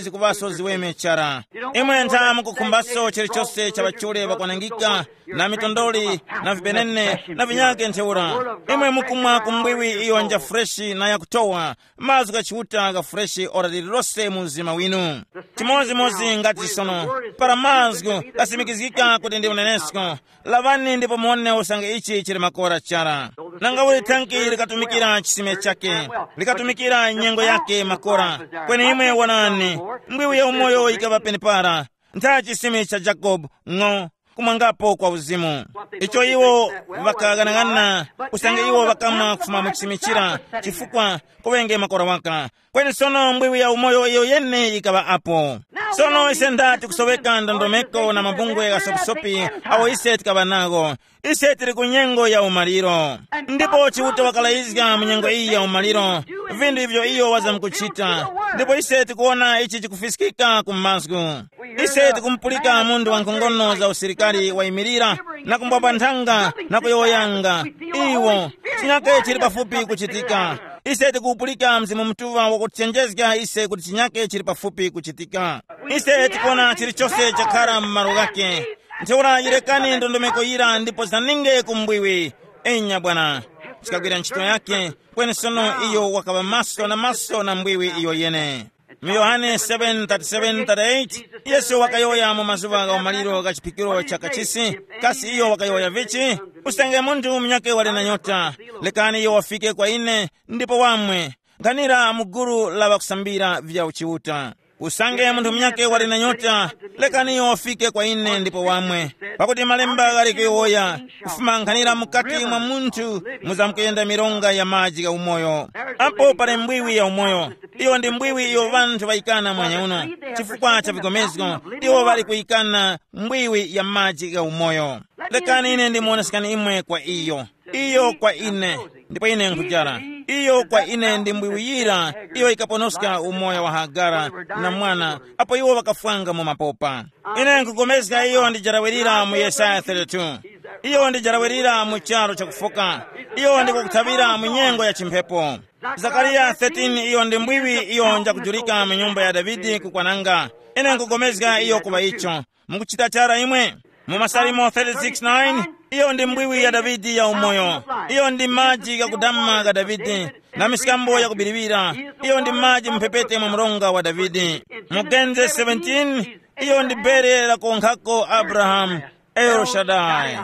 zikuŵaso ziweme chara. Imwe ntha mukukhumbaso chilichose cha ŵachule ŵakwanangika, na mitondoli, na vibenene, na vinyake ntheura. Imwe mukumwa ku mbwiwi iyo nja freshi na yakutowa, mazgu gha Chiuta gha freshi ora lililose mu mzima winu. Chimodzimodzi ngati sono, para mazgu ghasimikizgika kuti ndi unenesko, lavani ndipo muwone usange ichi chili makora chara. Nanga uli thanki likatumikira chisime chake, likatumikira nyengo yake makora. Kweni imwe wonani, mbwiwi ya umoyo yikaŵa penepara, ntha chisime cha Jakobu, ng'o, kumwangapo kwa uzimu. Icho iwo ŵakaghanaghanana, usange iwo ŵakamwa kufuma mu chisimichira, chifukwa kuŵenge makora waka. Kweni sono mbwiwi ya umoyo iyo yene yikaŵa apo. Sono ise ndati kusoweka ndondomeko na mabungwe ghasopisopi awo ise tikaŵa nago. Ise tili ku nyengo ya umaliro. Ndipo Chiuta wakalayizga mu nyengo iyi ya umaliro, vinthu ivyo iyo wazamkuchita. Ndipo ise tikuwona ichi chikufiskika ku mazgu. Ise tikumupulika munthu wa nkhongono za usilikali wayimirira na kumbwapa nthanga na kuyowoyanga. Iwo, chinyake chili pafupi kuchitika. Ise tikupulika Mzimu Mutuŵa wakutichenjezga ise kuti chinyake chili pafupi kuchitika. Ise tikuona chilichose chakhara mu malo ghake. Ntheura yirekani ndondomeko yira ndipo zaninge ku mbwiwi. Enya bwana, chikagwira ntchito yake. Kweni sono iyo wakaŵa maso na maso na mbwiwi iyo yene. Mu Yohane seven thirty-seven thirty-eight, Yesu wakayowoya mu mazuŵa gha umaliro gha chiphikiro cha kachisi. Kasi iyo wakayowoya vichi? Usange munthu munyakhe wali na nyota, lekani iyo wafike kwa ine ndipo wamwe. Nkhanira mu gulu la ŵakusambira vya uchiuta. Usange munthu munyakhe wali na nyota, lekani iyo wafike kwa ine ndipo wamwe. Pakuti malemba ghali kuyowoya, kufuma nkhanira mukati mwa munthu muzamkuyenda mironga ya maji gha umoyo. Apo pali mbwiwi ya umoyo. Iyo ndi mbwiwi iyo ŵanthu ŵayikana mwanyauno. Chifukwa cha vigomezgo, iwo ŵali kuyikana mbwiwi ya maji gha umoyo. Lekani ine ndimuonesekani imwe kwa iyo. Iyo kwa ine, ndipo ine nkujara. Iyo kwa ine ndi mbwiwiyira, iyo ikaponoska umoyo wa Hagara na mwana, apo iwo ŵakafwanga mu mapopa. Ine nkupulikana iyo ndi jarawirira mu Yesaya thirty-two. Iyo ndi jarawirira mu charu chakufoka. Iyo ndi kukuthaŵira mu nyengo ya chimphepo. Zakariya thirteen, iyo ndi mbwiwi iyo njakujulika mu nyumba ya Davide kukwananga. Ine nkupulikana iyo kuŵa icho. Mukuchita chara imwe? Mu Masalimo thirty-six nine, iyo ndi mbwiwi ya Davide ya umoyo. Iyo ndi maji ghakudama gha Davide, na miskambo yakubiriwira. Iyo ndi maji mphepete mwa mronga wa Davide. Mu Genesis seventeen, iyo ndi bere lakonkhako Abrahamu, El Shaddai.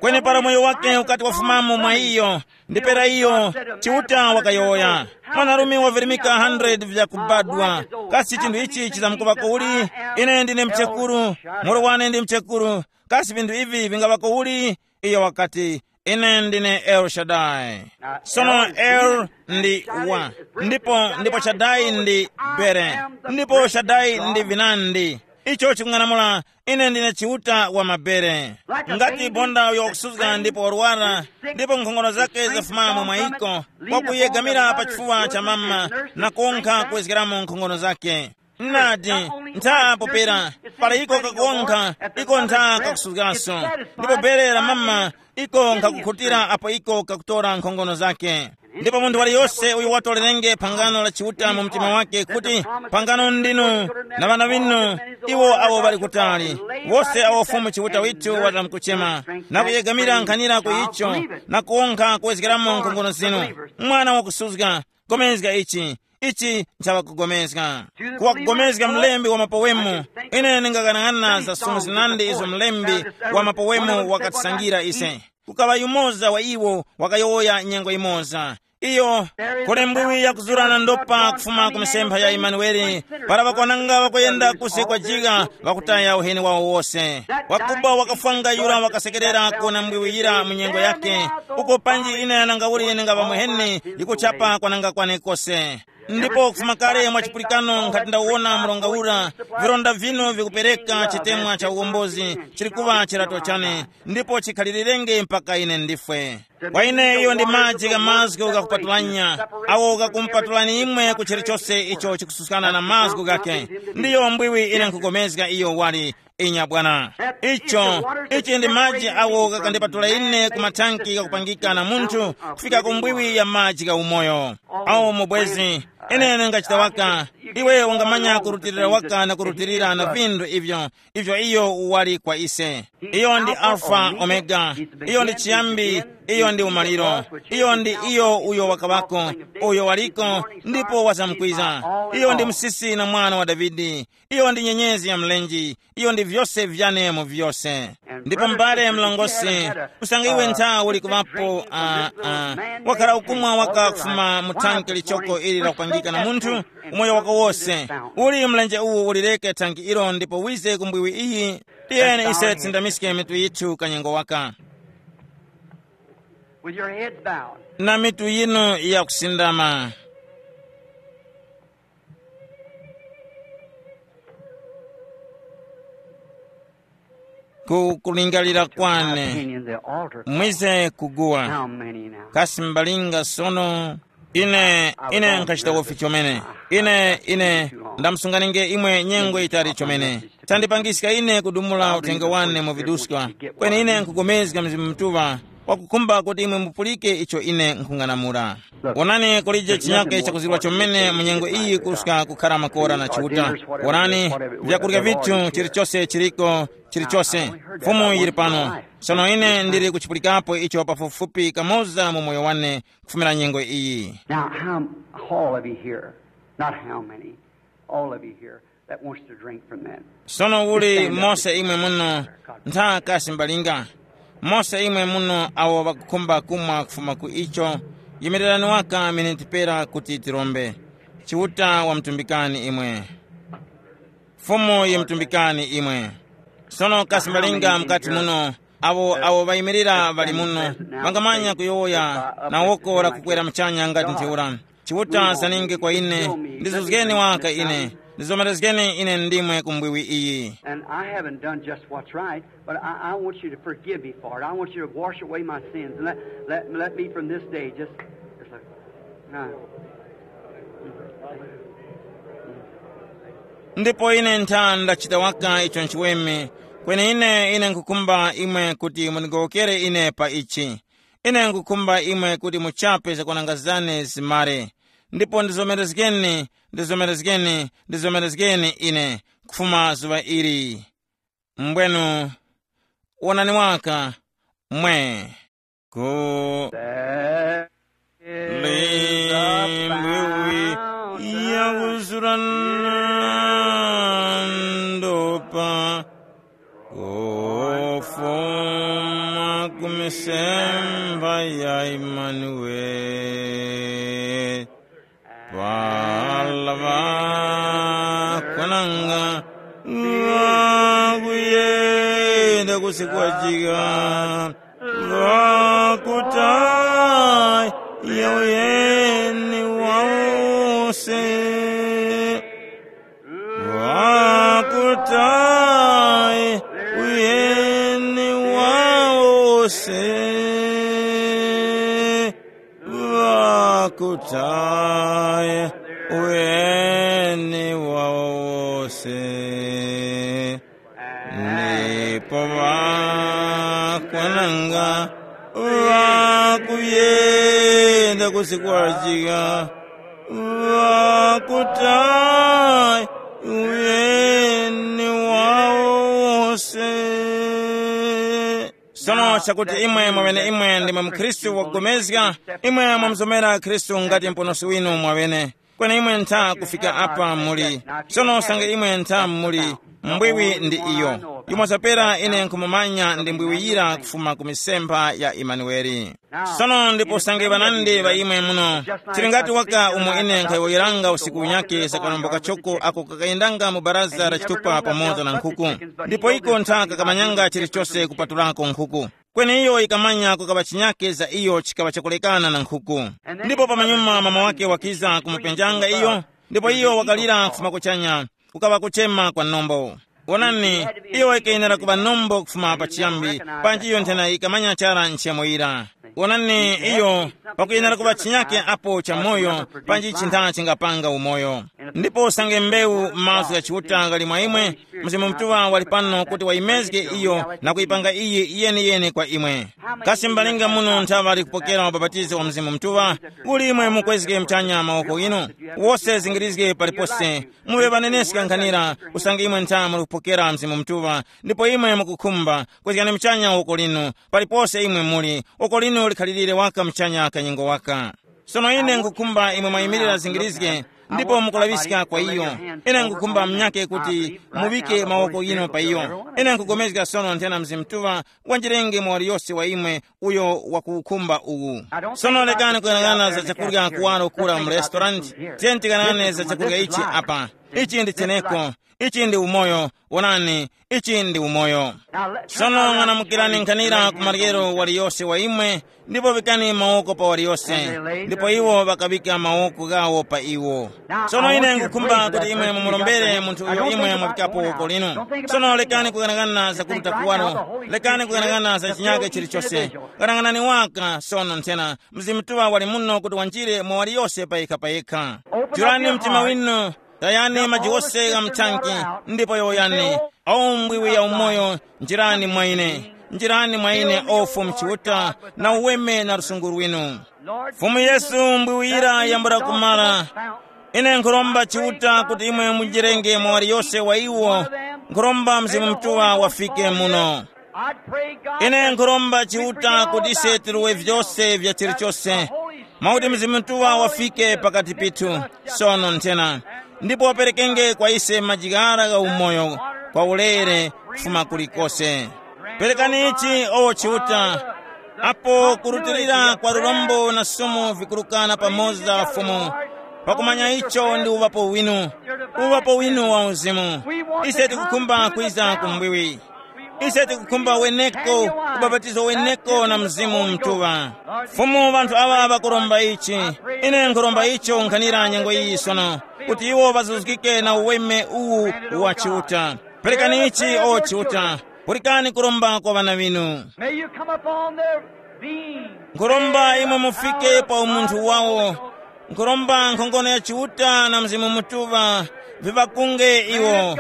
Kweni para moyo wake ukati wafumamo mwa iyo, ndipera iyo, Chiuta wakayowoya. Mwanarume wavirimika hundred vyakubadwa. Kasi chinthu ichi chizamkuŵa kuuli? Ine ndine mchekuru, muro wane ndi mchekuru. Kasi vinthu ivi vingaŵa kuuli? Iyo wakati, ine ndine El Shaddai. Sono El ndi wa, ndipo ndipo Shaddai ndi bere, ndipo Shaddai ndi vinandi. Icho chikung'anamula, ine ndine Chiuta wa mabere. Ngati bonda uyo wakusuzga ndipo warwara, ndipo nkhongono zake zafumamo mwa iko, wakuyegamira pa chifuwa cha mama na kunkha kuwezgeramo nkhongono zake. Nadi, ntha popera, para iko kakunkha, iko ntha kakusuzgaso. Ndipo bere la mama, iko nkhakukhutira apo iko kakutora nkhongono zake. Ndipo munthu waliyose uyo watolerenge phangano la Chiuta mu mtima wake kuti phangano ndinu na ŵana ŵinu, iwo awo ŵali kutali, wose awo Fumu Chiuta withu watamkuchema, na kuyegamira nkhanira ku icho, na kuwonkha kuwezgeramo nkhongono zinu. Mwana wakusuzga, gomezga ichi, ichi nchaŵakugomezga. Kuwakugomezga mlembi wa mapowemu. Ine ndingaghanaghananga za sumu zinandi izo mlembi wa mapowemu wakatisangira ise. Kukaŵa yumoza wa iwo wakayowoya nyengo imoza. Iyo, kuli mbwiwi yakuzurana ndopa kufuma ku misempha ya Imanuele, para ŵakwananga ŵakuyenda kusi kwa jigha ŵakutaya uheni wawo wose. Wakuba wakafwanga yura wakasekerera kuwona mbwiwi yira mu nyengo yake. Uko panji ine nanga uli ningaŵa muheni yikuchapa kwananga kwane kose. Ndipo kufuma kale mwa chipulikano nkhati ndawona mronga ura, vironda vinu vikupereka chitemwa cha uwombozi chili kuŵa chirato chane, ndipo chikhalirenge mpaka ine ndifwe. Kwa ine iyo ndi maji gha mazgu ghakupatulanya, awo ghakumupatulani imwe ku chilichose icho chikususkana na mazgu ghake. Ndiyo mbwiwi ine nkhugomezga iyo wali inya bwana. Icho, ichi ndi maji awo ghakandipatula ine ku mathanki ghakupangika na munthu kufika ku mbwiwi ya maji gha umoyo. Awo mubwezi, ine ndingachita waka, iwe ungamanya kurutilira waka na kurutilira na vinthu ivyo, ivyo iyo wali kwa ise. Iyo ndi Alfa Omega, iyo ndi chiyambi, iyo ndi umaliro, iyo ndi iyo uyo wakaŵako, uyo waliko, ndipo wazamkwiza. Iyo ndi musisi na mwana wa Davide, iyo ndi nyenyezi ya mlenje, iyo ndi vyose vyane mu vyose. Ndipo mbale mlongosi, usange iwe ntha uli kuŵapo, uh, uh, wakhala ukumwa waka kufuma mu thanki lichoko ili lakupangika na munthu, umoyo wako wose, uli mlenje uwu ulireke thanki ilo ndipo wize ku mbwiwi iyi. Tiyeni ise tsindamiske mitu yithu kanyengo waka. With your heads bowed. Na mitu yinu yakusindama. Ku kulingalira kwane. Opinion, the altar. Mwize kuguwa. How many now? Kasi mbalinga sono? Ine ine nkhachita wofi chomene. Ine ine ndamusunganinge imwe nyengo itali chomene. Tandipangiska ine kudumula uthenga wane mu viduska. Kweni ine nkupulikana Mzimu Mutuŵa wakukhumba kuti imwe mupulike icho ine nkhung'anamula. Wonani, kulije chinyake chakuzirwa chomene mu nyengo iyi kuska kukhara makora na Chiuta. Wonani, vyakurya vithu chilichose chiliko, chilichose. Fumu yili pano. Sono ine ndili kuchipulikapo icho pafupifupi kamoza mu moyo wane kufumira nyengo iyi. Now, how, all of you here, not how many, all of you here that wants to drink from that. Sono uli mose imwe muno, ntha kasi mbalinga, mose imwe muno awo ŵakukhumba kumwa kufuma ku icho, yimirani waka miniti pera kuti tirombe. Chiuta wamutumbikani imwe. Fumu yimutumbikani imwe. Sono kasi mbalinga mkati muno, awo awo ŵayimirira ŵali muno, ŵangamanya kuyowoya na woko la kukwera muchanya ngati ntheura. Chiuta zaninge kwa ine, ndizuzgeni waka ine, ndizomerezgeni ine ndimwe ku mbwiwi iyi. And I haven't done just what's right, but I, I want you to forgive me for it. I want you to wash away my sins and let, let, let me from this day just, just look. Now, ndipo ine ntha ndachita waka icho nchiweme. Kweni ine ine nkukhumba imwe kuti mundigowokere ine pa ichi. Ine nkukhumba imwe kuti muchape zakwananga zane zimare. Ndipo ndizomerezgeni, ndizomerezgeni, ndizomerezgeni ine kufuma zuŵa ili. Mbwenu, wonani waka, mwe. Ku limbwi ya kuzurana ndopa, kufuma ku misemba ya Imanueli. Pala ŵakwananga ŵakuyenda kusikwajika, ŵakutaya uyeni wose. Ŵakutaya uyeni wose. Ŵakutaya uyeni wose. Ndipo ŵakwananga ŵakuyenda kusikwajika, ŵakutaya uyeni wose. Sono chakuti imwe mwaŵene imwe ndimwe mukhristu wakupulikana, imwe mwamuzomera Khristu ngati Muponoski winu mwaŵene. Kweni imwe ntha kufika apa muli. Sono usange imwe ntha muli, mbwiwi ndi iyo. Yumo zapera ine nkhumumanya ndi mbwiwi yira kufuma ku misempha ya Imanueli. Sono ndipo usange ŵanandi ŵa imwe muno, tili ngati waka umo ine nkhayowoyeranga usiku unyake za kanombo kachoko ako kakayendanga mu baraza la chitupa pamoza na nkhuku. Ndipo iko ntha kakamanyanga chilichose kupatulako nkhuku. Kweni iyo yikamanya kukaŵa chinyake za iyo chikaŵa chakulekana na nkhuku. Ndipo pamanyuma mama wake wakiza kumupenjanga iyo, ndipo iyo wakalira kufuma kuchanya, kukaŵa kuchema kwa nombo. Wonani, iyo yikayenera kuŵa nombo kufuma pachiyambi, panji iyo nthena yikamanya chara nchemo yira. Wonani, iyo pakuyenera kuŵa chinyake apo cha moyo, panji chintha chingapanga umoyo. Ndipo usange mbewu mazgu gha Chiuta ghali mwa imwe, Mzimu Mutuŵa wali pano kuti wayimezge iyo na kuyipanga iyi yeniyeni kwa imwe. Kasi mbalinga muno nthaŵa ali kupokera ubapatizo wa Mzimu Mutuŵa? Uli imwe mukwezge mchanya mawoko inu, wose zingirizge palipose, muŵe ŵaneneska nkhanira, usange imwe ntha muli kupokera Mzimu Mutuŵa, ndipo imwe mukukhumba, kwezgani mchanya woko linu, palipose imwe muli, woko linu likhalirire waka mchanya kanyengo waka. Sono ine nkukhumba imwe mwayimirira zingirizge, ndipo mukulaŵiska kwa iyo. Ine nkukhumba munyake kuti muŵike mawoko ghinu pa iyo. Ine nkupulikana sono nthena Mzimu Mutuŵa wanjirenge mwa waliyose wa imwe uyo wakuwukhumba uwu. Sono lekani kuyang'ana za chakurya kuwaro kura mu restaurant. Tiyeni tikang'ane za chakurya ichi apa. Ichi ndi cheneko. Ichi ndi umoyo. Wonani, ichi ndi umoyo. Sono ng'anamukirani nkhanira ku maryero waliyose wa imwe, ndipo vikani mawoko pa waliyose. Ndipo iwo ŵakaŵika mawoko ghawo pa iwo. Sono ine nkhukhumba kuti imwe mumurombere munthu uyo imwe mwafikapo woko linu. Sono lekani kuyang'anang'ana za kuruta kuwaro. Lekani kuyang'anang'ana za chinyake chilichose. Ghanang'anani waka sono nthena. Mzimu Mutuŵa wali muno kuti wanjire mwa waliyose payekha-payekha. Churani mtima winu. Tayani maji wose gha mthanki, ndipo yowoyani, “O mbwiwi ya umoyo, njirani mwa ine. Njirani mwa ine, o Fumu Chiuta, na uweme na lusungu lwinu.” Fumu Yesu, mbwiwi yira yambula kumara. Ine nkhuromba Chiuta kuti imwe munjirenge mwa waliyose wa iwo. Nkhuromba Mzimu Mutuŵa wafike muno. Ine nkhuromba Chiuta kuti ise tiruwe vyose vya chilichose, mwakuti Mzimu Mutuŵa wafike pakati pithu sono nthena, ndipo waperekenge kwa ise majigara gha umoyo kwa ulere kufuma kulikose. Perekani ichi, o Chiuta, apo kurutilira kwa lurombo na sumu vikurukana pamoza Fumu, pakumanya icho ndi uŵapo winu, uŵapo winu wa uzimu. Ise tikukhumba kwiza ku mbwiwi. Ise tikukhumba weneko, ubapatizo weneko na Mzimu Mutuŵa. Fumu, ŵanthu aŵa ŵakuromba ichi. Ine nkhuromba icho nkhanira nyengo iyi sono, kuti iwo ŵazuzgike na uweme uwu wa Chiuta. Perekani ichi, o Chiuta. Pulikani kuromba kwa ŵana ŵinu. May you come upon their being. Nkhuromba imwe mufike pa umunthu wawo. Nkhuromba nkhongono ya Chiuta na Mzimu Mutuŵa viŵakunge iwo.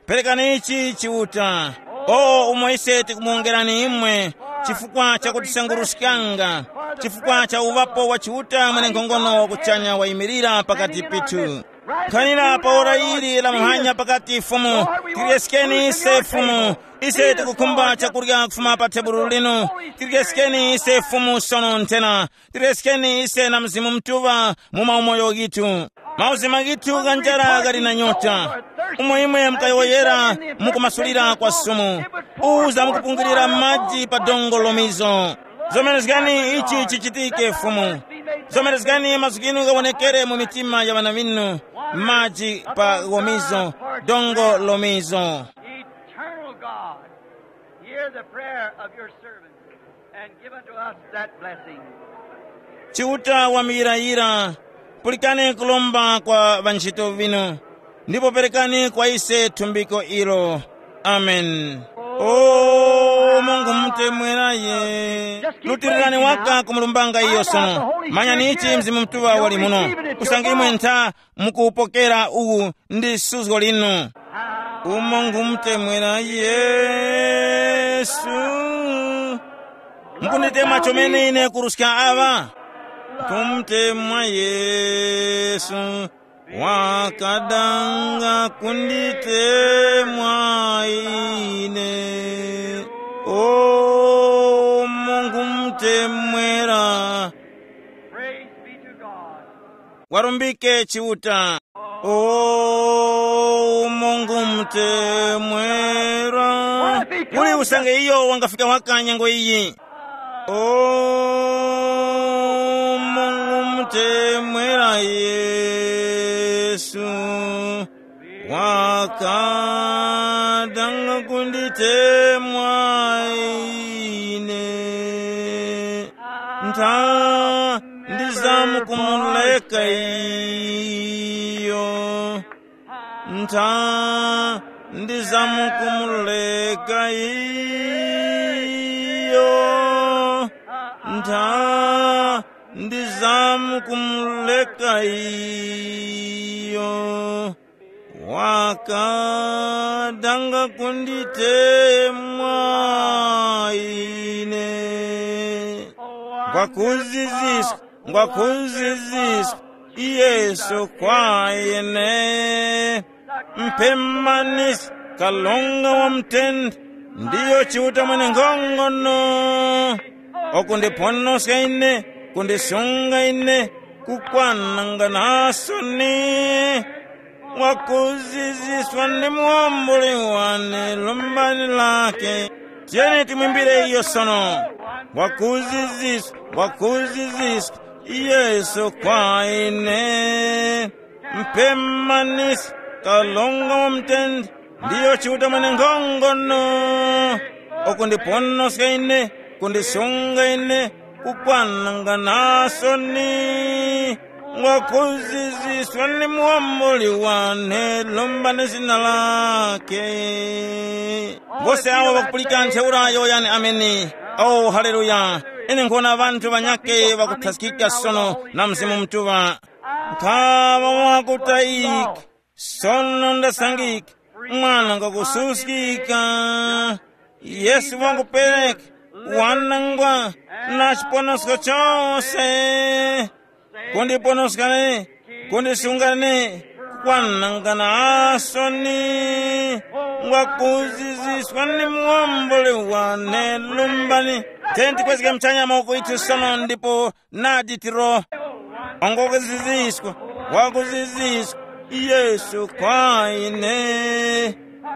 Perekani ichi Chiuta. O umo ise tikumuwongerani imwe, chifukwa cha kutisanguruskanga, chifukwa cha uŵapo wa Chiuta mwenenkhongono wa kuchanya wayimirira pakati pithu. Nkhanira pa ora ili la muhanya pakati Fumu, tiryeskeni ise Fumu. Ise tikukhumba chakurya kufuma pa tebulo linu. Tiryeskeni ise Fumu sono nthena. Tiryeskeni ise na Mzimu Mutuŵa mu maumoyo ghitu. Mauzima ghitu gha njara ghali na nyota. Umo imwe mukayowoyera mukumasulira kwa sumu. Uza mukupungulira maji pa dongo lomizo. Zomerezgani ichi chichitike Fumu. Zomerezgani mazgu ghinu ghawonekere mu mitima ya ŵana ŵinu. Maji pa gomizo, dongo lomizo. Eternal God, hear the prayer of your servant and give unto us that blessing. Chiuta wa muyirayira, pulikani kulomba kwa ŵantchito ŵinu, ndipo perekani kwa ise thumbiko ilo. Amen. O Mungu mutemweraye, lutirirani waka kumulumbanga iyo sono. Manyani ichi Mzimu Mutuŵa wali muno. Kusanga imwe ntha mukuwupokera uwu ndi suzgo linu. Umo ngumutemwera Yesu. Mukunditemwa chomene ine kuruska aŵa? Kumutemwa Yesu. Wakadanga kunditemwa ine. O Mungu mutemwera. Praise be to God. Warumbike Chiuta. O Mungu mutemwera. Uli usange iyo wangafika waka nyengo iyi. O Mungu mutemwera Yesu. Wakadanga kunditemwa ine. Ntha ndizamukumuleka iyo. Ntha ndizamukumuleka iyo. Ntha ndizamukumuleka iyo. Wakadanga kunditemwa ine. Ngwakuziziswa, ngwakuziziswa Yesu kwa ine. Mpemanisi, kalonga wa mutende, ndiyo Chiuta mwenenkhongono. Wakundiponoska ine, kundisunga ine, kukwananga na soni. Wakuziziswa ndi muwambuli wane, lumbani lake. Tiyeni timwimbire iyo sono. Wakuziziswa, wakuziziswa Yesu kwa ine. Mpemanisi, Kalonga wa mutende, ndiyo Chiuta mwene nkhongono, ukundiponoska ine, kundisunga ine, kukwananga nasoni. Ngwakuziziswa ni muwambuli wane, lombani zina lake. Wose awo ŵakupulika ntheura yowoyani ameni. Oh, haleluya. Ine nkhona ŵanthu ŵanyakhe ŵakuthaskika sono na Mzimu Mutuŵa. Nkhaŵa wakutayika, sono ndasangika, mwana ngakususkika. Yesu wakupereka wanangwa na chiponosko chose, kundiponoskani, kundisungani, kukwanangana asoni. Ngwakuziziswa ni muwomboli wane, lumbani. Tenti kwezge mchanya mawoko ithu sono ndipo nadi tiro. Ongo kuziziswa, wakuziziswa Yesu kwa ine.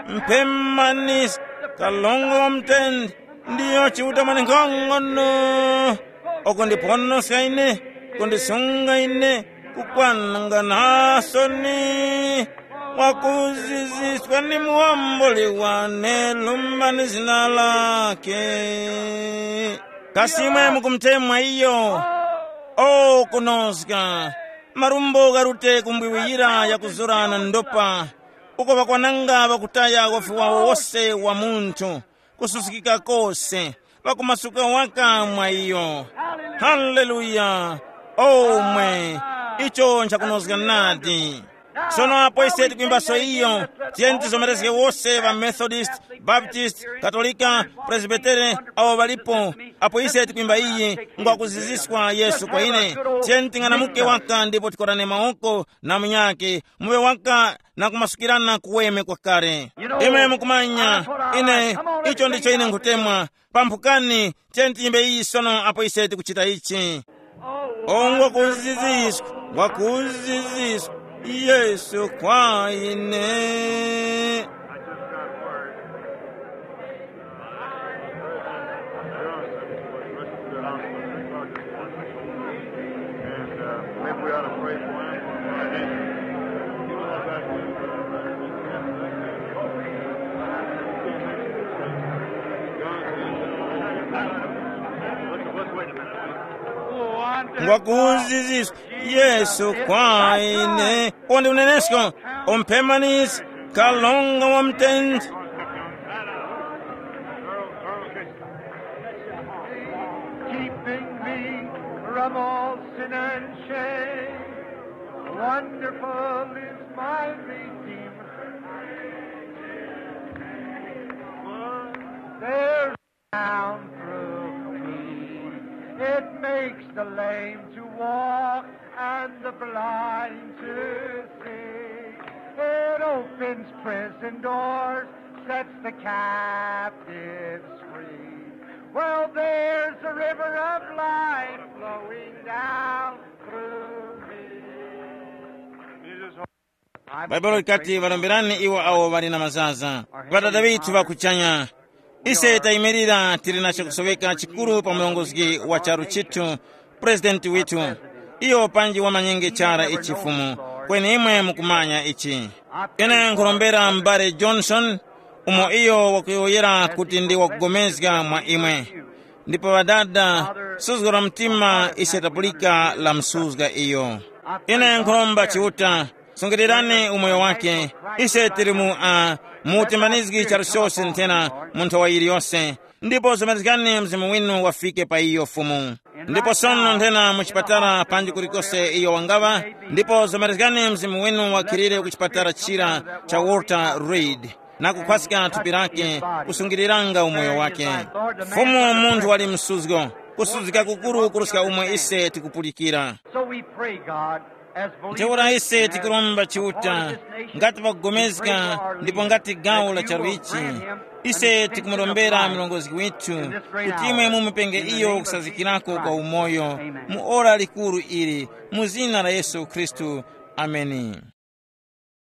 Mpemanisi, kalongo wa mutende, ndiyo Chiuta mwene nkhongono, ukundiponoska ine, kundisunga ine, kukwananga nasoni. Wakuziziswa ni muwambuli wane, lumbani zina lake. Kasi imwe mukumutemwa iyo? O kunoska, marumbo gharute kumbwiwiyira yakuzura na ndopa, uko ŵakwananga ŵakutaya wafi wawo wose wa munthu, kususkika kose, ŵakumasuka waka mwa iyo. Haleluya! Omwe, icho nchakunozga nadi. Sono apo ise tikwimbaso iyo, tiyeni tizomerezge wose ŵa Methodist, Baptist, Katolika, Presbytere, awo ŵalipo. Apo ise tikwimba iyi, ngwakuziziswa Yesu kwa ine. Tiyeni ting'anamuke waka ndipo tikorane mawoko na munyake, muŵe waka na kumasukirana kuweme kwakale. Imwe mukumanya, ine, icho ndicho ine nkhutemwa. Pamphukani, tiyeni tiyimbe iyi sono apo ise tikuchita ichi. O ngwakuziziswa, ngwakuziziswa Yesu kwa ine. And uh, maybe we ought to pray for him. Let's, let's wait a minute. Ngwakuziziswa Yesu kwa ine. Uwo ndi unenesko, umpemanisi, kalonga wa mutende. Keeping me from all sin and shame. Wonderful is my Redeemer. There's down through me. It makes the lame to walk and the blind to see. It opens prison doors, sets the captives free. Well, there's a river of life flowing down through me. Bhaibuli likati, "Ŵaromberani iwo awo ŵali na mazaza." Ŵadada ŵithu ŵa kuchanya, ise tayimirira tili na chakusoweka chikuru pa murongozgi wa charu chithu, President withu. Iyo panji wamanyenge chara ichi Fumu, kweni imwe mukumanya ichi. Ine nkhurombera m'bale Johnson, umo iyo wakuyowoyera kuti ndi wakugomezga mwa imwe. Ndipo ŵadada, suzgo la mtima ise tapulika lamsuzga iyo. Ine nkhuromba Chiuta, sungirirani umoyo wake. Ise tili mu, uh, mu utimbanizgi charu chose nthena mu nthowa yiliyose. Ndipo zomerezgani Mzimu winu wafike pa iyo Fumu. Ndipo sono nthena mu chipatala panji kulikose iyo wangaŵa, ndipo zomerezgani Mzimu winu wakhilire ku chipatala chira cha Walter Reed, na kukhwaska thupi lake, kusungiriranga umoyo wake. Fumu, munthu wali msuzgo, kusuzgika kukuru kuruska umo ise tikupulikira. So we pray, God, as believers, ntheura ise tikuromba Chiuta, ngati pakugomezga ndipo ngati gawo la charu ichi, ise tikumurombera murongozgi withu kuti imwe mumupenge iyo kusazikirako kwa umoyo mu ora likuru ili, mu zina la Yesu Khristu. Ameni.